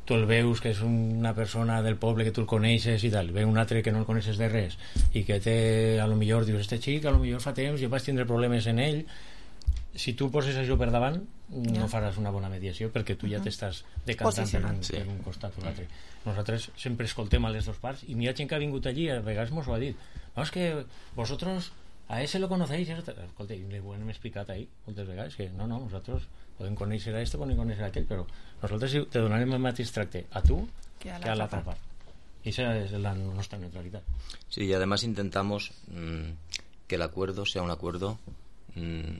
tu el veus que és una persona del poble que tu el coneixes i tal, veu un altre que no el coneixes de res i que té, a lo millor dius, este xic a lo millor fa temps i vaig tindre problemes en ell, si tu poses això per davant no ja. faràs una bona mediació perquè tu ja t'estàs decantant per un, sí. per un costat o l'altre. Nosaltres sempre escoltem a les dues parts i n'hi ha gent que ha vingut allí, a vegades mos ho ha dit, no, és que vosotros a ese lo conocéis, escolta, i li ho hem explicat ahí moltes vegades, que no, no, nosaltres podem conèixer a este, podem conèixer a aquell, però nosaltres te donarem el mateix tracte a tu que a l'altra part. Y esa es la nuestra neutralidad.
Sí, y además intentamos mmm, que el acuerdo sea un acuerdo mmm,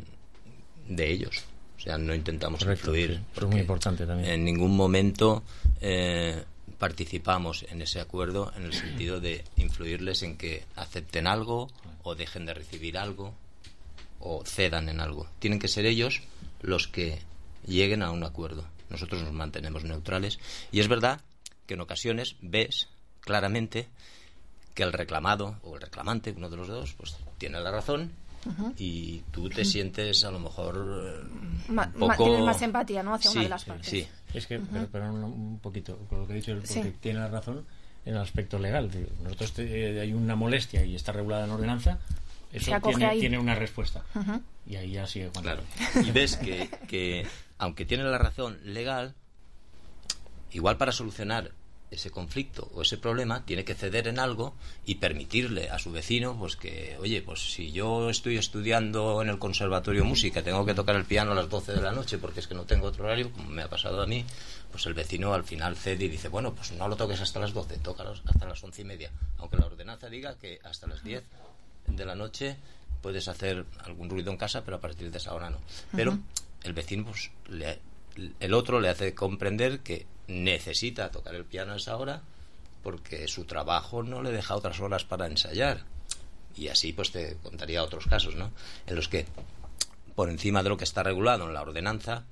de ellos. O sea, no intentamos Correcto, influir.
Sí, es muy importante también.
En ningún momento eh, participamos en ese acuerdo en el sentido de influirles en que acepten algo o dejen de recibir algo o cedan en algo. Tienen que ser ellos los que lleguen a un acuerdo. Nosotros nos mantenemos neutrales. Y es verdad que en ocasiones ves claramente que el reclamado o el reclamante, uno de los dos, pues tiene la razón. Uh-huh. Y tú te sientes a lo mejor eh,
Ma,
un poco...
tienes más empatía, ¿no? Hacia
sí,
una de las partes.
Sí.
Es que, uh-huh. pero, pero un, un poquito, con lo que he dicho, porque
sí.
tiene la razón en el aspecto legal. Nosotros te, hay una molestia y está regulada en ordenanza, eso tiene, tiene una respuesta. Uh-huh. Y ahí ya sigue.
Claro. Y ves que, que, aunque tiene la razón legal, igual para solucionar ese conflicto o ese problema tiene que ceder en algo y permitirle a su vecino pues que, oye, pues si yo estoy estudiando en el conservatorio de música, tengo que tocar el piano a las doce de la noche porque es que no tengo otro horario, como me ha pasado a mí, pues el vecino al final cede y dice, bueno, pues no lo toques hasta las doce, tócalos hasta las once y media, aunque la ordenanza diga que hasta las diez de la noche puedes hacer algún ruido en casa, pero a partir de esa hora no. Pero uh-huh. el vecino, pues le, el otro le hace comprender que necesita tocar el piano a esa hora porque su trabajo no le deja otras horas para ensayar. Y así pues te contaría otros casos, ¿no? En los que por encima de lo que está regulado en la ordenanza,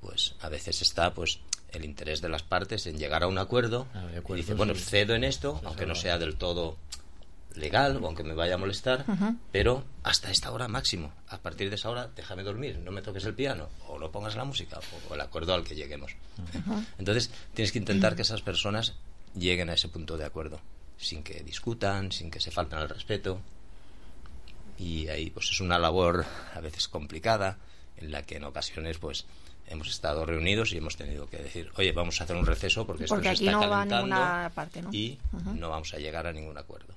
pues a veces está pues el interés de las partes en llegar a un acuerdo, ah, de acuerdo y dice, bueno, sí. cedo en esto, aunque no sea del todo legal o aunque me vaya a molestar, uh-huh. pero hasta esta hora máximo. A partir de esa hora déjame dormir, no me toques el piano o no pongas la música o el acuerdo al que lleguemos. Uh-huh. Entonces tienes que intentar que esas personas lleguen a ese punto de acuerdo sin que discutan, sin que se falten al respeto, y ahí pues es una labor a veces complicada en la que en ocasiones pues hemos estado reunidos y hemos tenido que decir, oye, vamos a hacer un receso porque esto
porque
se está
no
calentando
va a ninguna parte, ¿no?
y uh-huh. no vamos a llegar a ningún acuerdo.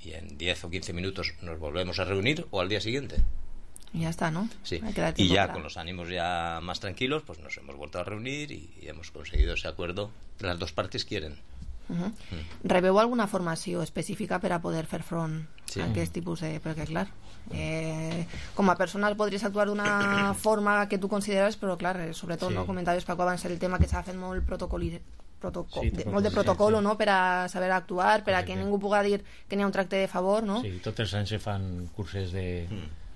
Y en diez o quince minutos nos volvemos a reunir o al día siguiente.
Y ya está, ¿no?
Sí. Y ya para... con los ánimos ya más tranquilos, pues nos hemos vuelto a reunir y, y hemos conseguido ese acuerdo que las dos partes quieren.
Uh-huh. Mm. Rebeu alguna formació específica per a poder fer front
sí.
a aquest tipus de... Perquè, clar, eh, com a persona podries actuar d'una forma que tu consideres, però, clar, eh, sobretot, sí. no? Comentaves, Paco, abans el tema que s'ha fet molt protocol... Protocol, sí, de, molt de protocol, sí. no?, per a saber actuar, per a que ningú puga dir que n'hi ha un tracte de favor, no?
Sí, tots els anys se fan curses de,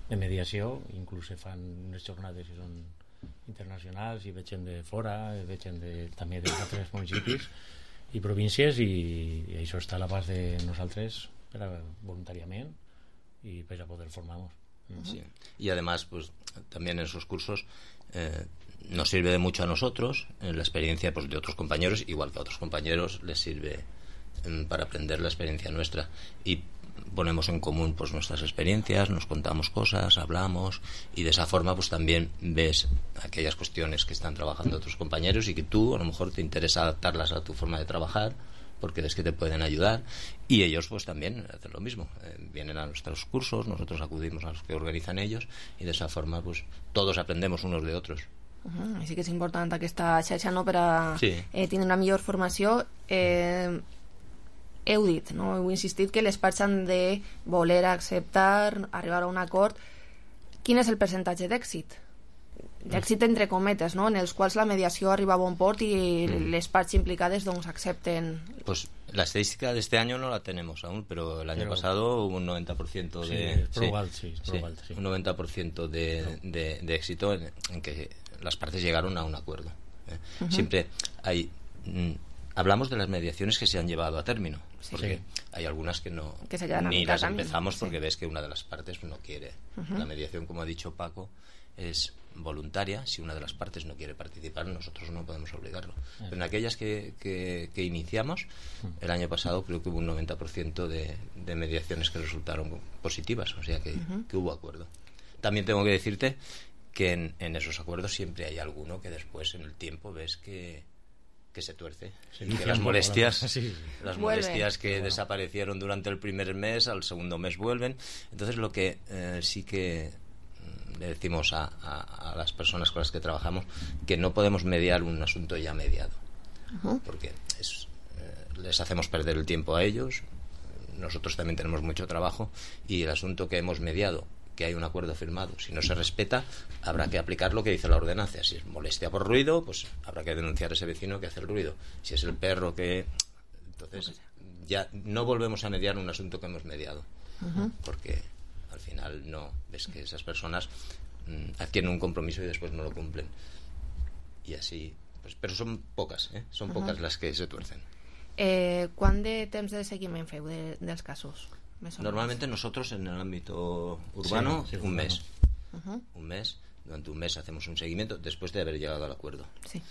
de mediació, inclús se fan unes jornades que són internacionals i veig gent de fora, veig gent de, també d'altres municipis i províncies, i, i això està a l'abast de nosaltres per a, voluntàriament y per a poder formarnos.
Sí. Y además, pues también en esos cursos eh, nos sirve de mucho a nosotros, en la experiencia pues, de otros compañeros, igual que a otros compañeros les sirve eh, para aprender la experiencia nuestra. Y ponemos en común pues nuestras experiencias, nos contamos cosas, hablamos, y de esa forma pues también ves aquellas cuestiones que están trabajando otros compañeros y que tú a lo mejor te interesa adaptarlas a tu forma de trabajar porque ves que te pueden ayudar, y ellos pues también hacen lo mismo, eh, vienen a nuestros cursos, nosotros acudimos a los que organizan ellos, y de esa forma pues todos aprendemos unos de otros.
Uh-huh. Així que és important aquesta xarxa, no?, per a
sí.
eh, tenir una millor formació. Eh, heu dit, no?, heu insistit que les parts han de voler acceptar, arribar a un acord. Quin és el percentatge d'èxit? D'èxit entre cometes, ¿no?, en els quals la mediació arriba a bon port i mm. les parts implicades doncs accepten.
Pues la estadística de este año no la tenemos aún, pero el año pero, pasado hubo un noventa por ciento de
sí, probable, sí, sí, probable, sí.
un noventa por ciento de, de, de éxito en, en que las partes llegaron a un acuerdo. ¿eh? Uh-huh. Siempre hay mm, hablamos de las mediaciones que se han llevado a término, sí, porque sí. hay algunas que no
que
ni las empezamos porque sí. ves que una de las partes no quiere. Uh-huh. La mediación, como ha dicho Paco, es voluntaria. Si una de las partes no quiere participar, nosotros no podemos obligarlo. Pero en aquellas que, que, que iniciamos, el año pasado creo que hubo un noventa por ciento de, de mediaciones que resultaron positivas, o sea que, uh-huh. que hubo acuerdo. También tengo que decirte que en, en esos acuerdos siempre hay alguno que después en el tiempo ves que que se tuerce, sí, que las molestias sí, sí. las Vuelve. molestias que bueno. desaparecieron durante el primer mes al segundo mes vuelven. Entonces lo que eh, sí que le decimos a, a, a las personas con las que trabajamos, que no podemos mediar un asunto ya mediado, uh-huh. porque es, eh, les hacemos perder el tiempo a ellos, nosotros también tenemos mucho trabajo, y el asunto que hemos mediado, que hay un acuerdo firmado, si no se respeta, habrá que aplicar lo que dice la ordenanza. Si es molestia por ruido, pues habrá que denunciar a ese vecino que hace el ruido. Si es el perro que... Entonces ya no volvemos a mediar un asunto que hemos mediado, uh-huh. porque al final no, ves que esas personas mmm, adquieren un compromiso y después no lo cumplen, y así pues, pero son pocas, ¿eh? son uh-huh. pocas las que se tuercen.
Eh, ¿Quant de temps de seguiment feu de, dels casos?
Normalmente nosotros en el ámbito urbano sí, sí, un mes uh-huh. un mes, durante un mes hacemos un seguimiento después de haber llegado al acuerdo,
sí.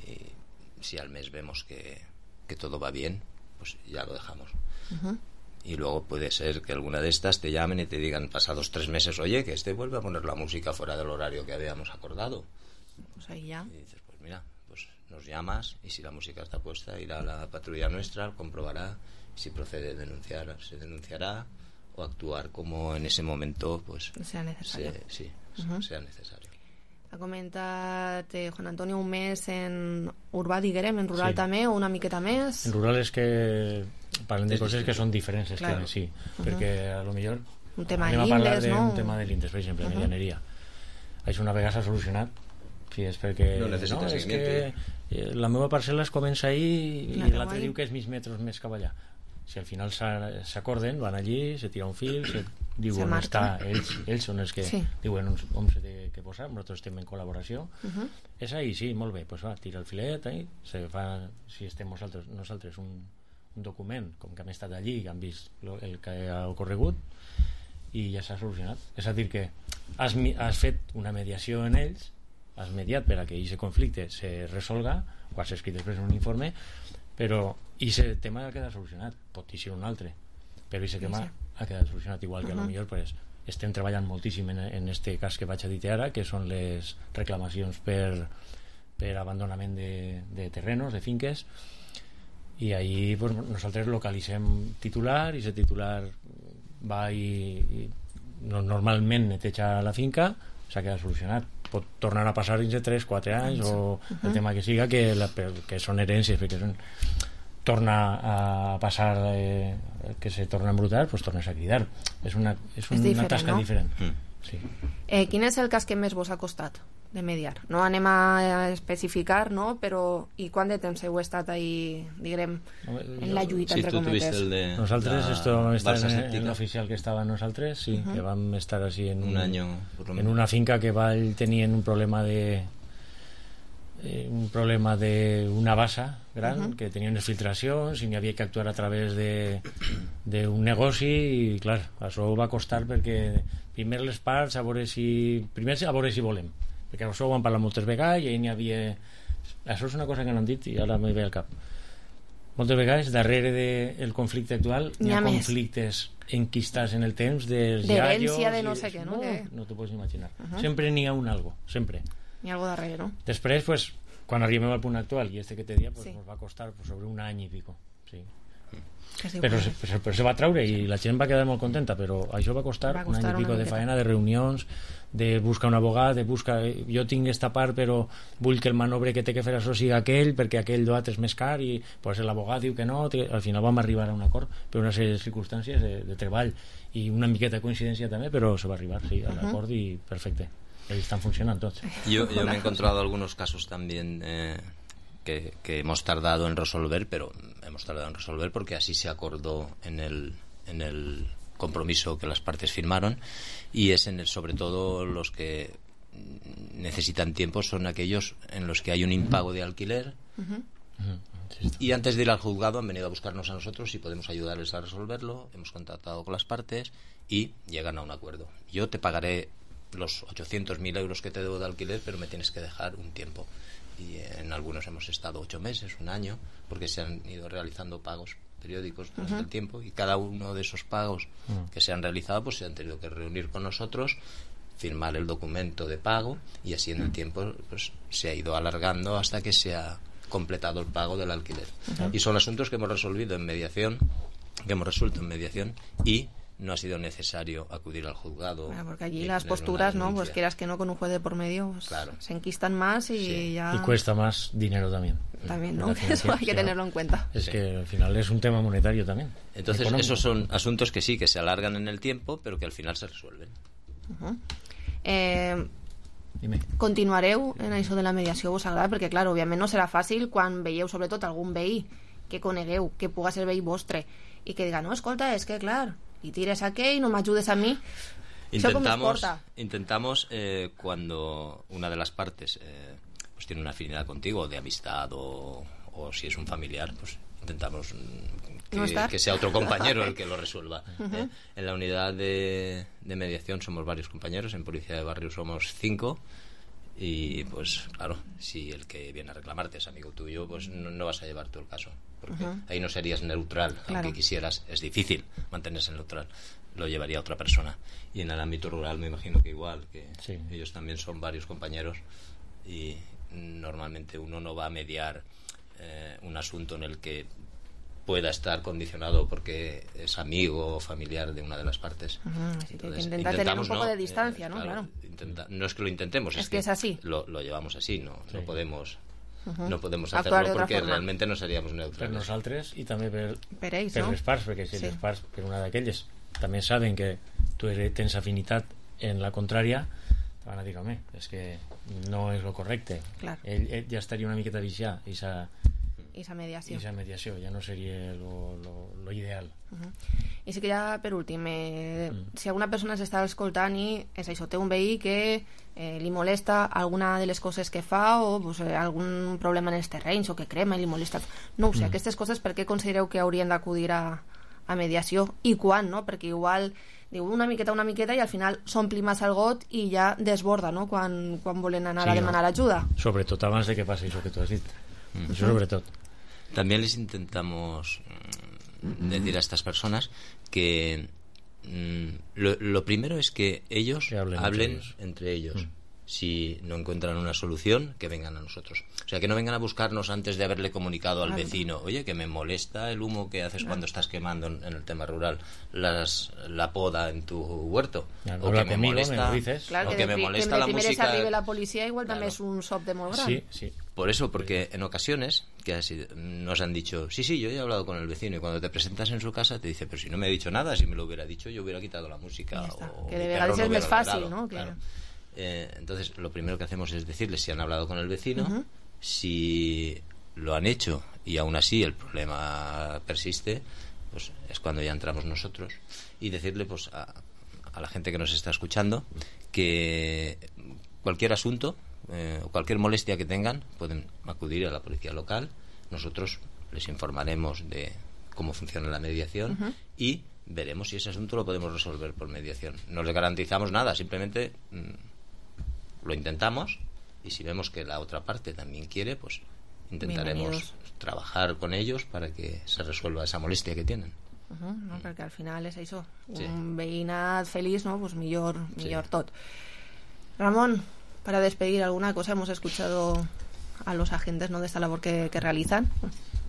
y si al mes vemos que, que todo va bien, pues ya lo dejamos. uh-huh. Y luego puede ser que alguna de estas te llamen y te digan pasados tres meses, oye, que este vuelve a poner la música fuera del horario que habíamos acordado.
Pues ahí ya.
Y dices, pues mira, pues nos llamas, y si la música está puesta, irá a la patrulla nuestra, comprobará, si procede denunciar, se denunciará, o actuar como en ese momento pues
sea necesario.
Se, sí,
uh-huh.
sea necesario.
Ha comentat eh, Juan Antonio un mes en urbà, diguem, en rural sí. també, o una miqueta més?
En rural és que parlem de coses que són diferents, claro. que sí, uh-huh. perquè a lo millor
un tema
anem
de
a parlar
l'Indes, no?
d'un tema de l'Indes, per exemple, uh-huh. medianeria. Això una vegada s'ha solucionat, si és perquè
no, no és
que la meva parcel·la es comença ahí i l'altre diu que és mig metres més cap allà. Si al final s'acorden, van allí, se tira un fil, se diuen on està, ells, ells són els que sí. diuen on, on s'ha de que posar, nosaltres estem en col·laboració, uh-huh. és ahí, sí, molt bé, pues va, tira el filet, ahí, se fa, si estem nosaltres, nosaltres un, un document, com que hem estat allí i han vist lo, el que ha ocorregut, i ja s'ha solucionat. És a dir que has, has fet una mediació en ells, has mediat per a que aquest conflicte se resolga, o has escrit després un informe, però aquest tema ha quedat solucionat, pot ser un altre, però aquest tema ha quedat solucionat, igual que uh-huh. a lo millor pues, estem treballant moltíssim en, en este cas que vaig a dir ara, que són les reclamacions per, per abandonament de, de terrenos, de finques, i ahí pues, nosaltres localitzem titular, i aquest titular va i, i no, normalment neteja la finca, s'ha quedat solucionat. Pot tornar a passar dins de tres quatre anys o uh-huh. el tema que siga, que, la, que són herències, perquè són, torna a passar eh, que se torna a embrutar, pues tornes a cridar. És una, és una és tasca
no?
diferent. Mm. Sí.
Eh, quin és el cas que més vos ha costat de mediar? No anem a especificar, no? Però i quant de temps heu estat ahí, diguem, en la lluita,
sí,
entre cometes?
El de
nosaltres, esto está en, en l'oficial que estava nosaltres, sí, uh-huh. que vam estar así en
un, un año,
en una finca que va, tenien un problema de eh, un problema de una bassa gran, uh-huh. que tenien unes filtracions i n'hi havia que actuar a través de d'un negoci, i clar, això va costar perquè primer les parts a veure si primer a veure si volem, perquè això ho han parlat moltes vegades i n'hi havia, això és una cosa que no han dit i ara me ve al cap, moltes vegades darrere del conflicte actual hi ha, ha conflictes enquistats en el temps dels
d'herència
iaios...
de no sé què, no?
No,
Que...
no t'ho pots imaginar.
Uh -huh.
Sempre n'hi ha un algo, sempre.
N'hi ha algo darrere, no?
Després, pues, quan arribem al punt actual, i este que te dia, pues,
Sí.
nos va costar pues, sobre un any i pico. Sí.
Quasi
Però,
igual.
se, però, però se va treure i la gent va quedar molt contenta, però això va costar,
Va
un
costar
any i pico
una
de
miqueta.
faena, de reunions, de buscar un abogat, de buscar... Jo tinc esta part, però vull que el manobre que té que fer això sigui aquell, perquè aquell d'altre és més car, i pues, l'abogat diu que no, que al final vam arribar a un acord per una sèrie de circumstàncies de, de treball i una miqueta de coincidència també, però se va arribar, sí, a l'acord i perfecte. Ahí están funcionando tots.
Yo, yo me he encontrado algunos casos también eh, que, que hemos tardado en resolver, pero hemos tardado en resolver porque así se acordó en el, en el compromiso que las partes firmaron, y es en el, sobre todo los que necesitan tiempo son aquellos en los que hay un impago de alquiler.
Uh-huh.
Y antes de ir al juzgado han venido a buscarnos a nosotros y podemos ayudarles a resolverlo. Hemos contactado con las partes y llegan a un acuerdo. Yo te pagaré los ochocientos mil euros que te debo de alquiler, pero me tienes que dejar un tiempo. Y en algunos hemos estado ocho meses, un año, porque se han ido realizando pagos periódicos durante
Uh-huh.
el tiempo, y cada uno de esos pagos
Uh-huh.
que se han realizado pues se han tenido que reunir con nosotros, firmar el documento de pago, y así en el tiempo pues se ha ido alargando hasta que se ha completado el pago del alquiler.
Uh-huh.
Y son asuntos que hemos resolvido en mediación, que hemos resuelto en mediación, y no ha sido necesario acudir al juzgado.
Bueno, porque allí
y
las
tener
posturas,
una
¿no? Pues
denuncia.
quieras que no, con un juez de por medio, pues,
Claro.
se enquistan más y
Sí.
ya...
Y cuesta más dinero también.
También, ¿no?
La
Que eso hay que
financiación.
tenerlo en cuenta.
Es que al final es un tema monetario también.
Entonces,
económico.
esos son asuntos que sí, que se alargan en el tiempo, pero que al final se resuelven.
Uh-huh. Eh,
Dime.
continuareu en això de la mediació, vos agrada? Perquè, clar, òbviament no serà fàcil quan veieu, sobretot, algun veí que conegueu, que puga ser veí vostre, i que diga, no, escolta, és que, clar, i tires a aquell, no m'ajudes a mi. Això com es
Intentamos,
porta?
intentamos eh, cuando una de las partes eh, pues tiene una afinidad contigo, de amistad o, o si es un familiar, pues intentamos mm, que,
¿No estar?
que sea otro compañero el que lo resuelva.
Ujú.
¿eh? En la unidad de, de mediación somos varios compañeros, en Policía de Barrio somos cinco, y pues claro, si el que viene a reclamarte es amigo tuyo, pues no, no vas a llevar tú el caso, porque
Ujú.
ahí no serías neutral,
Claro.
aunque quisieras. Es difícil mantenerse neutral, lo llevaría otra persona. Y en el ámbito rural me imagino que igual, que
Sí.
ellos también son varios compañeros, y normalmente uno no va a mediar eh, un asunto en el que pueda estar condicionado porque es amigo o familiar de una de las partes.
Ujú, así que
Entonces,
intenta tener un
intentamos,
poco
¿no?
de distancia,
Eh,
¿no? Claro.
intenta- no es que lo intentemos,
Es
es,
que es así.
Lo, lo llevamos así, no,
Sí.
no podemos
Ujú.
no podemos
Actuar
hacerlo
de otra
porque
forma.
realmente no seríamos
Per
neutrales.
nosaltres i també per,
Per ells,
per
no?
les parts, perquè si
Sí.
les parts, per una d'aquelles, també saben que tu eres, tens afinitat en la contrària, te van a dir, home, és que no és lo correcte.
Clar.
Ell, ell ja estaria una miqueta viciat i esa,
I esa mediació.
esa mediació ja no seria lo, lo, lo ideal.
Uh-huh. I sí que ja, per últim, eh,
Mm.
si alguna persona s'està escoltant i és això, té un veí que eh, li molesta alguna de les coses que fa o pues, eh, algun problema en els terrenys o que crema i li molesta... No ho sé,
Mm.
aquestes coses per què considereu que haurien d'acudir a, a mediació i quan, no? Perquè igual diu una miqueta, una miqueta i al final s'ompli massa el got i ja desborda, no? Quan, quan volen anar
Sí,
a
no.
demanar ajuda.
Sobretot abans de que passi això que tu has dit.
Mm.
Això sobretot.
También les intentamos mm, decir a estas personas que mm, lo, lo primero es que ellos
Que hablen
hablen,
entre ellos.
entre ellos.
Mm.
Si no encuentran una solución, que vengan a nosotros. O sea, que no vengan a buscarnos antes de haberle comunicado al
Claro.
vecino, oye, que me molesta el humo que haces
Claro.
cuando estás quemando en, en el tema rural las, la poda en tu huerto.
Claro,
o
habla
que me
conmigo, me
molesta,
lo dices.
Clar,
o
que,
que
de,
me
pri-
molesta
que de
la
primeres
música.
arribi la policia igual també
Claro.
és un sop de molt gran.
Sí, sí.
Por eso, porque en ocasiones que ha sido- nos han dicho, sí, sí, yo ya he hablado con el vecino, y cuando te presentas en su casa te dice, pero si no me ha dicho nada, si me lo hubiera dicho yo hubiera quitado la música.
Ya está.
O
Que
mi
de
perro
vegades
no
és més
hubiera
fàcil,
ladrado.
no? Que-
Claro. Eh, entonces, lo primero que hacemos es decirles si han hablado con el vecino,
Ujú.
si lo han hecho y aún así el problema persiste, pues es cuando ya entramos nosotros, y decirle pues a, a la gente que nos está escuchando que cualquier asunto eh, o cualquier molestia que tengan pueden acudir a la policía local. Nosotros les informaremos de cómo funciona la mediación
Ujú.
y veremos si ese asunto lo podemos resolver por mediación. No les garantizamos nada, simplemente mm, lo intentamos, y si vemos que la otra parte también quiere, pues intentaremos
Bienvenidos.
trabajar con ellos para que se resuelva esa molestia que tienen.
Uh -huh, no? Perquè al final és això,
Sí.
un veïnat feliç, ¿no? Pues millor, millor sí. tot. Ramón, para despedir alguna cosa, hemos escuchado a los agentes, ¿no? de esta labor que, que realizan.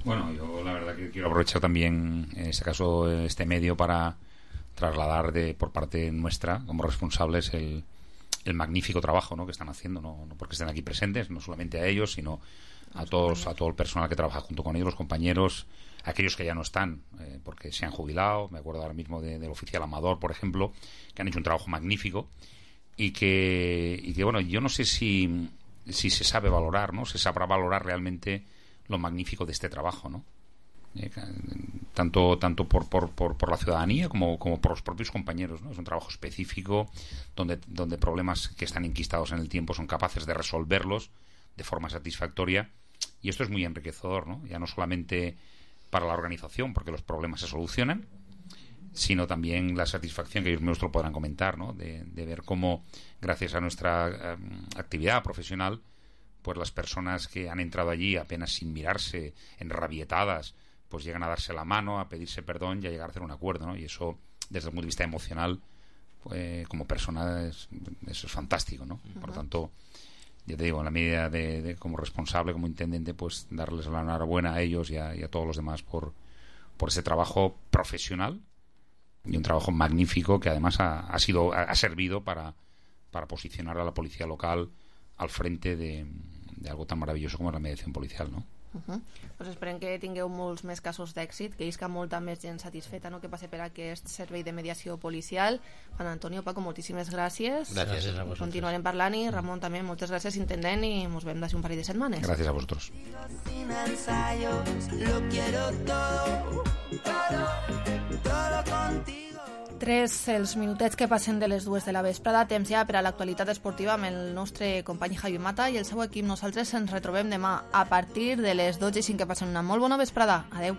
Bueno, yo la verdad que quiero aprovechar también, en este caso, este medio para trasladar de por parte nuestra, como responsables, el, el magnífico trabajo, ¿no? que están haciendo, no, no porque estén aquí presentes, no solamente a ellos, sino a todos, a todo el personal que trabaja junto con ellos, los compañeros, aquellos que ya no están, eh, porque se han jubilado. Me acuerdo ahora mismo de, del oficial Amador, por ejemplo, que han hecho un trabajo magnífico y que, y que bueno, yo no sé si, si se sabe valorar, ¿no? Se sabrá valorar realmente lo magnífico de este trabajo, ¿no? Eh, tanto tanto por, por, por, por la ciudadanía como, como por los propios compañeros, ¿no? Es un trabajo específico donde, donde problemas que están enquistados en el tiempo son capaces de resolverlos de forma satisfactoria, y esto es muy enriquecedor, ¿no? Ya no solamente para la organización, porque los problemas se solucionan, sino también la satisfacción, que ellos mismos lo podrán comentar, ¿no? De, de ver cómo, gracias a nuestra um, actividad profesional, pues las personas que han entrado allí apenas sin mirarse, enrabietadas, pues llegan a darse la mano, a pedirse perdón y a llegar a hacer un acuerdo, ¿no? Y eso, desde el punto de vista emocional, pues, como persona, es, eso es fantástico, ¿no? Uh-huh. Por lo tanto, ya te digo, en la medida de, de como responsable, como intendente, pues darles la enhorabuena a ellos y a, y a todos los demás por, por ese trabajo profesional y un trabajo magnífico que además ha, ha sido ha servido para, para posicionar a la policía local al frente de, de algo tan maravilloso como la mediación policial, ¿no?
Uh-huh. Pues esperem que tingueu molts més casos d'èxit, que isca molta més gent satisfeta, no?, que passi per aquest servei de mediació policial. Juan Antonio, Paco, moltíssimes gràcies.
Gràcies a vosaltres.
Continuarem parlant, i Ramon també, moltes gràcies, intendent, i ens veiem d'ací un parell de setmanes.
Gràcies a vosaltres.
Sin ensayos, lo quiero todo, todo, todo contigo.
Tres els minutets que passen de les dues de la vesprada, temps ja per a l'actualitat esportiva amb el nostre company Javi Mata i el seu equip. Nosaltres ens retrobem demà a partir de les dotze i cinc, que passen una molt bona vesprada. Adeu.